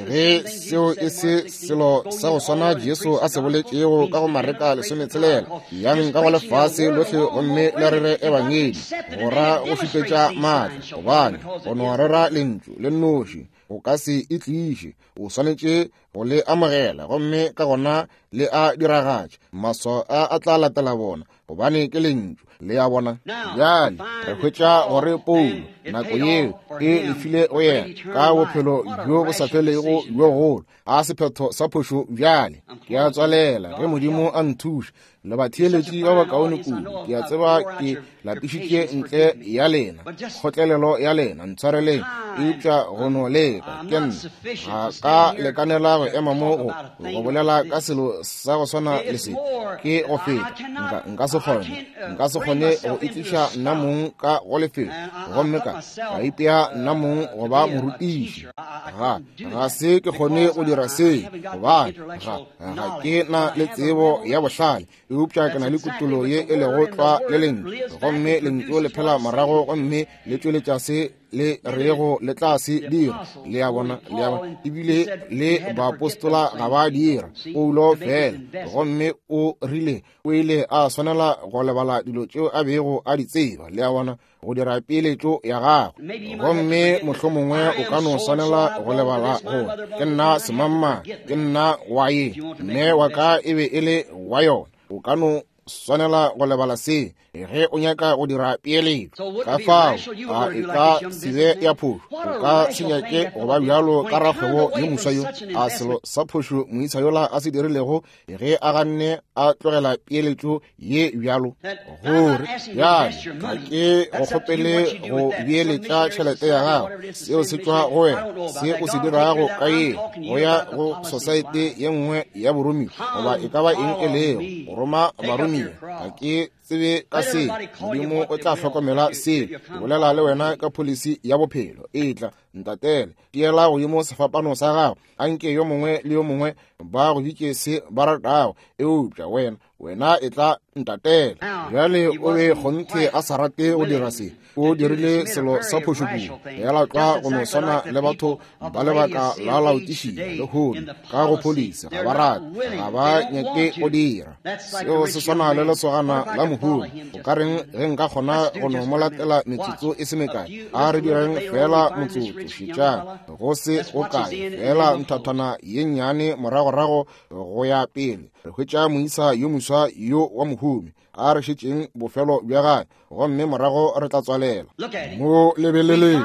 Ge seo e se selo sa go swana Jesu a se boletšego ka go Mareka 16, yang ka go lefase lohle gomme le rere ebangedi, go ra go šupetša maatla, gobane go no rera lentšu le nnoši o ka se e tliše, o swanetše go le amogela gomme ka gona le a diragatša. Maswao a a tla latela bona, gobane ke lentšu. Le a bona? Bjale re hwetša gore Paulo nako yeo e lefile go yena ka bophelo bjo bo sa felego bjo golo, a sephetho sa phošo. Bjale ke a tswalela, ge Modimo a nthuša, le batheeletši ba bakaone kudu. Ke a tseba ke lapišitše ntle ya lena, kgotlelelo ya lena, ntshwareleng, eupša go no leka ke nna ga ka lekanela go ema mo go bolela ka selo sa go swana le se, ke go feta. Nka se kgone, nka se kgone go itliša nna mong ka go lefelo gomme ka ipea nna mong go ba morutiši. Ga se ke kgone go dira se, gobane ga ke na le tsebo ya bohlale, eupša ke na le kutollo ye e lego tlwa le lentšu, gomme lentšu le phela morago gomme le tšweletša se le rego le tla se dira. Le a bona, le a bona, ebile le baapostola ga ba dira, Paulo fela. Gomme o rile o ile a swanela go lebala dilo tšeo a bego a di tseba, le a bona, go dira peeletšo ya gagwe. Gomme mohlomongwe o ka no swanela go lebala gore ke nna semangmang, ke nna wa ye, mme wa ka e be e le wa yona. O ka no swanela go lebala se ge o nyaka go dira peeletšo. Ka fao a e ka se be ya phošo, o ka se nyake go ba bjalo ka rakgwebo yo moswa yo a selo sa phošo moisa yola a se dirilego ge a ganne a tlogela peeletšo ye bjalo, gore bjale ga ke go kgopele go beeletša tšhelete ya gago, seo se tšwa go wena, se o se dirago ka ye, go ya go sosaete ye nngwe ya boromiwa goba e ka ba eng e lego, go roma baromiwa, ga ke tsebe ka se, Modimo o tla hlokomela se. Ke bolela le wena ka pholisi ya bophelo, etla ntatele, tiela godimo sefapano sa gago, anke yo mongwe le yo mongwe ba go bitše se ba ratago, eupša wena Wena etla ntatela. Bjale o be kgonthe a sa rate go dira se. O dirile selo sa phošo kudu, fela tlwa go no swana le batho ba lebaka la Laodišia lehono ka go pholisi, ga ba rate, ga ba nyake go dira. Seo se swana le lesogana la mohumi. O ka reng ge nka kgona go no mo latela metsotso e se mekae? A re direng fela motsotso, šetšang go se go kae, fela nthathana ye nnyane moragorago go ya pele. Re hwetša moisa yo moswa yo wa mohumi, a re šetšeng bofelo bja gagwe, gomme morago re tla tswalela. Mo lebeleleng,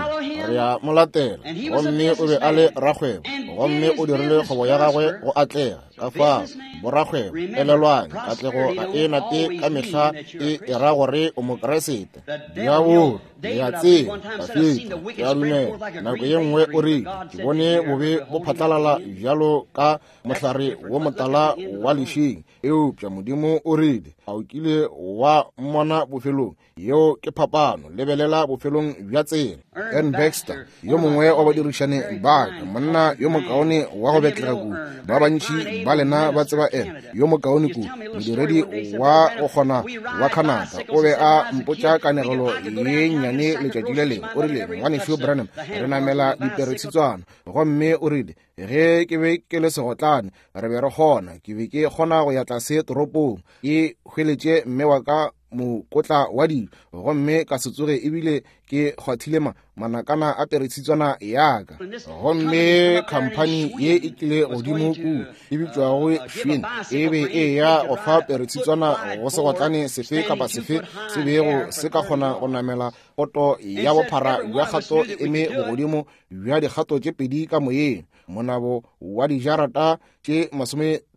re ya mo latela. Gomme o be a le rakgwebo, gomme o dirile kgwebo ya gagwe go atlega. Ka fao borakgwebo, elelwang, katlego ga e nate ka mehla e era gore o Mokeresete. Diabolo, le a tseba, Dafida, ke a dumela, nako ye nngwe o rile, ke bone bobe bo phatlalala bjalo ka mohlare wo motala wa lešing, eupša Modimo o rile, a o kile wa mmona bofelong? Yeo ke phapano. Lebelela bofelong bja tsela. Ern Baxter, yo mongwe wa badirišane ba ka, monna yo mokaone wa go betlega kudu, ba bantši ba lena ba tseba Ern, yo mokaone kudu, modiredi wa go kgona wa Canada, o be a mpotša kanegelo ye nnyane letšatši le lengwe. O rile, Ngwanešu Branham, re namela diperetshitswana. Gomme o rile, ge ke be ke le segotlane, re be re kgona, ke be ke kgona go ya tlase toropong, ke hweletše mme wa ka mokotla wa dijo, gomme ka se tsoge ebile ke kgwathile manakana a peretshitswana ya ka. Gomme khamphani ye e tlile godimo kua e bitšwago Schwinn e be e ya go fa peretshitswana go segotlane sefe kapa sefe se bego se ka kgona go namela poto ya bophara bja kgato e eme bogodimo bja dikgato tše pedi ka moyeng, monabo wa dijarata tše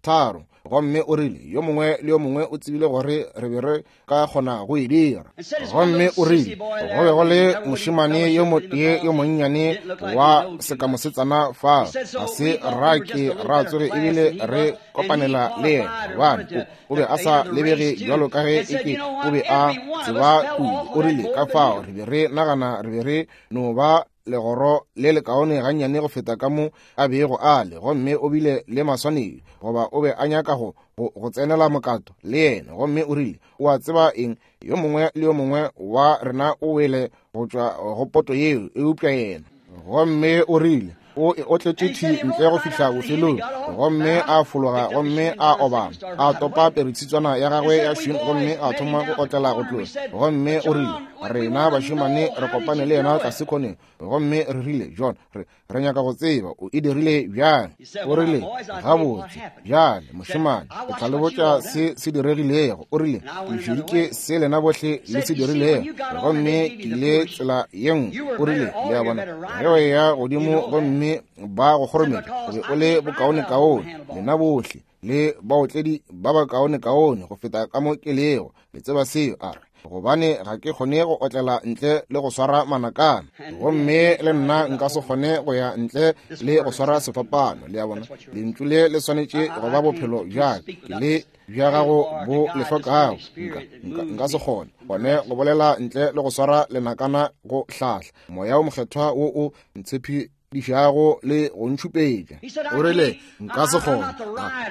30. Gomme o rile, yo mongwe le yo mongwe o tsebile gore re be re ka kgona go e dira. Gomme o rile, go be go le mošemane yo motee yo monnyane wa sekamosetsana fa, ga se ra ke ra tsoge ebile re kopanela le yena, gobane o be a sa lebege bjalo ka ge eke o be a tseba kudu. O rile, ka fao re be re nagana re be re no ba legoro le lekaone gannyane go feta ka mo a bego a le, gomme o bile le maswanedi, goba o be a nyaka go tsenela mokato le yena. Gomme o rile, o a tseba eng, yo mongwe le yo mongwe wa rena o wele go tšwa go poto yeo, eupša yena. Gomme o rile, o e otletše thi ntle go fihla bofelong, gomme a fologa gomme a obama, a topa peretshitswana ya gagwe ya Schwinn gomme a thoma go otlela go tloga. Gomme o rile, rena bašemane re kopane le yena tlase khoneng, gomme re rile, John, re nyaka go tseba o e dirile bjang. O rile, gabotse bjale mošemane, ke tla le botša se se diregilego. O rile, ke šeditše se lena bohle le se dirilego, gomme ke ile tsela ye nngwe. O rile, le a bona, ge o eya godimo gomme ba go kgorometša, o be o le bokaonekaone, lena bohle le baotledi ba bakaonekaone go feta ka mo ke lego, le tseba seo. A re, gobane ga ke kgone go otlela ntle le go swara manakana, gomme le nna nka se kgone go ya ntle le go swara sefapano. Le a bona, lentšu le le swanetše go ba bophelo bja ka, le bja gago bo le hlokago. Nka se kgone gone go bolela ntle le go swara lenakana go hlahla Moya o Mokgethwa wo o ntshephi dišago le go ntšhupetša. O rile, nka se kgone,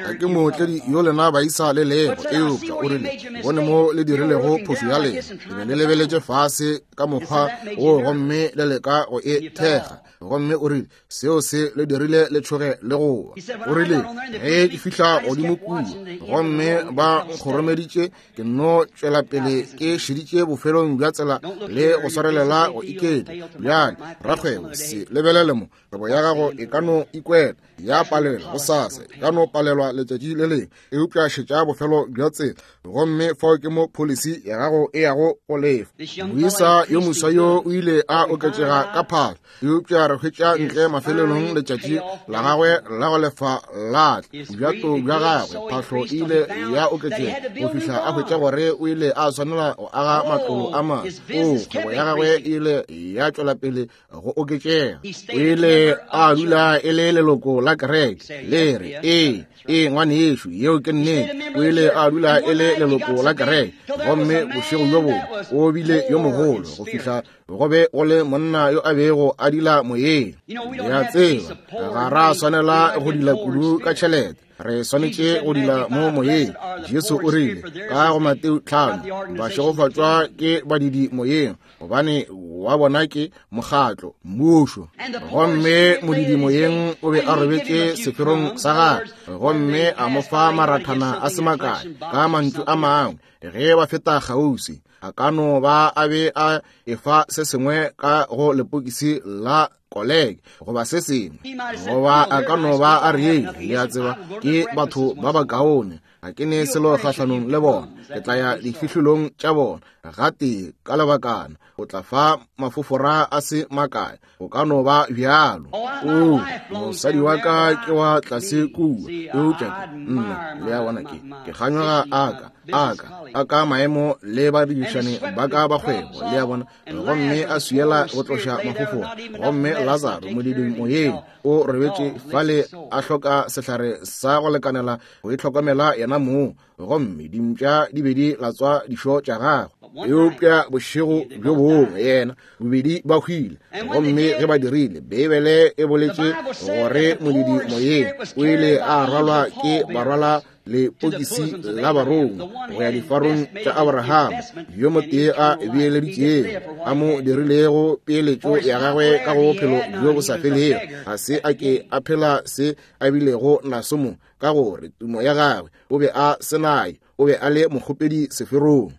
ga ke mootledi yo lena baisa le lego, eupša o rile, bone mo le dirilego phošo ya lena, le be le lebeletše fase ka mokgwa wo gomme le leka go e thekga. Gomme o rile, seo se le dirile le tšhoge le go wa. O rile, ge ke fihla godimo kua gomme ba nkgoromeditše, ke nno tšwela pele ke šeditše bofelong bja tsela le go swarelela go iketla. Bjale rakgwebo, se lebelele mo, kgwebo ya gago e ka no ikwela ya palelwa gosasa, e ka no palelwa letšatši le lengwe, eupša šetša bofelo bja tsela, gomme fao ke mo policy ya gago e yago go lefa. Moisa yo moswa yo o ile a oketšega ka phahlo, eupša re hwetša ntle mafelelong letšatši la gagwe la go lefa la tla. Bjato bja gagwe phahlo e ile ya oketšega go fihla a hwetša gore o ile a swanela go aga matlolo a mangwe. O kgwebo ya gagwe e ile ya tšwela pele go oketšega. O ile a dula e le leloko la kereke. Le re, ee, ee, ngwanešu, yeo ke nnete. O ile a dula e le leloko la kereke, gomme bošego bjo bongwe o bile yo mogolo go fihla go be go le monna yo a bego a dila moyeng. Le a tseba, ga ra swanela go dila kudu ka tšhelete. Re swanetše go dila mo moyeng. Jesu o rile ka go Mateo 5, bašegofatšwa ke badidi moyeng, gobane wa bona ke mokgatlo, mmušo. Gomme modidi moyeng o be a robetše seferong sa gagwe, gomme a mo fa marathana a se makae, ka mantšu a mangwe, ge ba feta kgauswi, a ka no ba a be a efa se sengwe ka go lepokisi la koleke goba se sengwe, goba a ka no ba a re, le a tseba, ke batho ba bakaone, ga ke ne selo kgahlanong le bona, ke tla ya difihlolong tša bona gatee ka lebakana, o tla fa mafofora a se makae, go ka no ba bjalo. O, mosadi wa ka ke wa tlase kua, eupša ke nna, le a bona, ke ke kganyoga aka aka aka maemo le badirišani ba ka ba kgwebo, le a bona, gomme a swiela go tloša mafofora. Gomme Lazaro modidi moyeng o robetše fale a hloka sehlare sa go lekanela go itlhokomela yena mong, gomme dimpša di be di latswa dišo tša gagwe. Eupša bošego bjo bongwe yena bobedi ba hwile, gomme ge ba dirile, Beibele e boletše gore modidi moyeng o ile a rwalwa ke barwala lepokisi la barongwa go ya difarong tša Abrahama, yo motee a beeleditšego, a mo dirilego peeletšo ya gagwe ka go bophelo bjo bo sa felego. Ga se a ke a phela se a bilego naso mo, ka gore tumo ya gagwe o be a se nayo, o be a le mokgopedi seferong.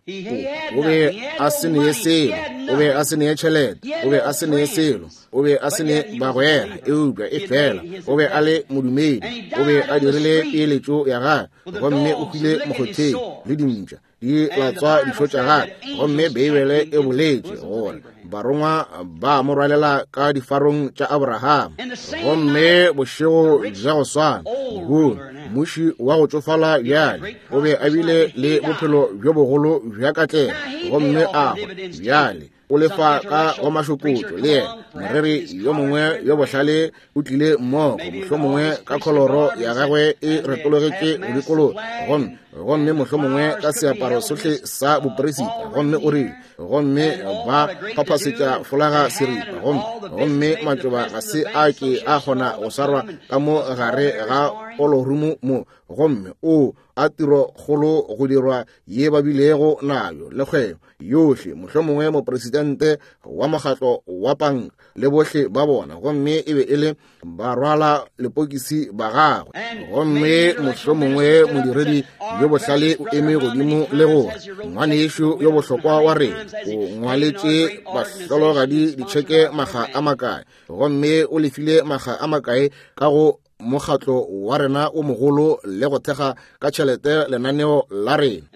O be a se ne selo, o be a se ne tšhelete, o be a se ne selo, o be a se ne bagwera, eupša e fela o be a le modumedi. O be a dirile peeletšo ya gagwe, gomme o hwile mokgotheng le dimpša di latswa dišo tša gagwe. Gomme Beibele e boletše gore barongwa ba mo rwalela ka difarong tša Abrahama. Gomme bošego bja go swana, lehono, mmuši wa go tšofala bjale o be a bile le bophelo bjo bogolo bja katlego, gomme a hwa bjale o lefa ka go mašokotšo. Le yena moreri yo mongwe yo bohlale o tlile mmogo, mohlomongwe ka kholoro ya gagwe e retologetše go dikologa, gomme gomme mohlomongwe ka seaparo sohle sa boperisita, gomme o rile, gomme ba phaphasetša folaga seripa, gomme gomme matšoba ga se a ke a kgona go swarwa ka mo gare ga olorumu mo, gomme o a tiro kgolo go dirwa ye ba bilego nayo le kgwebo yohle, mohlomongwe mopresidente wa mokgatlo wa panka le bohle ba bona, gomme e be e le barwala lepokisi ba gagwe. Gomme mohlomongwe modiredi yo bohlale o eme godimo le gore, ngwanešo yo bohlokwa wa rena o ngwaletše bahlologadi ditšheke makga a makae, gomme o lefile makga a makae ka go mokgatlo wa rena o mogolo le go thekga ka tšhelete lenaneo la rena.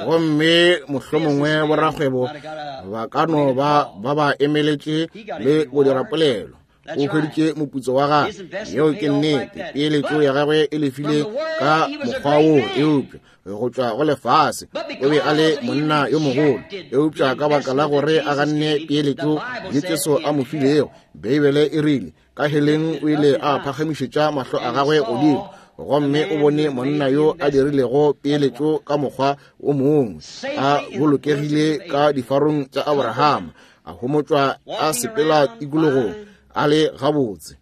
Gomme mohlomongwe borakgwebo ba ka no ba ba ba emeletše le go dira polelo. O hweditše moputso wa gagwe, yeo ke nnete, peeletšo ya gagwe e lefile ka mokgwa woo, eupša go tšwa go lefase o be a le monna yo mogolo, eupša ka baka la gore a ganne peeletšo ye Jesu a mo filego, Beibele e rile ka heleng o ile a phagamišetša mahlo a gagwe godimo, gomme o bone monna yo a dirilego peeletšo ka mokgwa o mongwe, a bolokegile ka difarong tša Abrahama, a homotšwa a sepela tikologong a le gabotse,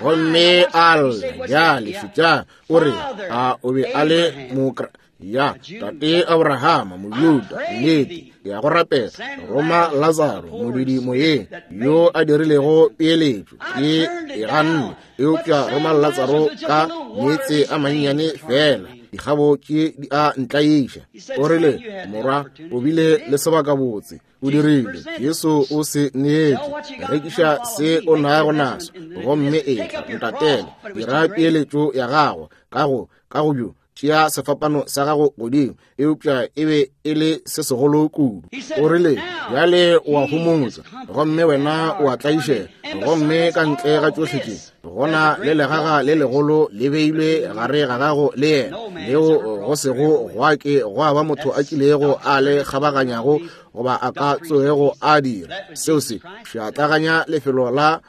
gomme a lla. Bjale šetšang, o re a o be a le mokra ya tate Abrahama, Mojuda, nnete, ke ya go rapela, roma Lazaro modudi moyeng yo a dirilego peeletšo, ke e ganne, eupša roma Lazaro ka meetse a mannyane fela, dikgabo tše di a ntlaiša. O rile, morwa, o bile le sebakabotse, o dirile. Jesu o se neetše, rekiša se o nago naso, gomme etla ntatele, dira peeletšo ya gago ka go ka go bjo tšea sefapano sa gago godimo, eupša e be e le se segolo kudu. O rile, bjale o a homotšwa, gomme wena o a tlaišega, gomme ka ntle ga tšohle tše, gona le legaga le legolo le beilwe gare ga gago le yena, leo go sego gwa ke gwa ba motho a kilego a le kgabaganyago goba a ka tsoego a dira. Seo se šatlaganya lefelo la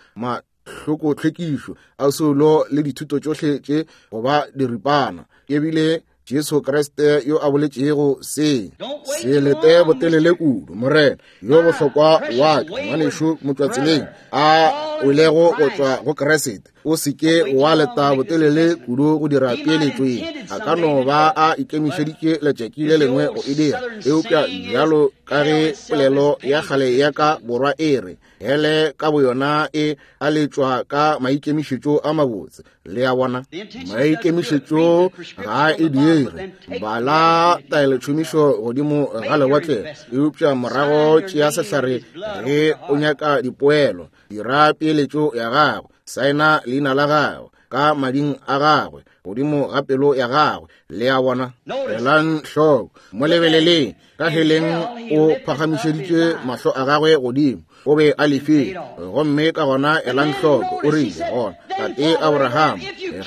hlokotlhwekišo a soulo le dithuto tšohle tše go ba diripana. Ebile Jesu Kriste yo a boletšego se. Se lete botelele kudu, Morena yo bohlokwa wa ka, ngwanešu motšwatseleng a welego go tšwa go Kriste. O se ke wa leta botelele kudu go dira peeletšo ye. A ka no ba a ikemišeditše letšatši le lengwe go e dira, eupša bjalo ka ge polelo ya kgale ya ka borwa e re, hele ka boyona e a letšwa ka maikemišetšo a mabotse. Le a bona, maikemišetšo ga a e dire. Bala taelotšhomišo godimo ga lewatle, eupša morago tšea sehlare ge o nyaka dipoelo. Dira peeletšo ya gago, saena leina la gago ka mading a gagwe godimo ga pelo ya gagwe. Le a bona, elang hloko, mo lebeleleng. Ka heleng o phagamišeditše mahlo a gagwe godimo, o be a lefile. Gomme ka gona elang hloko, o rile gona, Tate Abraham,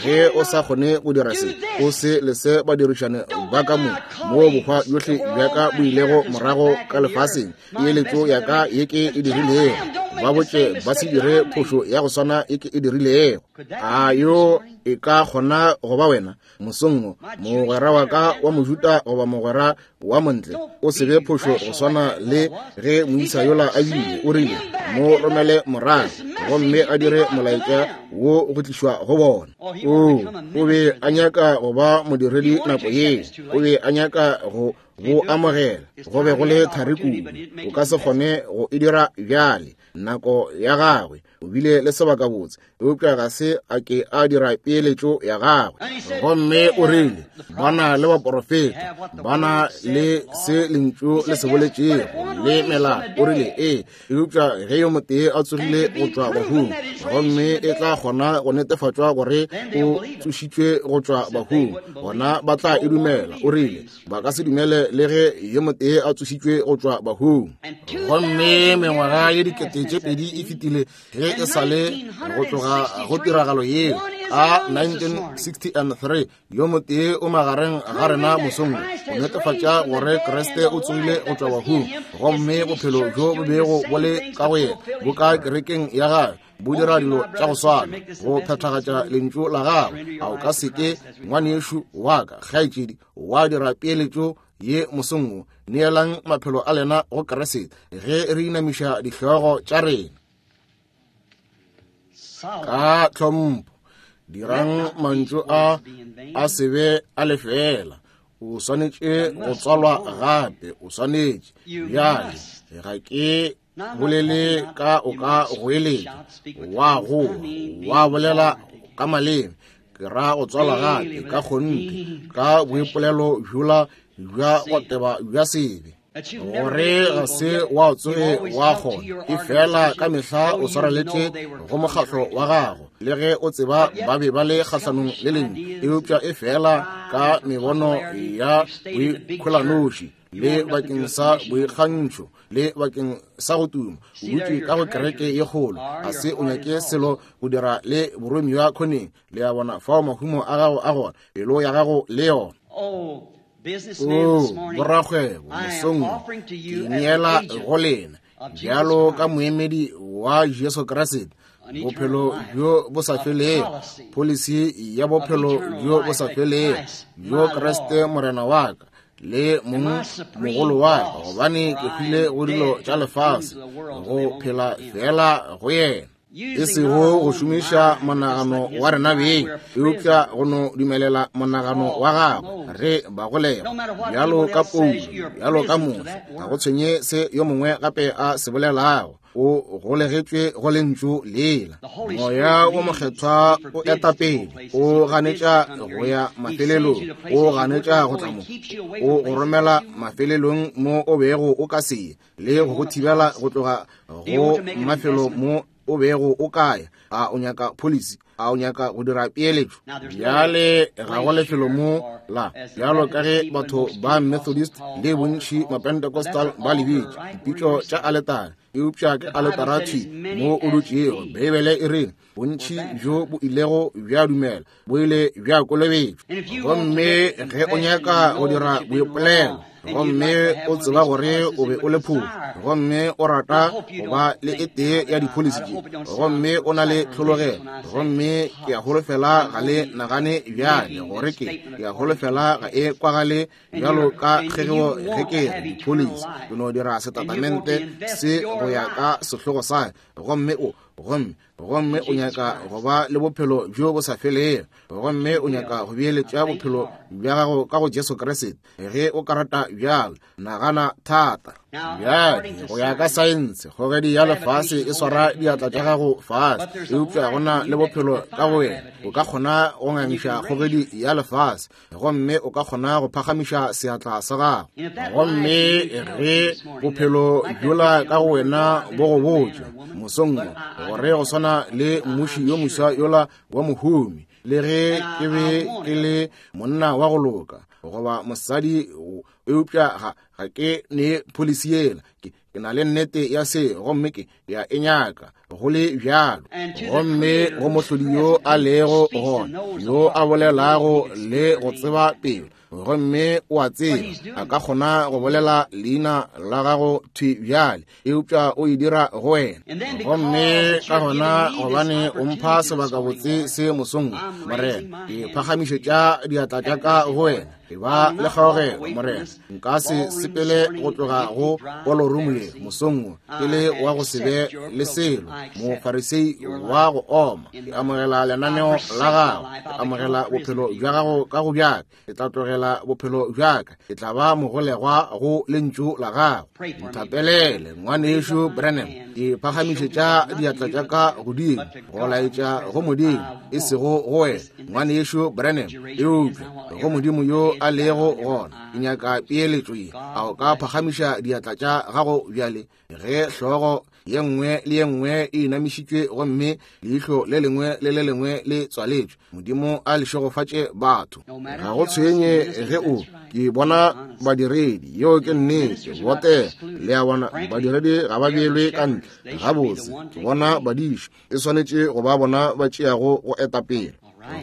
ge o sa kgone go dira se, o se lese badirišane ba ka mo, moo bohwa bjohle bja ka bo ilego morago ka lefaseng, peeletšo ya ka ye ke e dirilego, ba botše ba se dire phošo ya go swana ye ke e dirilego. A yo e ka kgona go ba wena mosong wo, mogwera wa ka wa Mojuda goba mogwera wa montle? O se be phošo go swana le ge moisa yola a bile. O rile, mo romele morago gomme a dire molaetša wo go tlišwa go bona. O, o be a nyaka go ba modiredi nako yeo. O be a nyaka go bo amogela. Go be go le thari kudu, o ka se kgone go e dira bjale. Nako ya gagwe, o bile le sebakabotse, eupša ga se a ke a dira peeletšo ya gagwe. Gomme o rile, ba na le baporofeta, ba na le se lentšu le se boletšego le melao. O rile, ee, eupša ge yo motee a tsogile go tšwa bahung, gomme e tla kgona go netefatšwa gore o tsošitšwe go tšwa bahung, gona ba tla e dumela. O rile, ba ka se dumele le ge yo motee a tsošitšwe go tšwa bahung. Gomme mengwaga ye 2000 e fetile ge e sa le go tloga go tiragalo yeo. A 1963 yo motee o magareng ga rena mosong go netefatša gore Kriste o tsogile go tšwa bahung, gomme bophelo bjo bo bego bo le ka go yena bo ka kerekeng ya gagwe, bo dira dilo tša go swana go phethagatša lentšu la gagwe. A o ka se ke, ngwanešu wa ka, kgaetšedi, wa dira peeletšo ye mosong wo? Neelang maphelo a lena go Kriste ge re inamiša dihlogo tša rena ka tlhompho. Dirang mantšu a a se be a lefeela. O swanetše go tswalwa gape, o swanetše. Bjale ga ke bolele ka o ka goeletša, wa goa, wa bolela ka maleme. Ke ra go tswalwa gape ka kgonthe, ka boipolelo bjola bja go teba bja sebe, gore ga se wa tsoge wa kgona. E fela ka mehla o swareletše go mokgahlo wa gago, le ge o tseba ba be ba le kgahlanong le lentšu, eupša e fela ka mebono ya boikholanoši le bakeng sa boikgantšho le bakeng sa go tuma, o dutše ka go kereke ye kgolo, ga se o nyake selo go dira le boromiwa khoneng. Le a bona fao mahumo a gago a gona, pelo ya gago le yona. O, borakgwebo, mosong wo ke neela go lena bjalo ka moemedi wa Jesu Kriste, bophelo bjo bo sa felego, pholisi ya bophelo bjo bo sa felego bjo Kriste Morena wa ka le mong mogolo wa ka, gobane ke hwile go dilo tša lefase go phela fela go yena, e sego go šomiša monagano wa rena beng, eupša go no dumelela monagano wa gagwe. Re ba golega bjalo ka Paulo, bjalo ka Moshe, ga go tshwenye se yo mongwe gape a se bolelago, o golegetšwe go lentšu lela. Moya wo Mokgethwa o eta pele, o ganetša go ya mafelelong, o ganetša go tla mo, o go romela mafelelong mo o bego o ka se ye, le go go thibela go tloga go mafelo mo o bego o ka ya. A o nyaka pholisi? A o nyaka go dira peeletšo? Bjale ga go lefelo mo la, bjalo ka ge batho ba Methodist le bontši Mapentecostal ba le bitša dipitšo tša aletare, eupša ke aletara thwi mo o dutšego. Beibele e re bontši bjo bo ilego bja dumela bo ile bja kolobetšwa. Gomme ge o nyaka go dira boipolelo, gomme o tseba gore o be o le phošo, gomme o rata go ba le e tee ya dipholisi tše, gomme o na le tlhologelo, gomme ke a holofela ga le nagane bjale gore ke a holofela ga e kwagale bjalo ka kgegeo ge ke re dipholisi. Ke no dira setatamente se go ya ka sehlogo sa, gomme o, gomme gomme o nyaka go ba le bophelo bjo bo sa felego, gomme o nyaka go beeletša bophelo bja gago ka go Jesu Kriste, ge o ka rata bjalo, nagana thata. Bjale, go ya ka saense, kgogedi ya lefase e swara diatla tša gago fase, eupša go na le bophelo ka go wena. O ka kgona go ngangiša kgogedi ya lefase, gomme o ka kgona go phagamiša seatla sa gago. Gomme ge bophelo bjola ka go wena bo go botša mosong wo, gore go swana le mmuši yo moswa yola wa mohumi, le ge ke be ke le monna wa go loka goba mosadi, eupša ga ke ne pholisi yela, ke na le nnete ya se, gomme ke ya e nyaka go le bjalo. Gomme go mohlodi yo a lego gona, yo a bolelago le go tseba pelo, gomme o a tseba, a ka kgona go bolela leina la gago thwi bjale, eupša o e dira go wena. Gomme ka gona gobane o mpha sebakabotse se mosong, Morena, ke phagamišetša diatla tša ka go wena. E ba le kgaogelo, Morena. Nka se sepele go tloga go ballroom ye mosong wo ke le wa go se be le selo, mofarisei wa go oma. Ke amogela lenaneo la gago, ke amogela bophelo bja gago ka go bjaka. Ke tla tlogela bophelo bjaka, ke tla ba mogolegwa go lentšu la gago. Nthapelele, ngwanešu Branham. Ke phagamišetša diatla tša ka godimo go laetša go Modimo, e sego go wena, ngwanešu Branham, eupša go Modimo yo a lego gona. Ke nyaka peeletšo ye. A o ka phagamiša diatla tša gago bjale, ge hlogo ye nngwe le ye nngwe e inamišitšwe gomme leihlo le lengwe le le lengwe le tswaletšwe? Modimo a le šegofatše batho. Ga go tshwenye ge o ke bona badiredi, yeo ke nnete, botega. Le a bona, badiredi ga ba beelwe ka ntle. Gabotse, ke bona badiši, e swanetše go ba bona ba tšeago go eta pele.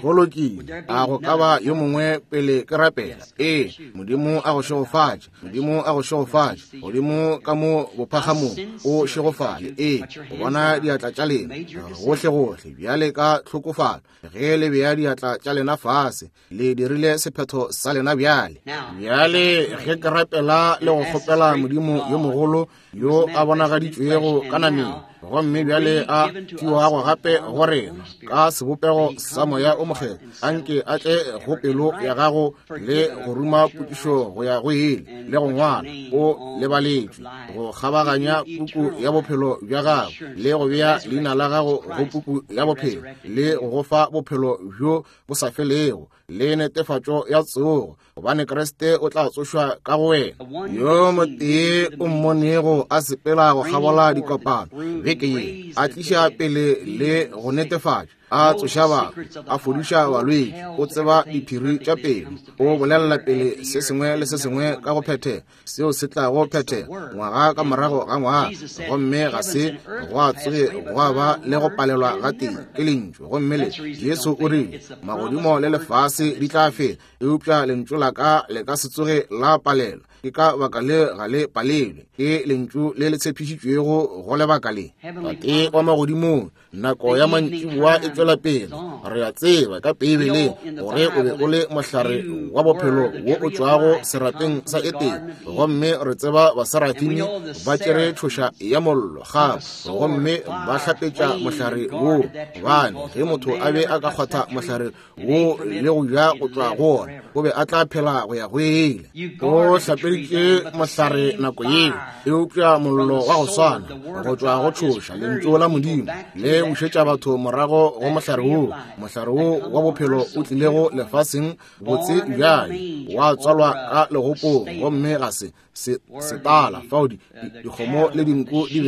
Go lokile. A go ka ba yo mongwe pele ke rapela? Ee, Modimo a go šegofatše. Modimo a go šegofatše. Godimo ka mo bophagamong, o šegofale. Ee, go bona diatla tša lena gohlegohle bjale ka tlhokofalo. Ge le bea diatla tša lena fase, le dirile sephetho sa lena bjale. Bjale ge ke rapela le go kgopela Modimo yo mogolo yo a bonagaditšwego ka nameng, gomme bjale a fiwago gape go rena ka sebopego sa Moya o Mokgethwa, anke a tle go pelo ya gago le go ruma potšišo go ya go ile le go ngwala o lebaletšwe go kgabaganya puku ya bophelo bja gago le go bea leina la gago go puku ya bophelo le go go fa bophelo bjo bo sa felego le netefatšo ya tsogo, gobane Kriste o tla tsošwa ka go wena. Yo motee o mmonego a sepela go kgabola dikopano beke ye, a tliša pele le go netefatša, a tsoša batho, a fodiša balwetši, o tseba diphiri tša pelo, o bolelela pele se sengwe le se sengwe ka go phethega seo se tlago phethega ngwaga ka morago ga ngwaga, gomme ga se gwa tsoge gwa ba le go palelwa ga tee ke lentšu. Gomme le Jesu o rile, magodimo le lefase di tla fela, eupša lentšu la ka le ka se tsoge la palelwa. Ke ka baka le ga le palelwe, ke lentšu le le tshepišitšwego go lebaka le. Tate wa magodimong, nako ya mantšiboa e tšwela pele. Re a tseba ka Beibeleng gore o be o le mohlare wa bophelo wo o tšwago serapeng sa Etene, gomme re tseba baserafimi ba tšere tšhoša ya mollo gape gomme ba hlapetša mohlare wo, gobane ge motho a be a ka kgwatha mohlare wo le go ja go tšwa go wona, o be a tla phela go ya go ile. O hlapeditše mohlare nako yeo, eupša mollo wa go swana go tšwa go tšhoša lentšu la Modimo le bušetša batho morago go mohlare wo, mohlare wo wa bophelo o tlilego lefaseng botse bjale, wa tswalwa ka legopong, gomme ga se setala fao dikgomo le dinku di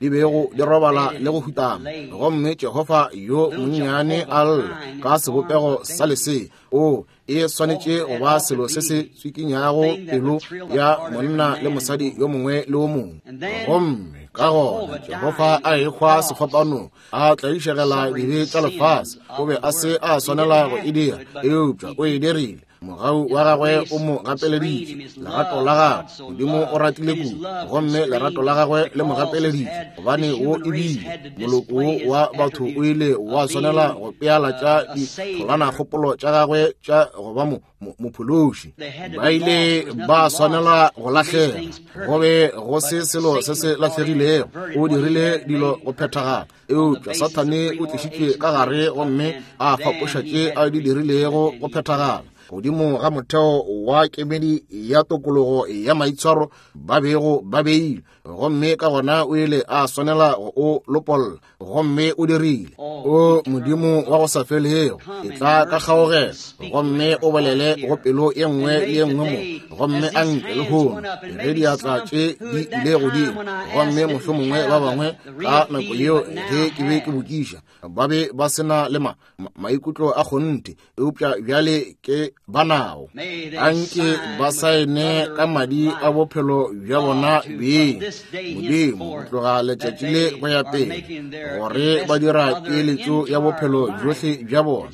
bego di robala le go hutama. Gomme Jehofa yo monnyane a lla ka sebopego sa lesea. O e swanetše go ba selo se se tswikinyago pelo ya monna le mosadi yo mongwe le o mongwe. Gomme ka gona Jehofa a ehwa sefapanong, a tlaišegela dibe tša lefase. O be a se a swanela go e dira, eupša o e dirile. Mogau wa gagwe o mo gapeleditše, lerato la gagwe. Modimo o ratile kudu, gomme lerato la gagwe le mo gapeleditše, gobane wo e bile moloko wo wa batho o ile wa swanela go pealatša ditholanakgopolo tša gagwe tša go ba mophološi. Ba ile ba swanela go lahlega, go be go se selo se se lahlegilego. O dirile dilo go phethagala, eupša Sathane o tlišitšwe ka gare gomme a fapoša tše a di dirilego go phethagala godimo ga motheo wa kemedi ya tokologo ya maitshwaro ba bego ba beile, gomme ka gona o ile a swanela go o lopolla, gomme o dirile. O Modimo wa go sa felego, etla ka kgaogelo gomme o bolele go pelo ye nngwe le ye nngwe mo, gomme a nke lehono ge diatla tše di ile godimo, gomme mohlomongwe ba bangwe ka nako yeo ge ke be ke botšiša ba be ba se na le maikutlo a kgonthe, eupša bjale ke ba nago. Anke ba saene ka madi a bophelo bja bona beng, Modimo, go tloga letšatši le go ya pele, gore ba dira peeletšo ya bophelo bjohle bja bona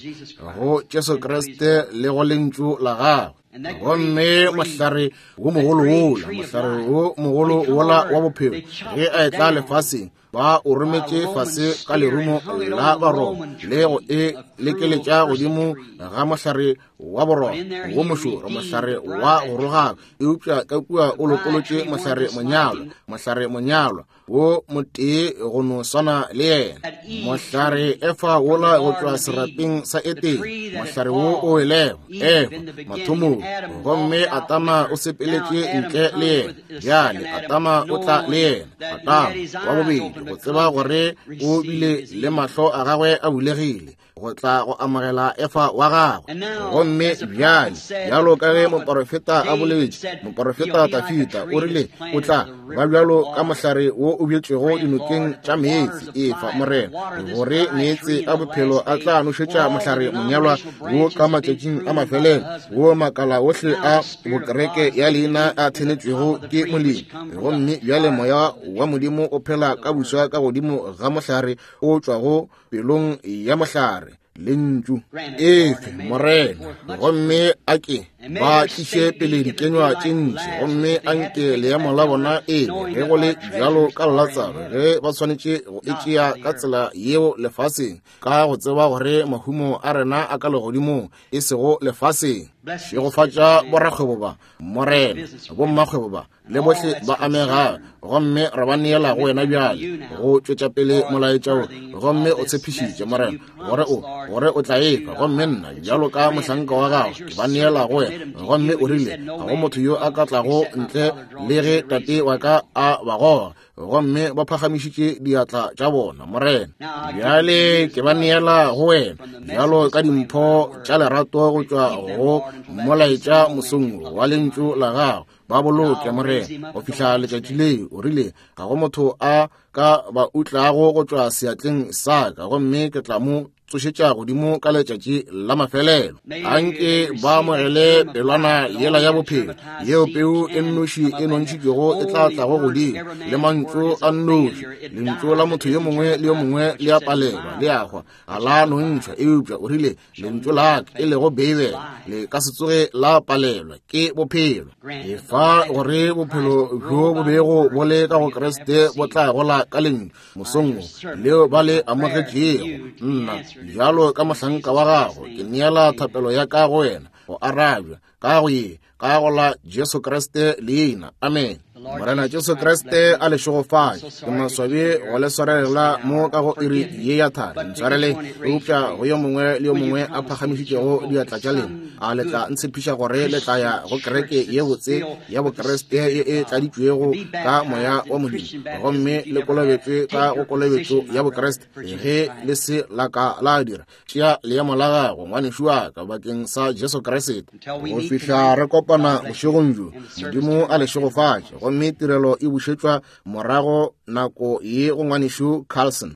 go Jesu Kriste le go Lentšu la gagwe. Gomme mohlare wo mogolo wola, mohlare wo mogolo wola wa bophelo, ge a etla lefaseng, ba o rometše fase ka lerumo la Baroma le go e lekeletša godimo ga mohlare wa boroma wo mošoro, mohlare wa go rogaka, eupša ka kua o lokolotše mohlare monyalwa, mohlare monyalwa wo motee go no swana le yena, mohlare Efa wola go tšwa serapeng sa Etene, mohlare wo o welego Efa mathomong, gomme Adama o sepeletše ntle le yena. Bjale Adama o tla le yena, Adama wa bobedi, go tseba gore o bile le mahlo a gagwe a bulegile go tla go amogela Efa wa gagwe. Gomme bjale, bjalo ka ge moporofeta a boletše, moporofeta Dafida o rile o tla ba bjalo ka mohlare wo o bjetšwego dinokeng tša meetse, efa Morena, gore meetse a bophelo a tla nošetša mohlare monyalwa wo ka matšatšing a mafelelo, wo makala ohle a bokereke ya leina a thenetšwego ke molemi. Gomme bjale Moya wa Modimo o phela ka buswa ka godimo ga mohlare o tšwago pelong ya mohlare, Lentšu. Efe, Morena, gomme a ke ba tliše pele dikenywa tše ntši, gomme a nke leemo la bona e be ge go le bjalo ka Latsaro, ge ba swanetše go e tšea ka tsela yeo lefaseng, ka go tseba gore mahumo a rena a ka legodimong, e sego lefaseng. Šegofatša borakgwebo ba, Morena, bommakgwebo ba, le bohle ba amegago, gomme re ba neela go wena bjale go tšwetša pele molaetša wo. Gomme o tshepišitše, Morena, gore o, gore o tla efa, gomme nna bjalo ka mohlanka wa gago ke ba neela go wena. Gomme o rile, ga go motho yo a ka tlago ntle le ge Tate wa ka a ba goga. Gomme ba phagamišitše diatla tša bona, Morena. Bjale ke ba neela go wena bjalo ka dimpho tša lerato go tšwa go molaetša mosong wa Lentšu la gago. Ba boloke, Morena, go fihla letšatši leo. O rile, ga go motho a ka ba utlago go tšwa seatleng sa ka, gomme ke tla mo tsošetša godimo ka letšatši la mafelelo. Anke ba amogele pelwana yela ya bophelo, yeo peu e nnoši e nontšhitšwego e tla tlago godimo, le mantšu a nnoši. Lentšu la motho yo mongwe le yo mongwe le a palelwa, le a hwa, ga la nontšhwa. Eupša o rile, Lentšu la ka, e lego Beibele, le ka se tsoge la palelwa, ke bophelo. Efa gore bophelo bjo bo bego bo le ka go Kriste bo tla gola ka Lentšu mosong wo leo ba le amogetšego. Nna bjalo ka mohlanka wa gago ke neela thapelo ya ka go wena go arabja ka go ye ka go la Jesu Kriste leina. Amen. Morena Jesu Kriste a le šegofatše. Ke maswabi go le swarelela mo ka go iri ye ya thari. Ntshwarele, eupša go yo mongwe le yo mongwe a phagamišitšego diatla tša lena, a le tla ntshepiša gore le tla ya go kereke ye botse ya Bokriste ye e tladitšwego ka Moya wa Modimo, gomme le kolobetšwe ka go kolobetšo ya Bokriste? Ge le se la ka la dira, tšea leemo la gago, ngwanešu wa ka, bakeng sa Jesu Kriste. Go fihla re kopana bošegong bjo, Modimo a le šegofatše. Gomme tirelo e bušetšwa morago nako ye go ngwanešu Carlson.